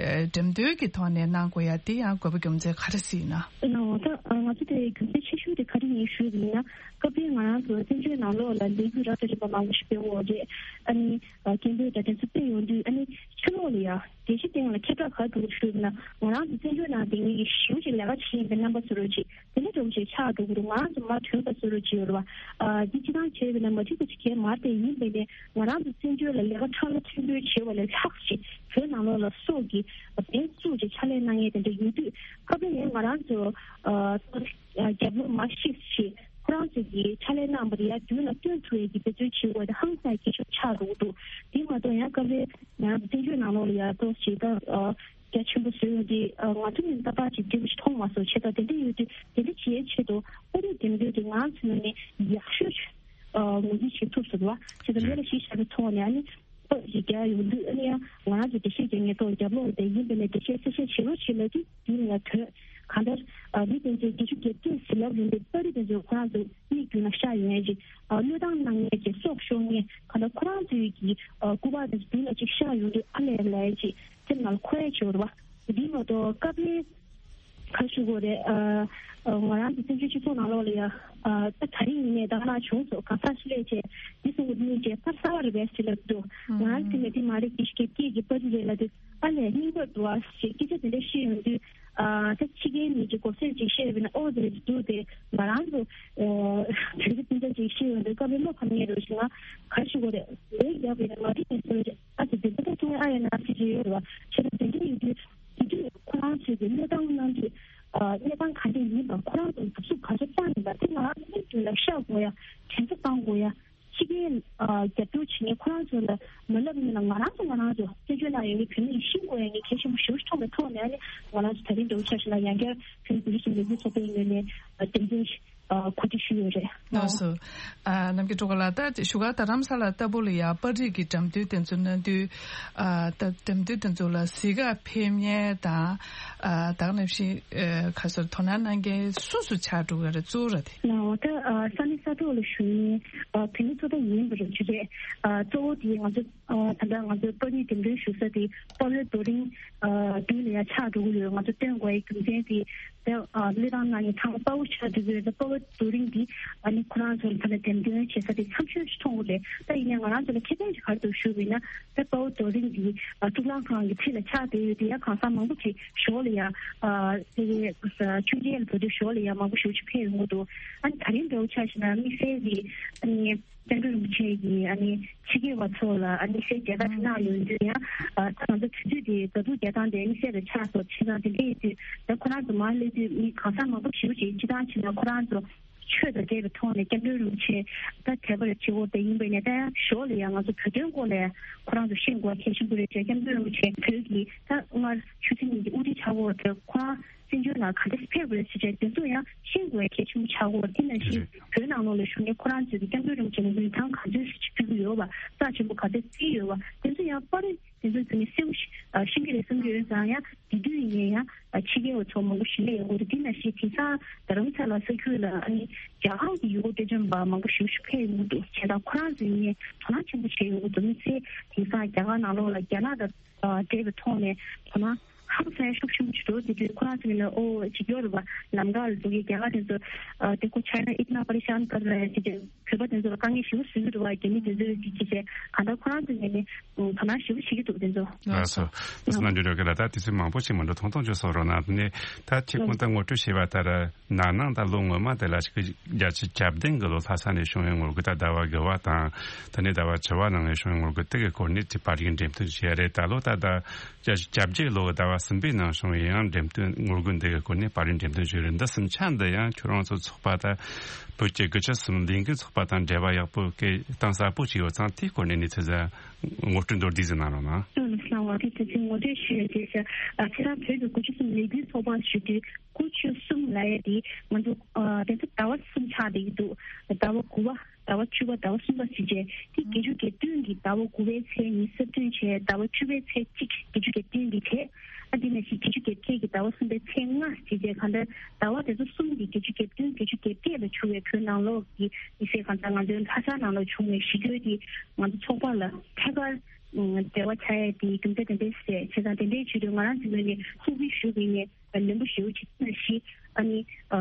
འགྲེམས་སྟོན་གྱི་ཐོག་ནས་གནང་དགོས་ཡ་དེ་ཡང་དགོས་པ་རྒྱུ་མཚན་ག་རེ་ཟིན་ན། ཨ་ད་ང་ཚོ་དེ་རྒྱུ་མཚན་ཆེ་ཤོས་དེ་ག་རེ་ཡིན་ཞུས་པ་ཡིན་ན། སྐབས་དེར་ང་རང་ཚོ་བཙན་བྱོལ་ནང་ལོགས་ལ་ལས་འགུལ་རབ་དང་རིམ་པ་མང་པོ་ཞིག་སྤེལ་ཡོད་རེད། ཨ་ནི། སྐད་འབོད་དང་དེ་ཚོ་སྤེལ་ཡོང་དུས་ཨ་ནི་ཕྱི་ལོགས་ལ་ཡ་རྒྱལ་སྤྱིའི་སྟེང་ལ་ཁྱབ་བསྒྲགས་ག་རེ་འདུག་ཞུས་ན། ང་རང་ཚོ་བཙན་བྱོལ་ནང་བསྡད་མཁན་གྱི་ཞེ་པོ་ཅིག་ལས་ཀ་བྱེད་ཡིན་པའི་རྣམ་པ་བཟོ་འདྲ་ཅིག་དེ་འདྲ་འདྲ་བོ་ཅིག་ཆགས་འགྲོ་གི་འདུག་ང་རང་ཚོ་མར་ཐོན་པ་བཟོ་འདྲ་ཅིག་ཡོད་རེད་བ། ཨ་འདི་སྤྱིར་བཏང་བྱས་པ་ཡིན་ན་མ་འགྲིག་པ་ཅིག་གང་ཡང་མ་རེད་དེ། ཡིན་པས་ནས་ང་རང་ཚོ་བཙན་བྱོལ་ལ་ལས་ཀ་ཁྲ་ལ་ཐོན་འབོད་བྱས་པ་ལས་ལྷག་ཅིག་བོད་ནང་ལོགས་ལ་སྲོག་གི་འབེན་བཙུགས་ཅིག་ཕྱག་ལས་གནང་མཁན་དེ་འདྲ་ཡོད་དུས། སྐབས་རེ་ཡང་ང་རང་ཚོ་ཨ་རྒྱབ་ལོགས་མ་ཤེས་ཤིག་ཁོ་རང་ཚོ་གིས་ཕྱག་ལས་གནང་བ་དེ་ཡར་མདུན་ལ་སྟོན་ཐུབ་ཡས་ཀྱི་འབད་བརྩོན་བྱེད་དགོས་དེ་ཧང་སང་གི་ཤུགས་ཆགས་འགྲོ་གི་འདུག་དེ་མ་གཏོགས་ཡང་སྐབས་རེ་ང་རང་ཚོ་བཙན་བྱོལ་ནང་ལོགས་ལ་ཡར་ཏོག་ཙམ་ད་རྒྱ་ཆེན་པོ་བཟོས་ཡོང་དུས་ང་ཚོ་ནི་ཏག་ཏག་ཅིག་འགྲིག་པ་ཞིག་མཐོང་མ་སོང་། བྱས་ཙང་དེ་འདྲ་ཡོད་དུས་དེ་འདྲ་བྱེད་ཡས་ཆེད་དུ་ཨ་རིའི་འགྲེམས་སྟོན་དེ་ང་རང་ཚོའི་ངོས་ནས་ཡག་ཤོས་ཅིག་ངོས་འཛིན་བྱེད་ཐུབ་སོང་བ། བྱས་ཙང་དེ་ལ་གཞི་བཞག་པའི་ཐོག་ནས་ཨ་ནི། ཨོ་ཞིག་རྒྱག་ཡོང་དུས་ཨ་ནི་ཡང་ང་རང་ཚོ་འགྲེལ་བཤད་རྒྱག་མཁན་ཐོག་རྒྱབ་ལོགས་དེ་ཡིན་པས་ན་འགྲེལ་བཤད་གསལ་བཤད་བྱེད་རོགས་བྱེད་ལབ་དུས་དེ་ནི་ཡང་དོན་གང་ལྟར་ཨ་མི་དེ་ཚོས་བརྒྱད་ཅུ་གྱ་བརྒྱད་ཟེར་ལབ་ཡོང་དུས་པར་རིས་དེ་ཚོས་ཁོ་རང་ཚོ་མིག་མདུན་ལ་ཤར་ཡོང་ཡས་ཅིག་ཨ་བློས་བཏང་གནང་ཡས་ཅིག་སྲོག་ཤོར་མཁན་གང་ལྟར་ཁོ་རང་ཚོའི་གི་ཨ་སྐུ་པར་དེ་ཚོ་མདུན་ལ་ཅིག་ཤར་ཡོང་དུས་ཨ་ལས་ལས་ཅིག་སེམས་ནང་ལ་འཁོར་ཡས་ཅིག་ཡོད་རེད་བ། འདི་མ་གཏོགས་སྐབས་རེ་ག་ཞུ་དགོས་རེད། ཨ་ཨ་ང་རང་ཚོ་བཙན་བྱོལ་སྤྱི་ཚོགས་ནང་ལོགས་ལ་ཡ་ཨ་ད་ད་རིང་ཡིན་ནའི་ད་ག་ནང་བྱུང་སོང་གང་ཟག་ཞིག་སླེབས་བྱས་འདི་སོང་གི་གཉིས་བྱས་པར་གསར་པ་རེད་པས་ཟེར་ལབ་འདུག་ང་རང་ཚོ་ནས་འདི་མ་རེད་འདི་ཞིག་སྐད་ཀྱི་པར་རེད་ལབ་དུས་ཨ་ལས་རྙིང་པར་འདུག་ཨ་ཞེས་སྐད་ཆ་དེ་འདྲ་བཤད་ཡོང་དུས་ཨ་ད་ཕྱི་རྒྱལ་མི་གི་གོ་སེར་ཅིག་བཤད་པ་ན་ཨོ་དེ་རེད་འདུག་དེ་ང་རང་ཚོ་ཨ་དེ་འདྲ་དེ་འདྲ་ཅིག་བཤད་ཡོང་དུས་སྐབས་རེ་བློ་ཕམ་ཡས་རེད་ཞེ་ང་ག་ཞུ་དགོས་རེད། ལས་རྒྱག་པ་ཡིན་ན་མ་འགྲིག་ནས་ཟེར་བ་ཅིག་ཨ་ཙི་དེ་འདྲ་ད་ཐུང་ཨ་ཡ་ན་ཟེར་གྱི་ཡོད་རེད་བ། བྱས་ན་དེ་འདྲ་ཡོད་དུས། དེ་དུས་ཁོ་རང་ཚོས་ཀྱི་གནས་སྟངས་གནང་དུས་ཨ་གནས་སྟངས་ག་འདྲ་ཡིན་པ་ཁོ་རང་ཚོས་གྲུབ་གཟུགས་ག་ཚོད་བཏང་ཡིན་པ་དེ་ང་རང་ཚོ་མིག་མདུན་ལ་ཤར་དགོས་ཡ། དྲན་གསོ་བཏང་དགོས་ཡ། ཕྱི་རྒྱལ་ཨ་རྒྱབ་སྐྱོར་བྱེད་མཁན་ཁོ་རང་ཚོ་ལ་མ་ལབ་ཡིན་ན་ང་རང་ཚོ་ང་རང་ཚོ་བཙན་བྱོལ་ནང་ཡོད་མཁན་བོད་མི་ཡིས་ཤེས་དགོས་ཡ་ངས་གལ་ཆེན་པོ་ཞེ་པོ་ཅིག་མཐོང་བའི་ཐོག་ནས་ཨ་ནི་ང་རང་ཚོ་ད་རིང་འདྲ་བོ་ཆ་བཞག་ན་ཡང་བསྐྱར་བོད་མི་བུ་རིགས་ཀྱི་ལས་འགུལ་ཚོགས་པའི་ངོས་ནས་ཨ་འགྲེམས་སྟོན་ གོ་སྒྲིག་ཞུས་ཡོད་རེད། ལགས་སོ། ཨ་རྣམ་རྒྱལ་སྒྲོལ་དཀར་ལགས། ད་བཞུགས་སྒར་རྡ་རམ་ས་ལ་ལྟ་བུ་ལ་ཡ་པར་རིས་ཀྱི་འགྲེམས་སྟོན་དེ་ཚོ་གནང་དུས། ཨ་ད་འགྲེམས་སྟོན་དེ་ཚོ་ལ་གཟིགས་ག་ཕེབས་མཁན་དང་། ཨ་ད་ག་ནང་བཞིན་ཨ་ག་ཟེར་དོ་སྣང་གནང་མཁན་སུ་སུ་ཆགས་འགྲོ་གི་རེད། གཙོ་བོ་ར་དེ། ལགས་འོ། ད་ཨ་ས་གནས་ས་ཐོག་ལ་བཞུགས་མཁན་ཨ་བོད་མི་ཚོ་ད་ཡིན་པ་རེད་ཅི་རེད། ཨ་གཙོ་བོ་དེ་ང་ཚོ་ཨ་ད་ལྟ་ང་ཚོ་པར་རིས་འགྲེམས་སྟོན་ཞུ་ས་དེ་དཔའ་བོའི་རྡོ་རིང་ཨ་མདུན་ལ་ཡ་ཆགས་འགྲོ་གི་ཡོད། ང་ཚོ་སྟོན་དགོས་ཡའི་རྒྱུ་མཚན་དེ། ད་ཨ་གླེང་སྟེགས་ནང་ནས་ཚང་མ་དཔའ་བོ་ཆགས་འདུག་གི་རེད། ད་དཔའ་བོ་རྡོ་རིང་འདི་ཨ་ནི་ཁོ་རང་ཚོ་ལ་ད་ལྟ་འགྲེམས་སྟོན་བྱེད་ས་དེ་འཚམས་ཤོས་ཤིག་མཐོང་གི་རེད། ད་ཡིན་ནའི་ང་རང་ཚོ་ལ་ཁེ་ཕན་ཞིག་ག་རེ་འདུག་ཞུས་པ་ཡིན་ན། ད་དཔའ་བོ་རྡོ་རིང་འདི་ཨ་གཙུག་ལག་ཁང་གི་འཁྲིས་ལ་ཆགས་བསྡད་ཡོད་དེ་ཡ་གང་ཟག་མང་པོ་ཅིག་ཞོར་ལ་ཡ་ཨ་དེ་གའི་མཆོད་མཇལ་ལ་འགྲོ་དུས་ཞོར་ལ་ཡ་མང་པོ་ཞེ་པོ་ཅིག་ཕེབས་ཡོང་གི་འདུག་ཨ་ནི་ད་རིང་འདྲ་བོ་ཆ་བཞག་ན་དམིགས་བསལ་གྱི་ཨ་ནི། སྐྱབས་མགོན་རིན་པོ་ཆེ་གིས་ཨ་ནི་ཕྱི་རྒྱལ་བ་ཚོ་ལ་ཨ་ནི་སེ་མཇལ་ཁ་གནང་ཡོང་དུས་ཡང་ཨ་ང་ཚོ་དུས་ཚོད་དེ་ཟླ་དྲུག་བརྒྱ་དང་དེ་ཨ་ནི་སེ་ལ་ཆགས་སོང་། བྱས་ཙང་དེ་འདྲ་ཡིན་དུས་ད་ཁོ་རང་ཚོ་མར་སླེབས་དུས་མི་གང་ཟག་མང་པོ་ཞེ་པོ་ཅིག་སྤྱིར་བཏང་བྱས་ན་ཁོ་རང་ཚོ་ཆོས་དང་འབྲེལ་བའི་ཐོག་ནས་སྐྱབས་མགོན་རིན་པོ་ཆེ་ད་དད་པ་ལ་བྱེད་འོ་དེ་ཡིན་པས་ནས། ད་ཡང་ཞོར་ལ་ཡང་ང་ཚོ་བོད་དོན་སྐོར་ལ་ཁོ་རང་ཚོ་ཤེས་དགོས་གལ་ཆེན་པོ་རེད་ཅེས། སྐྱབས་མགོན་རིན་པོ་ཆེ་བོད་ཀྱི་ད་སྔར་ཆོས་སྲིད་གཉིས་ཀྱི་དབུ་ཁྲིད་ཆགས་འོ་དེ་ཁོ་རང་བཙན་བྱོལ་ནང་ག་འདྲ་ཕེབས་དགོས་ཟེར་བྱས་དེ་ཚོ་ཡང་ཤེས་དགོས་གལ་ཆེན་པོ་ཆགས་ཀྱི་ཡོད་རེད། དེ་ནང་བཞིན་བོད་ནང་ལོགས་ལ་བཞུགས་མཁན་ཁོ་རང་ཚོས་ཀྱི་སྐྱབས་མགོན་རིན་པོ་ཆེ་ལ་མིང་ཐང་ག་ཚོད་ཞིག་ཅིག་ཕུལ་གྱི་ཡོད་པ། རྩ་ཆེན་པོ་ག་ཚོད་བརྩིས་ཡོད་པ། དེ་ཚོ་ཡང་པར་རིས་དེ་ཚོ་དེ་ནས་གསལ་པོ་ཞིག་ཤེས་ཀྱི་རེད་བསམ་གྱི་ཡོད་ཙང་། ཡང་དེ་དུས་ཡིན་ནའི་ཡང་ཕྱི་རྒྱལ་བ་ཚོ་མང་པོ་ཞིག་སླེབས་ཡོང་གི་རེད། དེ་ནང་བཞིན་དེང་སང་རྡ་རམ་ས་ལ་ས་ཁུལ་ལ་ཨ་ནི་རྒྱ་གར་གྱི་ཡུལ་སྐོར་སྤྲོ་འཆམ་པ་མང་པོ་ཞིག་ཕེབས་ཡོང་གི་འདུག་བྱས་ཙང་ཁོ་རང་ཚོ་ཡིན་ནའི་དོ་སྣང་ཆེན་པོ་བྱས་ཡོང་གི་འདུག་དམིགས་བསལ་དེང་སང་རྒྱ་གར་ནང་ལོགས་ལ་རྒྱ་ནག་དང་འབྲེལ་བའི་ཐོག་ནས་དོ་སྣང་ཧང་སང་ཡ་ཤུགས་ཆེན་པོ་ཅིག་འགྲོ། དེ་དུས་ཁོ་རང་ཚོ་ཡིན་ན་ཨོ་ཅིག་ཡོད་རེད་པ། ལམ་ཁ་ལ་འཛུལ་གྱི་རྒྱ་གར་དེ་ཚོ་ཨ་དེ་ཁོ་ཆའི་ན་ཨིཏ་ན་པ་རི་ཤཱན་ཀར་ར་ཡ་ཅིག་ཅིག་བོད་པ་དེ་ཚོ་ལ་དཀའ་ངལ་ཞེ་པོ་བཟོ་གི་འདུག་པ། རྒྱ་མི་དེ་ཚོས་ཅིག་ཅིག་བྱས་གང་ལྟར་ཁོ་རང་ཚོ་ཡིན་ནའི་དོ་སྣང་ཞེ་པོ་བྱེད་ཀྱི་འདུག་དེ་ཚོ། ལགས་སོ། དེ་ཚོ་ནང་འཇོག་རོགས་གི་ལ་ད་དེ་ཚོ་མང་པོ་ཞིག་མ་འགྲོ་ཐུང་ཐུང་ཅིག་གསུང་རོགས་གནང་། དེ་ནས་ད་ཁྱེད་ཁོང་ད་ངོ་སྤྲོད་བྱས་པ་ལྟར། ན་ནིང་དང་ལོ་སྔོན་མ་དེ་ལ་ཅིག་བརྒྱ་ཆ་གྱ་བདུན་གི་ལོ་ལྷ་ས་ནས་བྱུང་བའི་ངོ་རྒོལ་ད་ཟླ་བ་དགུ་བ་དང་། དེ་ནས་ཟླ་བ་བཅུ་བ་ནང་ནས་བྱུང་བའི་ངོ་རྒོལ་དེ་གི་སྐོར་ནས་ཅིག་པར་རིས་འགྲེམས་སྟོན་བྱས་རེད། ད་ལོ་ད་ཟླ་བརྒྱ་ཆ་གྱ་བརྒྱད་ལོ་གི་ཟླ་བ་གསུམ་པའི་ནང་བྱུང་བའི་ཡང་འགྲེམས་སྟོན་ངོ་རྒོལ་འདི་གི་སྐོར་ནས་པར་རིས་འགྲེམས་སྟོན་བྱས་རེད། འདི་གསུམ་ཆ་འདི་ཡང་ཁྱོད་རང་ཚོ་ཚོགས་པ་ད་བོད་ཀྱི་དགུ་བཅུ་གསུམ་ལས་འགུལ་ཚོགས་པ་དང་འབྲེལ་བ་ཡག་པོ་གི་གཏིང་ཟབ་པོ་ཅིག་ཡོད་ཙང་། དེའི་སྐོར་ནས་གནས་ཚུལ་ཟིག་ངོ་སྤྲོད་མདོར་བསྡུས་ཟིག་གནང་རོགས་གནང་། ལགས་སོ། ལགས་སོ། དེ་དུས་ཚོད་ངོ་སྤྲོད་ཞུ་ཡ་དེ་ཟེར། ཨ་ཁྱེད་རང་བོད་ཀྱི་དགུ་བཅུ་གསུམ་ལས་འགུལ་ཚོགས་པ་ཞུ་དུས། དགུ་བཅུ་གསུམ་ལབ་ཡ་དེ་ང་ཚོ་ཨ་དེ་ཚོ་ཟླ་བ་གསུམ་ཆགས་བསྡད་ཀྱི་འདུག་ཟླ་བ་དགུ་པ། ཟླ་བ་བཅུ་པ། ཟླ་བ་གསུམ་པ་ཟེར་བྱས། དེ་བརྒྱད་ཅུ་གྱ་བདུན་གྱི་ཟླ་བ་དགུ་པའི་ཚེས་ཉི་ཤུ་རྩ་བདུན་བྱས། ཟླ་བ་བཅུ་པའི་ཚེས་གཅིག་བརྒྱད་ཅུ་གྱ་བདུན་གྱི་བྱས། ཨ་དེ་ནང་བཞིན་བརྒྱད་ཅུ་གྱ་བརྒྱད་ཀྱི་ཟླ་བ་གསུམ་པའི་ཚེས་ལྔ་ཟེར་བྱས། གང་ལྟར་ཟླ་བ་དེ་ཚོ་གསུམ་གྱི་བརྒྱད་ཅུ་གྱ་བདུན་བརྒྱད་ཅུ་གྱ་བརྒྱད་ལ་བྱུང་བའི་བོད་ནང་ལོགས་ཀྱི་མི་སེར་གང་ལྟར་ང་ཚོའི་ལྷ་ས་ནང་ལ་བྱུང་བའི་ཞི་རྒོལ་དེ་ང་ཚོ་ཚོགས་པ་ལ་ཐད་ཀར་འབྲེལ་བ་བྱ་ཡ་དེ་རྒྱུ་མཚན་དེ་འདྲ་རེད། བྱས་ཙང་དེ་འདྲའི་ཆེད་དུ་ང་རང་ཚོའི་ངོས་ནས་གསུང་འབུལ་ཞུ་གི་ཡིན། ལན་པོ་ཞེ་པོ་ཅིག་ནང་བཞིན་ཨ་ནི་ཨ་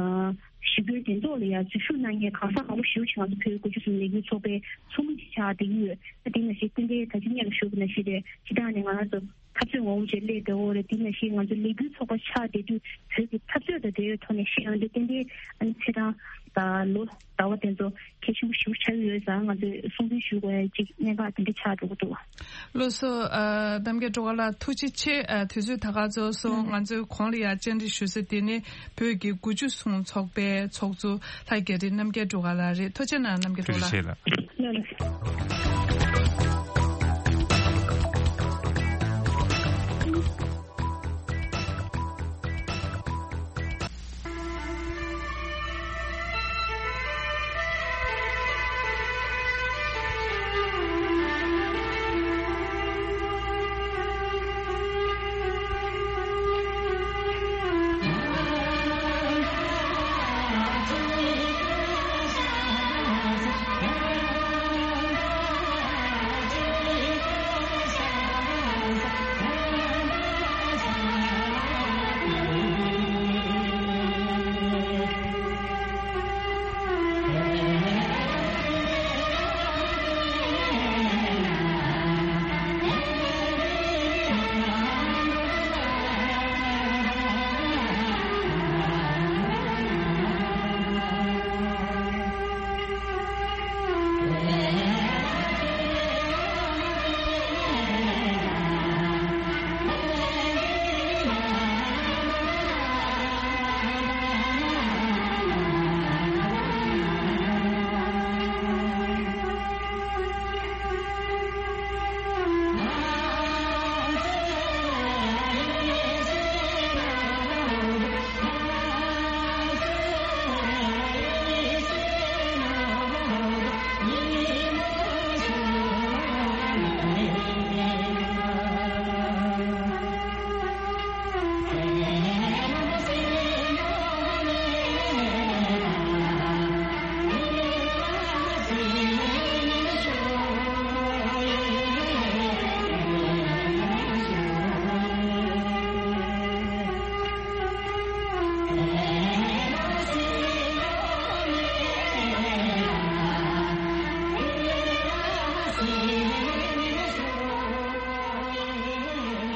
ཞི་རྒོལ་དེ་ཚོ་ལ་ཡང་འཛུལ་ཞུགས་གནང་མཁན་གང་ཟག་མང་པོ་ཞེ་པོ་ཅིག་ང་ཚོ་བོད་དགུ་བཅུ་གསུམ་ལས་འགུལ་ཚོགས་པའི་ཚོགས་མི་ཅིག་ཆགས་བསྡད་ཀྱི་ཡོད། ཨ་དེ་ནང་བཞིན་ཏན་ཏན་ད་ཅི་སྔོན་ལ་ཞུས་པ་ནང་བཞིན་རེད། སྤྱིར་བཏང་ནས་ང་རང་ཚོ་འཐབ་རྩོད་ངོ་བོ་ཅིག་སླེབས་བསྡད་ཡོད་རེད། དེ་ནང་བཞིན་ང་ཚོ་ལས་འགུལ་ཚོགས་པ་ཆགས་བསྡད་དུས་བོད་ཀྱི་འཐབ་རྩོད་དང་འབྲེལ་བའི་ཐོག་ནས་བཤད་ཡོང་དུས་ཏན་ཏན་ཨ་ནི་ཚེས་གྲངས་དང་ལོ་ཟླ་བ་དེ་ཚོ་གལ་ཆེན་པོ་ཞེ་པོ་ཆགས་ཀྱི་ཡོད་ཙང་། ང་ཚོས་གསུང་འབུལ་ཞུ་དགོས་ཡ་ཅིག་གནད་འགག་དེ་འདྲ་ཆགས་འགྲོ་གི་འདུག་ལགས་སོ། ཨ་རྣམ་རྒྱལ་སྒྲོལ་དཀར་ལགས་ཐུགས་རྗེ་ཆེ། ཨ་དུས་ཚོད་ད་ག་ཚོད་སོང་། ང་ཚོའི་གོང་ལ་ཡ་བཅར་འདྲི་ཞུ་ས་དེ་ནི་བོད་ཀྱི་དགུ་བཅུ་གསུམ་ཚོགས་པའི་ཚོགས་གཙོ་ལྷ་རྒྱ་རི་རྣམ་རྒྱལ་སྒྲོལ་དཀར་ལགས་རེད། ཐུགས་རྗེ་གནང་རྣམ་རྒྱལ་སྒྲོལ་དཀར་ལགས། ཐུགས་རྗེ་ཆེ་ལགས། ལགས་ལགས།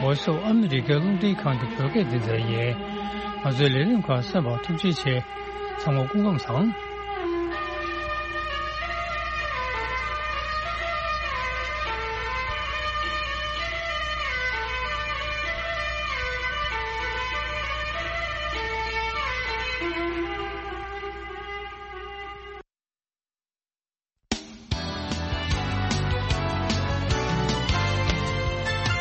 Voice of America རླུང་འཕྲིན་ཁང་གི་བོད་སྐད་སྡེ་ཚན་ཡིན། ང་ཚོའི་ལས་རིམ་ཁག་གསན་པར་ཐུགས་རྗེ་ཆེ། ཚང་མ་སྐུ་ཁམས་བཟང་།